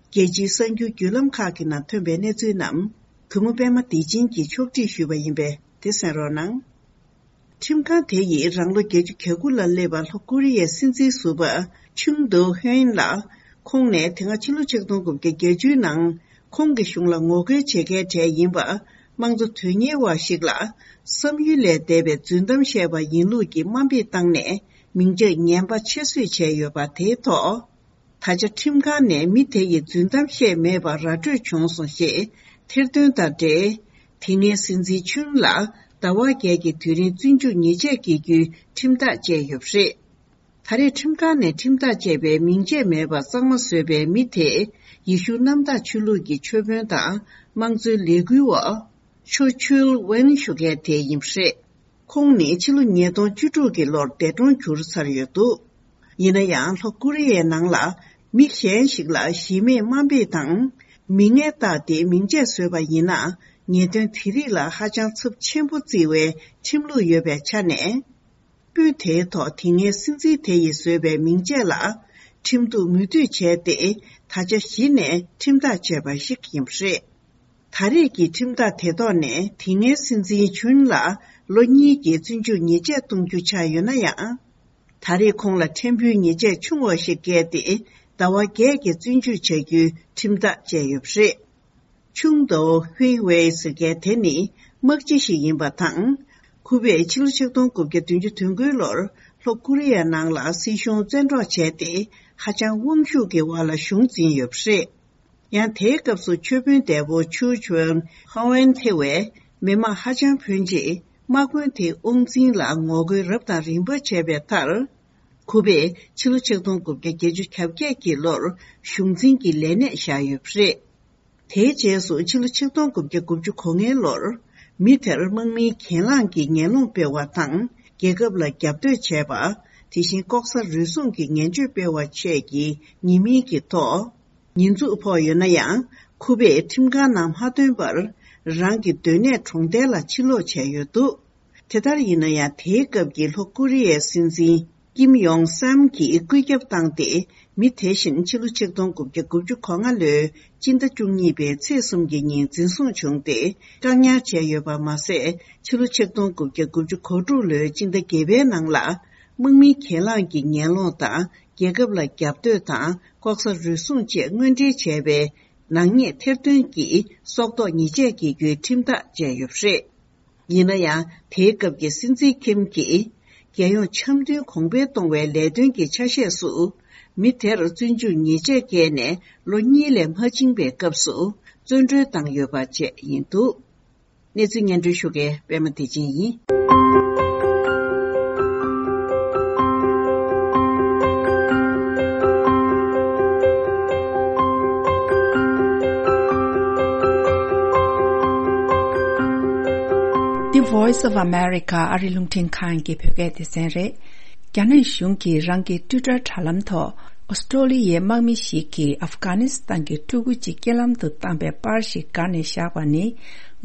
རྒྱལ་སྤྱིའི་གསར་འགྱུར་བརྒྱུད་ལམ་ཁག་གི་ནང་ཐོན་པའི་གནས་ཚུལ་རྣམས་གུས་མོ་པད་མ་བདེ་ཆེན་གྱིས་ཕྱོགས་སྒྲིག་ཞུས་པ་ཡིན་པས་དེ་གསན་རོགས་གནང་། ཁྲིམས་ཁང་དེ་ཡིས་རང་ལོ་བརྒྱད་ཅུ་གྱ་དགུ་ལ་སླེབས་པ་ལྷོ་ཀོ་རི་ཡའི་སྲིད་འཛིན་ཟུར་པ་ཆུང་དུ་ཧོན་ལ། ཁོང་ནས་དེ་སྔ་ཕྱི་ལོ་ཆིག་སྟོང་དགུ་བརྒྱ་བརྒྱད་ཅུའི་ནང་ཁོང་གི་གཞུང་ལ་ངོ་རྒོལ་བྱེད་མཁན་གྲས་ཡིན་པ། དམངས་གཙོ་དོན་གཉེར་བ་ཞིག་ལ་བསམ་ཡུལ་ལས་འདས་པའི་རྫུན་གཏམ་བཤད་པ་ཡིན་ལུགས་ཀྱི་དམའ་འབེབས་བཏང་ནས་མིང་ཆད་ངན་པ་ཆེ་བཟོས་བྱས་ཡོད་པ་དེའི་ཐོག་ད་ཆ་ཁྲིམས་ཁང་ནས་མི་དེ་ཡིས་རྫུན་གཏམ་བཤད་མེད་པ་ར་སྤྲོད་བྱུང་སོང་ཞེས་ཐེར་འདོན་དང་འབྲེལ། དེ་སྔའི་སྲིད་འཛིན་ཆུན་ལ་ཟླ་བ་བརྒྱད་ཀྱི་དུས་རིང་བཙོན་འཇུག་ཉེས་ཆད་འགེལ་རྒྱུའི་ཁྲིམས་ཐག་བཅད་ཡོད་པ་རེད། ད་རེས་ཁྲིམས་ཁང་ནས་ཁྲིམས་ཐག་བཅད་པའི་མིང་ཆད་མེད་པ་གཙང་མ་བཟོས་པའི་མི་དེ་ཡེ་ཤུ་གནམ་བདག་ཆོས་ལུགས་ཀྱི་ཆོས་དཔོན་དང་དམངས་གཙོའི་ལས་འགུལ་བ་ཆོ་ཆུལ་ཝེན་ཞུ་མཁན་དེ་ཡིན་པ་རེད། ཁོང་ནི་ཕྱི་ལོ་ཉིས་སྟོང་བཅུ་དྲུག་གི་ལོར་འདས་གྲོངས་གྱུར་ཚར་ཡོད་འདུག་ཡིན་ན་ཡང་ལྷོ་ཀོ་རི་ཡའི་ནང་ལ་མི་གཞན་ཞིག་ལ་གཞི་མེད་དམའ་འབེབས་དང་མི་ངན་བཏགས་ཏེ་མིང་ཆད་བཟོས་པ་ཡིན་ན་ཉེས་དོན་དེ་རིགས་ལ་ཧ་ཅང་ཚབས་ཆེན་པོ་བརྩི་བའི་ཁྲིམས་ལུགས་ཡོད་པའི་ཆ་ནས། དཔོན་དེའི་ཐོག་དེ་སྔའི་སྲིད་འཛིན་དེ་ཡིས་བཟོས་པའི་མིང་ཆད་ལ་ཁྲིམས་གཏུག་མོས་མཐུན་བྱས་ཏེ་ད་ཆ་གཞི་ནས་ཁྲིམས་ཐག་བཅད་པ་ཞིག་ཡིན་པ་རེད། ད་རེས་ཀྱི་ཁྲིམས་ཐག་དེ་ཐོག་ནས་དེ་སྔའི་སྲིད་འཛིན་ཆུན་ལ་ལོ་གཉིས་ཀྱི་བཙོན་འཇུག་ཉེས་ཆད་གཏོང་རྒྱུ་ཆགས་ཡོད་ན་ཡང་། ད་རེས་ཁོང་ལ་ཕྲན་བུའི་ཉེས་ཆད་ཆུང་བ་ཞིག་བཀལ་ཏེ་ཟླ་བ་བརྒྱད་ཀྱི་བཙོན་འཇུག་བྱ་རྒྱུའི་ཁྲིམས་ཐག་བཅད་ཡོད་པ་རེད། ཆུང་དོ་ཧུའེ་ཝེ་ཟེར་མཁན་དེ་ནི་དམག་སྤྱི་ཞིག་ཡིན་པ་དང་། ཁུ་པས་ཕྱི་ལོ་ཆིག་སྟོང་དགུ་བརྒྱ་བདུན་ཅུ་དོན་དགུའི་ལོར་ལྷོ་ཀོ་རི་ཡའི་ནང་ལ་སྲིད་གཞུང་བཙན་འཕྲོག་བྱས་ཏེ་ཧ་ཅང་དབང་ཤུགས་ཀྱི་འོག་ལ་གཞུང་འཛིན་ཡོད་པ་རེད། ཡང་དེའི་སྐབས་སུ་ཆོས་དཔོན་འདས་པོ་ཆུ་ཆོན་ཧོ་ཝན་ཐེ་བས་མི་མང་ཧ་ཅང་ཕོན་ཆེ་དམག་དཔོན་དེའི་དབང་འཛིན་ལ་ངོ་རྒོལ་རབ་དང་རིམ་པ་བྱས་པའི་མཐར། ཁུ་པས་ཕྱི་ལོ་ཆིག་སྟོང་དགུ་བརྒྱ་བརྒྱད་ཅུ་གྱ་བརྒྱད་ཀྱི་ལོར་གཞུང་འཛིན་གྱི་ལས་གནས་བཞག་ཡོད་པ་རེད། དེའི་རྗེས་སུ་ཕྱི་ལོ་ཆིག་སྟོང་དགུ་བརྒྱ་དགུ་བཅུ་གོ་ལྔའི་ལོར་མི་དེར་དམག་མིའི་གྱེན་ལངས་ཀྱི་ངན་སློང་སྤེལ་བ་དང་རྒྱལ་ཁབ་ལ་རྒྱབ་གཏོད་བྱས་པ། དེ་བཞིན་ལྐོག་ཟ་རུལ་སུངས་ཀྱི་ངན་བྱུས་སྤེལ་བ་བཅས་ཀྱི་ཉེས་མིང་གི་ཐོག་ཉེས་འཛུགས་ཕོག་ཡོད་ན་ཡང་། ཁུ་པས་ཁྲིམས་ཁང་ནང་མ་ཐོན་པར་རང་གི་སྡོད་གནས་གྲོང་རྡལ་ལ་ཕྱིར་ལོག་བྱས་ཡོད་འདུག་དེ་ལྟར་ཡིན་ན་ཡང་། དེའི་སྐབས་ཀྱི་ལྷོ་ཀོ་རི་ཡའི་སྲིད་འཛིན་ཀིམ་ཡོང་སམ་གྱིས་བཀོད་ཁྱབ་བཏང་སྟེ། མི་དེ་བཞིན་ཕྱི་ལོ་ཆིག་སྟོང་དགུ་བརྒྱ་དགུ་བཅུ་གོ་ལྔ་ལོའི་སྤྱི་ཟླ་བཅུ་གཉིས་པའི་ཚེས་གསུམ་གྱི་ཉིན་འཛིན་བཟུང་བྱུང་སྟེ་བཀག་ཉར་བྱས་ཡོད་པ་མ་ཟད། ཕྱི་ལོ་ཆིག་སྟོང་དགུ་བརྒྱ་དགུ་བཅུ་གོ་དྲུག་ལོའི་སྤྱི་ཟླ་བརྒྱད་པའི་ནང་ལ་དམག་མིའི་གྱེན་ལངས་ཀྱི་ངན་སློང་དང་། རྒྱལ་ཁབ་ལ་རྒྱབ་གཏོད་དང་ལྐོག་ཟ་རུལ་སུངས་བཅས་དངོས་འབྲེལ་བྱས་པའི་ནག་ཉེས་ཐེར་འདོན་གྱིས་སྲོག་ཐོག་ཉེས་ཆད་འགེལ་རྒྱུའི་ཁྲིམས་ཐག་བཅད་ཡོད་པ་རེད། ཡིན་ན་ཡང་། དེའི་སྐབས་ཀྱི་སྲིད་འཛིན་ཁིམ་གྱིས། རྒྱལ་ཡོངས་འཆམ་མཐུན་གོང་འཕེལ་གཏོང་བའི་ལས་དོན་གྱི་ཆ་ཤས་སུ། མི་དེར་བཙོན་འཇུག་ཉེས་ཆད་བཀལ་ནས་ལོ་གཉིས་ལས་མ་ཕྱིན་པའི་སྐབས་སུ། བཙོན་གྲོལ་བཏང་ཡོད་པ་བཅས་ཡིན་འདུག་གནས་ཚུལ་སྙན་སྒྲོན་ཞུ་མཁན་པད་མ་བདེ་ཆེན་ཡིན། The Voice of America ཨ་རི་རླུང་འཕྲིན་ཁང་གི་བོད་སྐད་སྡེ་ཚན་རེད། རྒྱ་ནག་གཞུང་གིས་རང་གི་ཊུའི་ཊར་དྲ་ལམ་ཐོག་ཨོ་སི་ཀྲོ་ལི་ཡའི་དམག་མི་ཞིག་གིས་ཨབ་གྷ་ནི་སི་ཐན་གྱི་ཕྲུ་གུ་གཅིག་རྐྱེན་ལམ་དུ་བཏང་པའི་པར་ཞིག་བསྒར་ནས་བཞག་པ་ནི་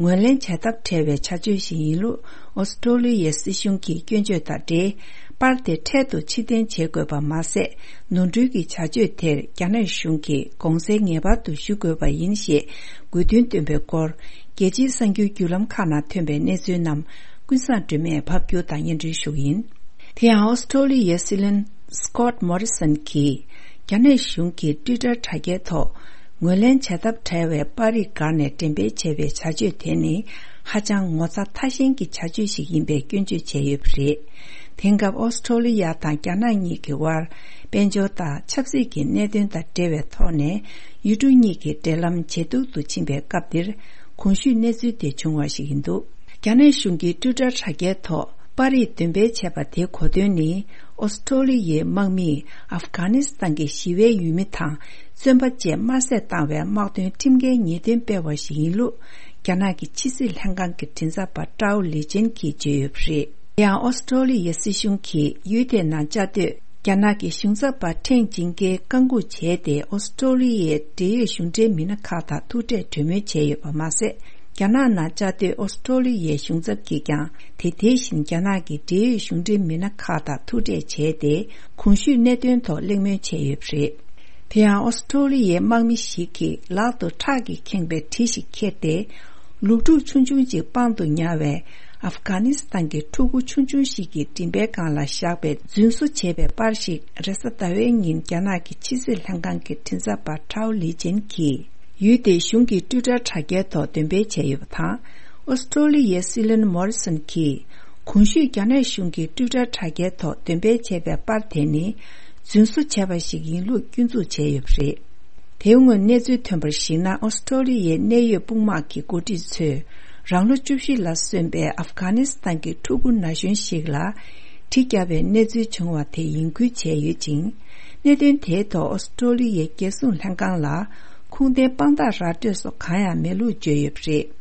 ངོས་ལེན་བྱ་ཐབས་བྲལ་བའི་བྱ་སྤྱོད་ཞིག་ཡིན་ལུགས་ཨོ་སི་ཀྲོ་ལི་ཡའི་སྲིད་གཞུང་གིས་སྐྱོན་བརྗོད་དང་འབྲེལ། པར་དེ་འཕྲལ་དུ་ཕྱིར་འཐེན་བྱེད་དགོས་པ་མ་ཟད། ནོར་འཁྲུལ་གྱི་བྱ་སྤྱོད་དེར་རྒྱ་ནག་གཞུང་གིས་དགོངས་སེལ་ངེས་པར་དུ་ཞུ་དགོས་པ་ཡིན་ཞེས་དགོས་འདུན་བཏོན་པའི་སྐོར། རྒྱལ་སྤྱིའི་གསར་འགྱུར་བརྒྱུད་ལམ་ཁག་ནང་ཐོན་པའི་གནས་ཚུལ་རྣམས་ཀུན་བཟང་སྒྲོལ་མས་ཕབ་སྒྱུར་དང་སྙན་སྒྲོན་ཞུ་གི་ཡིན། དེ་ཡང་ཨོ་སི་ཀྲོ་ལི་ཡའི་སྲིད་བློན་སི་ཀོད་མོ་རི་སན་གྱིས། རྒྱ་ནག་གཞུང་གི་ཊུའི་ཊར་དྲ་རྒྱའི་ཐོག་ངོས་ལེན་བྱ་ཐབས་བྲལ་བའི་པར་རིས་བསྒར་ནས་འགྲེམས་སྤེལ་བྱས་པའི་བྱ་སྤྱོད་དེ་ནི་ཧ་ཅང་ངོ་ཚ་ཐ་ཞན་གྱི་བྱ་སྤྱོད་ཞིག་ཡིན་པའི་སྐྱོན་བརྗོད་བྱས་ཡོད་པ་རེད། དེང་སྐབས་ཨོ་སི་ཀྲོ་ལི་ཡ་དང་རྒྱ་ནག་གཉིས་ཀྱི་དབར་དཔལ་འབྱོར་དང་ཆབ་སྲིད་ཀྱི་གནད་དོན་དང་འབྲེལ་བའི་ཐོག་ནས་ཡུལ་གྲུ་གཉིས་ཀྱི་འབྲེལ་ལམ་ཇེ་སྡུག་ཏུ་ཕྱིན་པའི་སྐབས་འདིར་གོང་ཞུས་གནས་ཚུལ་དེ་བྱུང་བ་ཞིག་ཡིན་འདུག་རྒྱ་ནག་གཞུང་གིས་ཊུའི་ཊར་དྲ་རྒྱའི་ཐོག་པར་རིས་འདོན་སྤེལ་བྱས་པ་དེའི་གོ་དོན་ནི། ཨོ་སི་ཀྲོ་ལི་ཡའི་དམག་མིས་ཨབ་གྷ་ནི་སི་ཐན་གྱི་ཞི་བའི་ཡུལ་མི་དང་བཙོན་པ་བཅས་དམར་གསོད་བཏང་བའི་དམག་དོན་ཁྲིམས་འགལ་ཉེས་དོན་སྤེལ་བ་ཞིག་ཡིན་ལུགས། རྒྱ་ནག་གི་ཕྱི་སྲིད་ལྷན་ཁང་གི་མགྲིན་ཚབ་པ་ཀྲའོ་ལི་ཅན་གྱིས་བརྗོད་ཡོད་པ་རེད། དེ་ཡང་ཨོ་སི་ཀྲོ་ལི་ཡའི་སྲིད་གཞུང་གིས་ཡུལ་དེའི་ནང་བཅའ་སྡོད་རྒྱ་ནག་གི་གཞུང་ཚབ་པ་ཁྲེང་ཅིང་ཀེ་བཀག་འགོག་བྱས་ཏེ། ཨོ་སི་ཀྲོ་ལི་ཡའི་འབྲེལ་ཡོད་གཞུང་འབྲེལ་མི་སྣ་ཁག་དང་ཐུག་འཕྲད་གྲོས་མོལ་བྱས་ཡོད་པ་མ་ཟད། རྒྱ་ནག་ནང་བཅའ་སྡོད་ཨོ་སི་ཀྲོ་ལི་ཡའི་གཞུང་ཚབ་ཀྱིས་ཀྱང་དེ་དེ་བཞིན་རྒྱ་ནག་གི་འབྲེལ་ཡོད་གཞུང་འབྲེལ་མི་སྣ་ཁག་དང་ཐུག་འཕྲད་བྱས་ཏེ། གོང་ཞུས་གནད་དོན་ཐོག་གླེང་མོལ་བྱས་ཡོད་པ་རེད། དེ་ཡང་ཨོ་སི་ཀྲོ་ལི་ཡའི་དམག་མི་ཞིག་གིས་ལག་ཏུ་ཁྲག་གིས་ཁེངས་པའི་གྲི་ཞིག་ཁྱེར་ཏེ། ལུག་ཕྲུག་ཆུང་ཆུང་གཅིག་པང་དུ་ཉར་བའི་ཨབ་གྷ་ནི་སི་ཐན་གྱི་ཕྲུ་གུ་ཆུང་ཆུང་ཞིག་གི་མགྲིན་པའི་སྒང་ལ་བཞག་པའི་རྫུན་བཟོ་བྱས་པའི་པར་ཞིག་རེས་གཟའ་ཟླ་བའི་ཉིན་རྒྱ་ནག་གི་ཕྱི་སྲིད་ལྷན་ཁང་གི་མགྲིན་ཚབ་པ་ཀྲའོ་ལི་ཅན་གྱིས་ཡུལ་དེའི་གཞུང་གི་ཊུའི་ཊར་དྲ་རྒྱའི་ཐོག་འདོན་སྤེལ་བྱས་ཡོད་པ་དང་། ཨོ་སི་ཀྲོ་ལི་ཡའི་སྲིད་བློན་མོ་རི་སོན་གྱིས། གོང་ཞུས་རྒྱ་ནག་གཞུང་གིས་ཊུའི་ཊར་དྲ་རྒྱའི་ཐོག་འདོན་སྤེལ་བྱས་པའི་པར་དེ་ནི། རྫུན་བཟོ་བྱས་པ་ཞིག་ཡིན་ལུགས་སྐྱོན་འཛུགས་བྱས་ཡོད་པ་རེད། དེའི་སྔོན་གནས་ཚུལ་ཐོན་པར་གཞིགས་ན། ཨོ་སི་ཀྲོ་ལི་ཡའི་གནད་ཡོད་དཔུང་དམག་གི་འགོ་ཁྲིད་ཚོས། རང་ལོ་བཅུ་བཞི་ལ་སོན་པའི་ཨབ་གྷ་ནི་སི་ཐན་གྱི་ཕྲུ་གུ་ན་གཞོན་ཞིག་ལ། གྲི་བརྒྱབ་པའི་གནས་ཚུལ་བྱུང་བ་དེ་ཡིན་ཁུལ་བྱས་ཡོད་ཅིང་། གནད་དོན་དེའི་ཐོག་ཨོ་སི་ཀྲོ་ལི་ཡའི་རྒྱལ་སྲུང་ལྷན་ཁང་ལ། ཁུངས་ལྡན་དཔང་རྟགས་ར་སྤྲོད་སོགས་གང་ཡང་མེད་ལུགས་བརྗོད་ཡོད་པ་རེད།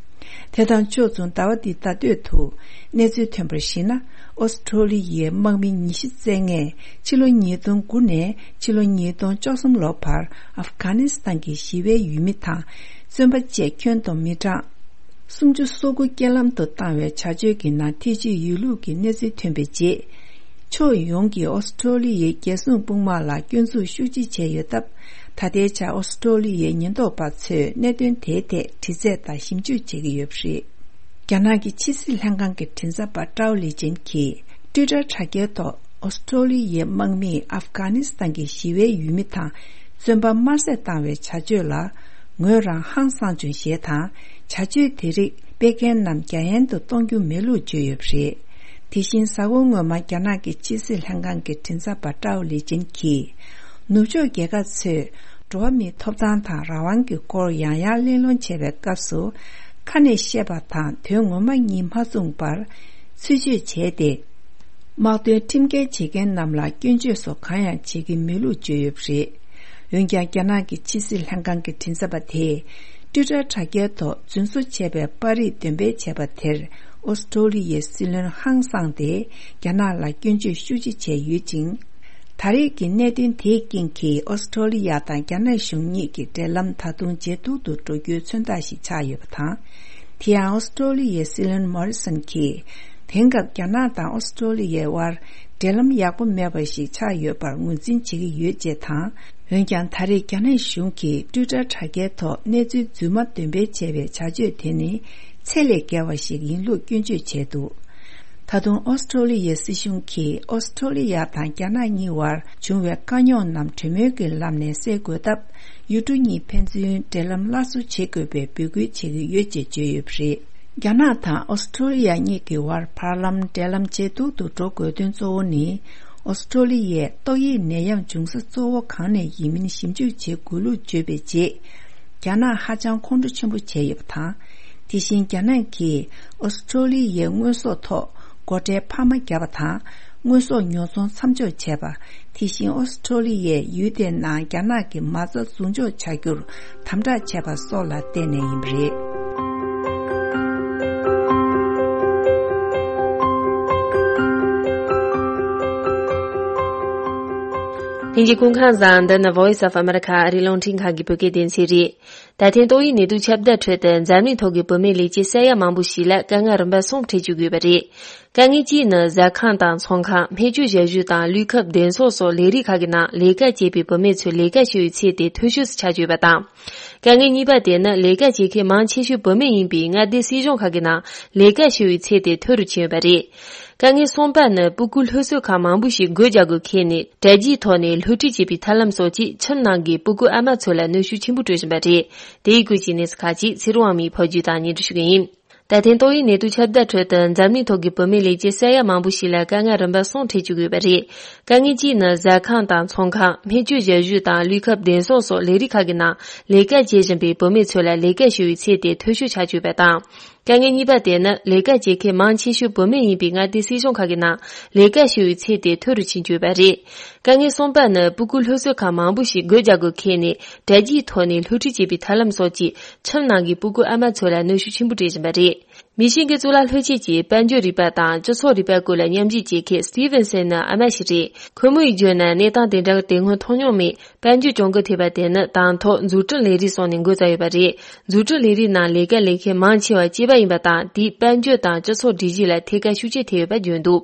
དེ་དང་ཕྱོགས་མཚུངས་ཟླ་བ་འདིའི་ཟླ་སྟོད་དུ། གནས་ཚུལ་ཐོན་པར་གཞིགས་ན། ཨོ་སི་ཀྲོ་ལི་ཡའི་དམག་མི་ཉི་ཤུ་རྩ་ལྔས་ཕྱི་ལོ་ཉིས་སྟོང་དགུ་ནས་ཕྱི་ལོ་ཉིས་སྟོང་བཅུ་གསུམ་ལོ་བར་ཨབ་གྷ་ནི་སི་ཐན་གྱི་ཞི་བའི་ཡུལ་མི་དང་བཙོན་པ་བཅས་ཁྱོན་བསྡོམས་མི་གྲངས་སུམ་ཅུ་སོ་དགུ་རྐྱེན་ལམ་དུ་བཏང་བའི་བྱ་སྤྱོད་ཀྱི་ནང་ཐེ་བྱུས་ཡོད་ལུགས་ཀྱི་གནས་ཚུལ་ཐོན་པའི་རྗེས། ཕྱོགས་ཡོངས་ཀྱིས་ཨོ་སི་ཀྲོ་ལི་ཡའི་རྒྱལ་སྲུང་དཔུང་དམག་ལ་སྐྱོན་འཛུགས་ཤུགས་ཆེ་བྱས་ཡོད་སྟབས། ད་ལྟའི་ཆར་ཨོ་སི་ཀྲོ་ལི་ཡའི་ཉེན་རྟོག་པ་ཚོས་གནད་དོན་དེའི་ཐད་དྲི་རྩད་དང་ཞིབ་འཇུག་བྱེད་ཀྱི་ཡོད་པ་རེད། རྒྱ་ནག་གི་ཕྱི་སྲིད་ལྷན་ཁང་གི་མགྲིན་ཚབ་པ་ཀྲའོ་ལི་ཅན་གྱིས། ཊུའི་ཊར་དྲ་རྒྱའི་ཐོག་ཨོ་སི་ཀྲོ་ལི་ཡའི་དམག་མིས་ཨབ་གྷ་ནི་སི་ཐན་གྱི་ཞི་བའི་ཡུལ་མི་དང་བཙོན་པ་དམར་གསོད་བཏང་བའི་བྱ་སྤྱོད་ལ། ངོས་རང་ཧང་སངས་བྱུང་ཞེས་དང་། བྱ་སྤྱོད་དེ་རིགས་སྤེལ་མཁན་རྣམས་རྒྱ་ཡན་དུ་གཏོང་རྒྱུ་མེད་ལུགས་བརྗོད་ཡོད་པ་རེད། དེ་བཞིན་གཟའ་འཁོར་སྔོན་མ་རྒྱ་ནག་གི་ཕྱི་སྲིད་ལྷན་ཁང་གི་མགྲིན་ཚབ་པ་ཀྲའོ་ལི་ཅན་གྱིས། ནུབ་ཕྱོགས་རྒྱལ་ཁབ་ཚོས་འགྲོ་བ་མིའི་ཐོབ་ཐང་དང་རང་དབང་གི་སྐོར་ཡང་ཡང་གླེང་སློང་བྱེད་པའི་སྐབས་སུ། ཁ་ནས་བཤད་པ་དང་དོན་ངོ་མ་གཉིས་མ་མཚུངས་པར་ཚུལ་འཆོས་བྱས་ཏེ། དམག་དོན་ཁྲིམས་འགལ་བྱེད་མཁན་རྣམས་ལ་སྐྱོན་བརྗོད་སོགས་གང་ཡང་བྱེད་ཀྱི་མེད་ལུགས་བརྗོད་ཡོད་པ་རེད། འོན་ཀྱང་། རྒྱ་ནག་གི་ཕྱི་སྲིད་ལྷན་ཁང་གི་མགྲིན་ཚབ་པ་དེས། ཊུའི་ཊར་དྲ་རྒྱའི་ཐོག་རྫུན་བཟོ་བྱས་པའི་པར་རིས་འདོན་སྤེལ་བྱས་པ་དེར། ཨོ་སི་ཀྲོ་ལི་ཡའི་སྲིད་བློན་ཧང་སངས་ཏེ། རྒྱ་ནག་ལ་སྐྱོན་བརྗོད་ཤུགས་ཆེ་བྱས་ཡོད་ཅིང་། ད་རེས་ཀྱི་གནད་དོན་དེའི་རྐྱེན་གྱིས། ཨོ་སི་ཀྲོ་ལི་ཡ་དང་རྒྱ་ནག་གཞུང་གཉིས་ཀྱི་འབྲེལ་ལམ་ད་དུང་ཇེ་སྡུག་ཏུ་འགྲོ་རྒྱུའི་མཚོན་རྟགས་ཤིག་ཆགས་ཡོད་པ་དང་། དེ་ཡང་། ཨོ་སི་ཀྲོ་ལི་ཡའི་སྲིད་བློན་མོ་རི་སོན་གྱིས། དེང་སྐབས་རྒྱ་ནག་དང་ཨོ་སི་ཀྲོ་ལི་ཡའི་དབར་འབྲེལ་ལམ་ཡག་པོ་མེད་པ་ཞིག་ཆགས་ཡོད་པར་ངོས་འཛིན་བྱེད་ཀྱི་ཡོད་ཅེས་དང་། འོན་ཀྱང་། ད་རེས་རྒྱ་ནག་གཞུང་གིས་ཊུའི་ཊར་དྲ་རྒྱའི་ཐོག་གནས་ཚུལ་རྫུན་མ་འདོན་སྤེལ་བྱས་པའི་བྱ་སྤྱོད་དེ་ནི། ཚད་ལས་བརྒལ་བ་ཞིག་ཡིན་ལུགས་སྐྱོན་བརྗོད་བྱས་འདུག་ད་དུང་ཨོ་སི་ཀྲོ་ལི་ཡའི་སྲིད་གཞུང་གིས། ཨོ་སི་ཀྲོ་ལི་ཡ་དང་རྒྱ་ནག་གཉིས་བར་བྱུང་བའི་དཀའ་རྙོག་རྣམས་གྲོས་མོལ་གྱི་ལམ་ནས་སེལ་དགོས་སྟབས། ཡུལ་གྲུ་གཉིས་ཕན་ཚུན་འབྲེལ་ལམ་སླར་གསོ་བྱེད་དགོས་པའི་འབོད་སྐུལ་བྱེད་ཀྱི་ཡོད་ཅེས་བརྗོད་ཡོད་པ་རེད། རྒྱ་ནག་དང་ཨོ་སི་ཀྲོ་ལི་ཡ་གཉིས་ཀྱི་དབར་བར་ལམ་འབྲེལ་ལམ་ཇེ་སྡུག་ཏུ་འགྲོ་དགོས་དོན་གཙོ་བོ་ནི། ཨོ་སི་ཀྲོ་ལི་ཡས་ཏོག་དབྱིབས་ནད་ཡམས་འབྱུང་ས་གཙོ་བོ་གང་ནས་ཡིན་མིན་ཞིབ་འཇུག་བྱེད་དགོས་ལུགས་བརྗོད་པའི་རྗེས། རྒྱ་ནག་ཧ་ཅང་ཁོང་ཁྲོ་ཆེན་པོ་བྱས་ཡོད་པ་དང་། དེ་བཞིན་རྒྱ་ནག་གིས་ཨོ་སི་ཀྲོ་ལི་ཡའི་དངོས་ཟོག་ཐོག་སྒོ་ཁྲལ་འཕར་མ་བརྒྱབ་པ་དང་། དངོས་ཟོག་ཉོ་ཚོང་མཚམས་འཇོག་བྱས་པ། དེ་བཞིན་ཨོ་སི་ཀྲོ་ལི་ཡས་ཡུལ་དེའི་ནང་རྒྱ་ནག་གི་མ་རྩ་འཛུགས་འཇོག་བྱ་རྒྱུར་དམ་དྲག་བྱས་པ་སོགས་ལ་བརྟེན་ནས་ཡིན་པ་རེད། ལྷན་རྒྱས་སྐུ་ཁམས་བཟང་། འདི་ནི་Voice of America ཨ་རིའི་རླུང་འཕྲིན་ཁང་གི་བོད་སྐད་སྡེ་ཚན་རེད། ད་ཐེངས་ཏོག་དབྱིབས་ནད་དུག་ཁྱབ་གདལ་ཁྲོད་དུ་འཛམ་གླིང་ཐོག་གི་བུད་མེད་ལས་བྱེད་ས་ཡ་མང་པོ་ཞིག་ལ་དཀའ་ངལ་རིམ་པ་གསུམ་འཕྲད་བཅུག་ཡོད་པ་རེད། དཀའ་ངལ་གཅིག་ནི་ཟ་ཁང་དང་ཚོང་ཁང་། སྨན་བཅོས་ཞབས་ཞུ་དང་ལུས་ཁམས་བདེ་སྲུང་སོགས་ལས་རིགས་ཁག་གི་ནང་ལས་ཀ་བྱེད་པའི་བུད་མེད་ཚོའི་ལས་ཀ་ཞུ་བའི་ཚད་དེ་མཐོ་ཤོས་སུ་ཆགས་ཡོད་པ་དང་། དཀའ་ངལ་གཉིས་པ་དེ་ནི་ལས་ཀ་བྱེད་མཁན་མང་ཆེ་ཤོས་བུད་མེད་ཡིན་པས། མངའ་སྡེ་སྲིད་གཞུང་ཁག་གི་ནང་ལས་ཀ་ཞུ་བའི་ཚད་དེ་མཐོ་རུ་ཕྱིན་ཡོད་པ་རེད། དཀའ་ངལ་གསུམ་པ་ནི་སྤུ་གུ་སློབ་གསོའི་ཁག་མང་པོ་ཞིག་སྒོ་རྒྱག་དགོས་ཁེལ་ནས། དྲ་རྒྱའི་ཐོག་ནས་སློབ་ཁྲིད་བྱེད་པའི་ཐབས་ལམ་སོགས་ཀྱིས་ཁྱིམ་ནང་གི་སྤུ་གུ་ཨ་མ་ཚོ་ལ་གནོན་ཤུགས་ཆེན་པོ་སྤྲོད་བཞིན་པ་རེད། དེའི་སྐོར་གྱི་གནས་ཚུལ་ཁག་ཅིག་ཚེ་རིང་དབང་མོས་ཕབ་སྒྱུར་དང་སྙན་སྒྲོན་ཞུ་གི་ཡིན། ད་ཐེངས་ཏོག་དབྱིབས་ནད་དུག་ཁྱབ་གདལ་ཁྲོད་དུ་འཛམ་གླིང་ཐོག་གི་བུད་མེད་ལས་བྱེད་ས་ཡ་མང་པོ་ཞིག་ལ་དཀའ་ངལ་རིམ་པ་གསུམ་འཕྲད་བཅུག་ཡོད་པ་རེད། དཀའ་ངལ་གཅིག་ནི་ཟ་ཁང་དང་ཚོང་ཁང་། སྨན་བཅོས་ཞབས་ཞུ་དང་ལུས་ཁམས་བདེ་སྲུང་སོགས་ལས་རིགས་ཁག་གི་ནང་ལས་ཀ་བྱེད་བཞིན་པའི་བུད་མེད་ཚོ་ལ་ལས་ཀ་ཞུ་བའི་ཚད་དེ་མཐོ་ཤོས་ཆགས་ཡོད་པ་དང་། དཀའ་ངལ་གཉིས་པ་དེ་ནི་ལས་ཀ་བྱེད་མཁན་མང་ཆེ་ཤོས་བུད་མེད་ཡིན་པའི་མངའ་སྡེ་སྲིད་གཞུང་ཁག་གི་ནང་ལས་ཀ་ཞུ་བའི་ཚད་དེ་མཐོ་རུ་ཕྱིན་ཡོད་པ་རེད། དཀའ་ངལ་གསུམ་པ་ནི་སྤུ་གུ་སློབ་གསོའི་ཁག་མང་པོ་ཞིག་སྒོ་རྒྱག་དགོས་ཁེལ་ནས། དྲ་རྒྱའི་ཐོག་ནས་སློབ་ཁྲིད་བྱེད་པའི་ཐབས་ལམ་སོགས་ཀྱིས་ཁྱིམ་ནང་གི་སྤུ་གུ་ཨ་མ་ཚོ་ལ་གནོན་ཤུགས་ཆེན་པོ་སྤྲད་བཞིན་པ་རེད། མི་གཞན་གྱི་གཙུག་ལག་སློབ་ཆེན་གྱི་དཔལ་འབྱོར་རིག་པ་དང་སྤྱི་ཚོགས་རིག་པ་སྐོར་ལ་མཉམ་ཞུགས་བྱེད་མཁན་སི་ཏི་ཝན་སན་ནི་ཨ་མ་ཞིག་རེད། ཁོ་མོས་བརྗོད་ན། གནས་སྟངས་དེ་འདྲ་དེ་སྔོན་མཐོང་མྱོང་མེད། དཔལ་འབྱོར་གྱོང་གུན་ཐེབས་པ་དེ་ནི་དང་ཐོག་འཛུགས་སྐྲུན་ལས་རིགས་སོགས་ནས་འགོ་བཙུགས་ཡོད་པ་རེད། འཛུགས་སྐྲུན་ལས་རིགས་ནང་ལས་ཀ་ལས་མཁན་མང་ཆེ་བ་སྐྱེས་པ་ཡིན་པ་དང་། དེས་དཔལ་འབྱོར་དང་སྤྱི་ཚོགས་སྒྲིག་གཞི་ལ་ཐད་ཀར་ཤུགས་རྐྱེན་ཐེབས་ཡོད་པ་བརྗོད་འདུག་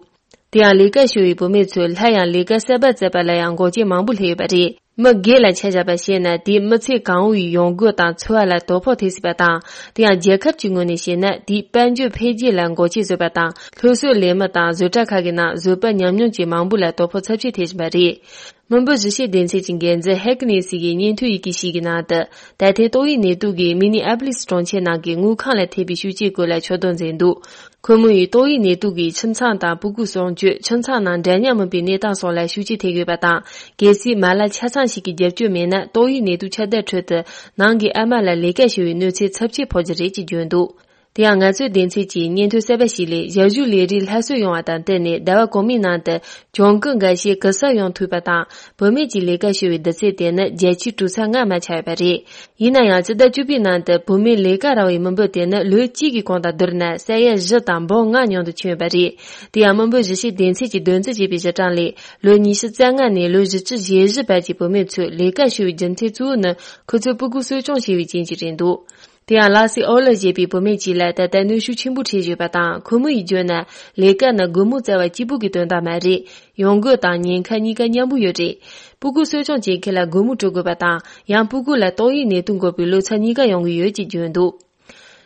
དེ་ཡང་ལས་ཀ་ཞུ་བའི་བུད་མེད་ཚོས་སླར་ཡང་ལས་ཀ་གསར་པ་བཙལ་བ་ལ་ཡང་འགོག་རྐྱེན་མང་པོ་སླེབས་ཡོད་པ་རེད། མི་སྒེར་ལ་ཆ་བཞག་པ་བྱས་ན། དེས་མི་ཚེ་གང་བོའི་ཡོང་སྒོ་དང་འཚོ་བ་ལ་དོ་ཕོག་ཐེབས་སྲིད་པ་དང་། དེ་ཡང་རྒྱལ་ཁབ་ཀྱི་ངོས་ནས་བཤད་ན། དེས་དཔལ་འབྱོར་འཕེལ་རྒྱས་ལ་འགོག་རྐྱེན་བཟོས་པ་དང་། སློབ་གསོའི་ལས་མི་དང་བཟོ་གྲྭ་ཁག་གི་ནང་བཟོད་པ་ཉམས་མྱོང་ཅན་མང་པོ་ལ་དོ་ཕོག་ཚབས་ཆེ་ཐེབས་བཞིན་པ་རེད། སྔོན་པོ་གཞིས་བྱེས་སྡེ་ཚན་གྱི་འགན་འཛིན་ཧེག་ནེ་སི་ཡིས་སྙན་ཐོའི་ཡི་གེ་ཞིག་གི་ནང་དུ། ད་ཐེངས་ཏོག་དབྱིབས་ནད་དུག་གིས་མི་ནི་ཨ་པི་ལིས་གྲོང་ཁྱེར་ནང་གི་དངུལ་ཁང་ལ་ཐེབས་པའི་ཤུགས་རྐྱེན་སྐོར་ལ་ཕྱོགས་བསྡོམས་མཛད་འདུག་ཁོ་མོ་ཡིས་ཏོག་དབྱིབས་ནད་དུག་གིས་ཁྱིམ་ཚང་དང་སྤུ་གུ་གསོ་སྐྱོང་། ཁྱིམ་ཚང་ནང་འདྲ་མཉམ་མིན་པའི་གནས་སྟངས་སོགས་ལ་ཤུགས་རྐྱེན་ཐེབས་ཡོད་པ་དང་། གལ་སྲིད་མ་ལག་ཆ་ཚང་ཞིག་གི་རྒྱབ་སྐྱོར་མེད་ན། ཏོག་དབྱིབས་ནད་དུག་ཁྱབ་གདལ་ཁྲོད་དུ་ནང་གི་ཨ་མ་ལ་ལས་ཀ་ཞུ་བའི་གནོད་འཚེ་ཚབས་ཆེ་ཕོག་རྒྱུ་རེད་ཅེས་བརྗོད་འདུག་དེ་ཡང་ང་ཚོའི་སྡེ་ཚན་གྱིས་སྙན་ཐོ་གསར་པ་ཞིག་ལས། ཞབས་ཞུ་ལས་རིགས་སླར་གསོ་ཡོང་བ་དང་བསྟུན་ནས། ཟླ་བ་གོང་མའི་ནང་དུ་གྱོང་གུན་འགའ་ཤས་གུ་གསབ་ཡོང་ཐུབ་པ་དང་། བུད་མེད་ཀྱི་ལས་ཀ་ཞུ་བའི་བསྡུར་ཚད་དེ་ནི་བརྒྱ་ཆའི་དྲུག་ཚེག་ལྔ་མར་ཆག་ཡོད་པ་རེད། ཡིན་ན་ཡང་། སྤྱི་ཟླ་བཅུ་པའི་ནང་དུ་བུད་མེད་ལས་ཀ་རག་པའི་མི་འབོར་དེ་ནི་ལོ་གཅིག་གི་གོང་དང་བསྡུར་ན་ས་ཡ་བཞི་དང་འབུམ་ལྔ་ཉུང་དུ་ཕྱིན་ཡོད་པ་རེད། དེ་ཡང་། མི་འབོར་གཞིས་བྱེས་སྡེ་ཚན་གྱིས་བདོན་འཛིན་བྱས་པའི་གཞི་གྲངས་ལས། ལོ་ཉི་ཤུ་རྩ་ལྔ་ནས་ལོ་བཞི་བཅུ་ཞེ་བཞི་བར་གྱི་བུད་མེད་ཚོས་ལས་ཀ་ཞུ་བའི་རྒྱུ་མཚན་གཙོ་བོ་ནི། ཁོ་ཚོས་སྤུ་གུ་གསོ་སྐྱོང་བྱེད་པའི་རྐྱེན་གྱིས་རེད་འདུག་དེ་ཡང་། ལ་སི་ཨོ་ལ་ཞེས་པའི་བུད་མེད་ཅིག་ལ་ད་ལྟ་གནོན་ཤུགས་ཆེན་པོ་འཕྲད་བཞིན་ཡོད་པ་དང་། ཁོ་མོ་ཡིས་བརྗོད་ན། ལས་ཀ་ནི་སྒོར་མོ་བཙལ་བ་གཅིག་པུ་གི་དོན་དག་མ་རེད། ཡོང་སྒོ་དང་ཉེན་ཁ་གཉིས་ཀ་མཉམ་པོ་ཡོད་རེད། སྤུ་གུ་གསོ་སྐྱོང་བྱེད་མཁན་ལ་སྒོར་མོ་སྤྲོད་དགོས་པ་དང་། ཡང་། སྤུ་གུ་ལ་ཏོག་དབྱིབས་ནད་དུག་འགོས་པའི་ལོ་ཚད་གཉིས་ཀ་ཡོང་གི་ཡོད་ཅེས་བརྗོད་འདུག་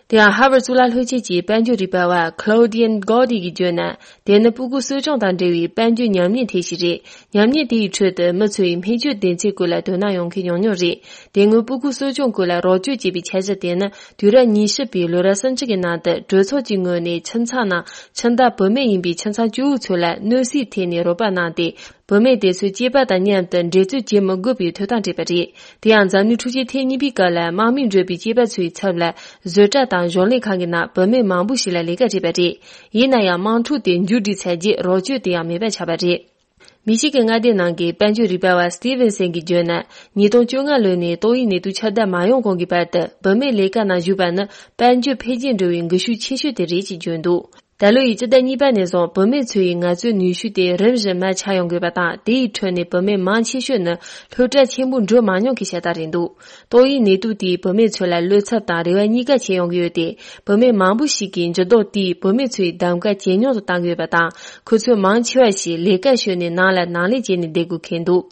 དེ་ཡང་། ཧར་ཝར་གཙུག་ལག་སློབ་ཆེན་གྱི་དཔལ་འབྱོར་རིག་པ་བ་Claudian Gaude གིས་བརྗོད་ན། དེ་ནི་སྤུ་གུ་གསོ་སྐྱོང་དང་འབྲེལ་བའི་དཔལ་འབྱོར་ཉམས་ཉེས་ཐེབས་ཤིག་རེད། ཉམས་ཉེས་དེའི་ཁྲོད་དུ་མི་ཚོ་ཡི་སྨན་བཅོས་སྡེ་ཚན་སྐོར་ལ་དོ་སྣང་ཡོང་མཁན་ཉུང་ཉུང་རེད། དེ་སྔོན་སྤུ་གུ་གསོ་སྐྱོང་སྐོར་ལ་རོགས་སྐྱོར་བྱེད་པའི་འཆར་གཞི་དེ་ནི། དུས་རབས་ཉི་ཤུ་པའི་ལོ་རབས་སུམ་ཅུ་གི་ནང་དུ་གྲོས་ཚོགས་ཀྱི་ངོས་ནས་ཁྱིམ་ཚང་ནང་ཁྱིམ་བདག་བུད་མེད་ཡིན་པའི་ཁྱིམ་ཚང་གཅིག་པུ་ཚོ་ལ་གནོད་འཚེ་ཐེབས་ནས་རོགས་པ་གནང་སྟེ། བུད་མེད་དེ་ཚོའི་སྐྱེས་པ་དང་མཉམ་དུ་འགྲན་རྩོད་བྱེད་མི་དགོས་པའི་ཐོབ་ཐང་སྤྲད་པ་རེད། དེ་ཡང་། འཛམ་གླིང་འཁྲུག་ཆེན་ཐེངས་གཉིས་པའི་སྐབས་ལ་དམག་མིས་བསྒྲུབས་པའི་སྐྱེས་པ་ཚོའི་ཚབ་ལ་བཟོ་གྲྭ་དང་གཞུང་ལས་ཁང་གི་ནང་བུད་མེད་མང་པོ་ཞིག་ལ་ལས་ཀ་བྱས་པ་རེད། ཡིན་ན་ཡང་། དམག་འཁྲུག་དེ་མཇུག་སྒྲིལ་ཚར་རྗེས་རོགས་སྐྱོར་དེ་ཡང་མེད་པ་ཆགས་པ་རེད། མི་ཞིག་གི་མངའ་སྡེ་ནང་གི་དཔལ་འབྱོར་རིག་པ་བ་Stevenson གྱིས་བརྗོད་ན། ཉིས་སྟོང་བཅོ་ལྔ་ལོ་ནས་ཏོག་དབྱིབས་ནད་དུག་ཁྱབ་གདལ་མ་ཡོང་གོང་གི་བར་དུ་བུད་མེད་ལས་ཀ་ནང་ཞུགས་པ་ནི་དཔལ་འབྱོར་འཕེལ་རྒྱས་འགྲོ་བའི་འགུལ་ཤུགས་ཆེ་ཤོས་དེ་རེད་ཅེས་བརྗོད་འདུག་ད་ལོ་ཡི་སྤྱི་ཟླ་གཉིས་པ་ནས་བཟུང་བུད་མེད་ཚོ་ཡི་ངལ་རྩོལ་ནུས་ཤུགས་དེ་རིམ་བཞིན་མར་ཆག་ཡོང་དགོས་པ་དང་། དེ་ཡི་ཁྲོད་ནས་བུད་མེད་མང་ཆེ་ཤོས་ནི་སློབ་གྲྭ་ཆེན་པོ་འགྲོ་མ་མྱོང་གི་ཤ་སྟག་རེད་འདུག་ཏོག་དབྱིབས་ནད་དུག་དེས་བུད་མེད་ཚོ་ལ་བློ་འཚབ་དང་རེ་བ་གཉིས་ཀ་བྱས་ཡོང་གི་ཡོད་དེ། བུད་མེད་མང་པོ་ཞིག་གིས་འགྱུར་ལྡོག་དེས་བུད་མེད་ཚོའི་གདམ་ག་ཇེ་ཉུང་དུ་བཏང་གི་ཡོད་པ་དང་། ཁོ་ཚོའི་མང་ཆེ་བ་ཞིག་ལས་ཀ་ཤོར་ནས་ནང་ལ་ནང་ལས་བྱས་ནས་བསྡད་དགོས་ཁེལ་འདུག་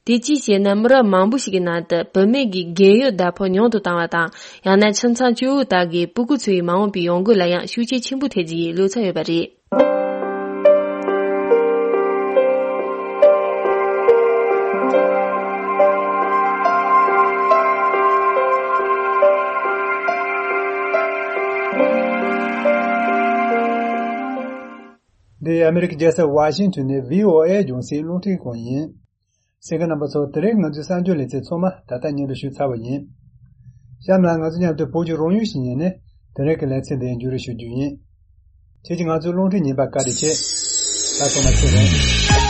དེ་ཅིའི་ཕྱིར་ན། མི་རབས་མང་པོ་ཞིག་གི་ནང་དུ་བུད་མེད་ཀྱི་རྒས་ཡོལ་ཟླ་ཕོགས་ཉུང་དུ་བཏང་བ་དང་། ཡང་ན་ཁྱིམ་ཚང་གཅིག་པུ་དག་གི་སྤུ་གུ་ཚོའི་མ་འོངས་པའི་ཡོང་སྒོ་ལ་ཡང་ཤུགས་རྐྱེན་ཆེན་པོ་ཐེབས་རྒྱུ་ཡི་བློ་འཚབ་ཡོད་པ་རེད། འདི་ཨ་མི་རི་ཀའི་རྒྱལ་ས་ཝ་ཤིང་ཊོན་ནས་བྷི་ཨོ་ཨེ་རྒྱང་སྲིང་རླུང་འཕྲིན་ཁང་ཡིན། གསན་མཁན་རྣམ་པ་ཚོ། དེ་རིང་ང་ཚོའི་གསར་འགྱུར་ལེ་ཚན་ཚང་མ་ད་ལྟ་སྙན་དུ་ཞུས་ཚར་བ་ཡིན། གཤམ་ལ་ང་ཚོ་མཉམ་དུ་བོད་ཀྱི་རང་ཡུལ་ཞིག་ཉན་ནས། དེ་རིང་གི་ལེ་ཚན་འདི་མཇུག་སྒྲིལ་ཞུ་རྒྱུ་ཡིན། ཁྱེད་ཀྱིས་ང་ཚོའི་རླུང་འཕྲིན་ཉན་པར་བཀའ་དྲིན་ཆེ། ད་ཚང་མ་ཚེ་རིང་།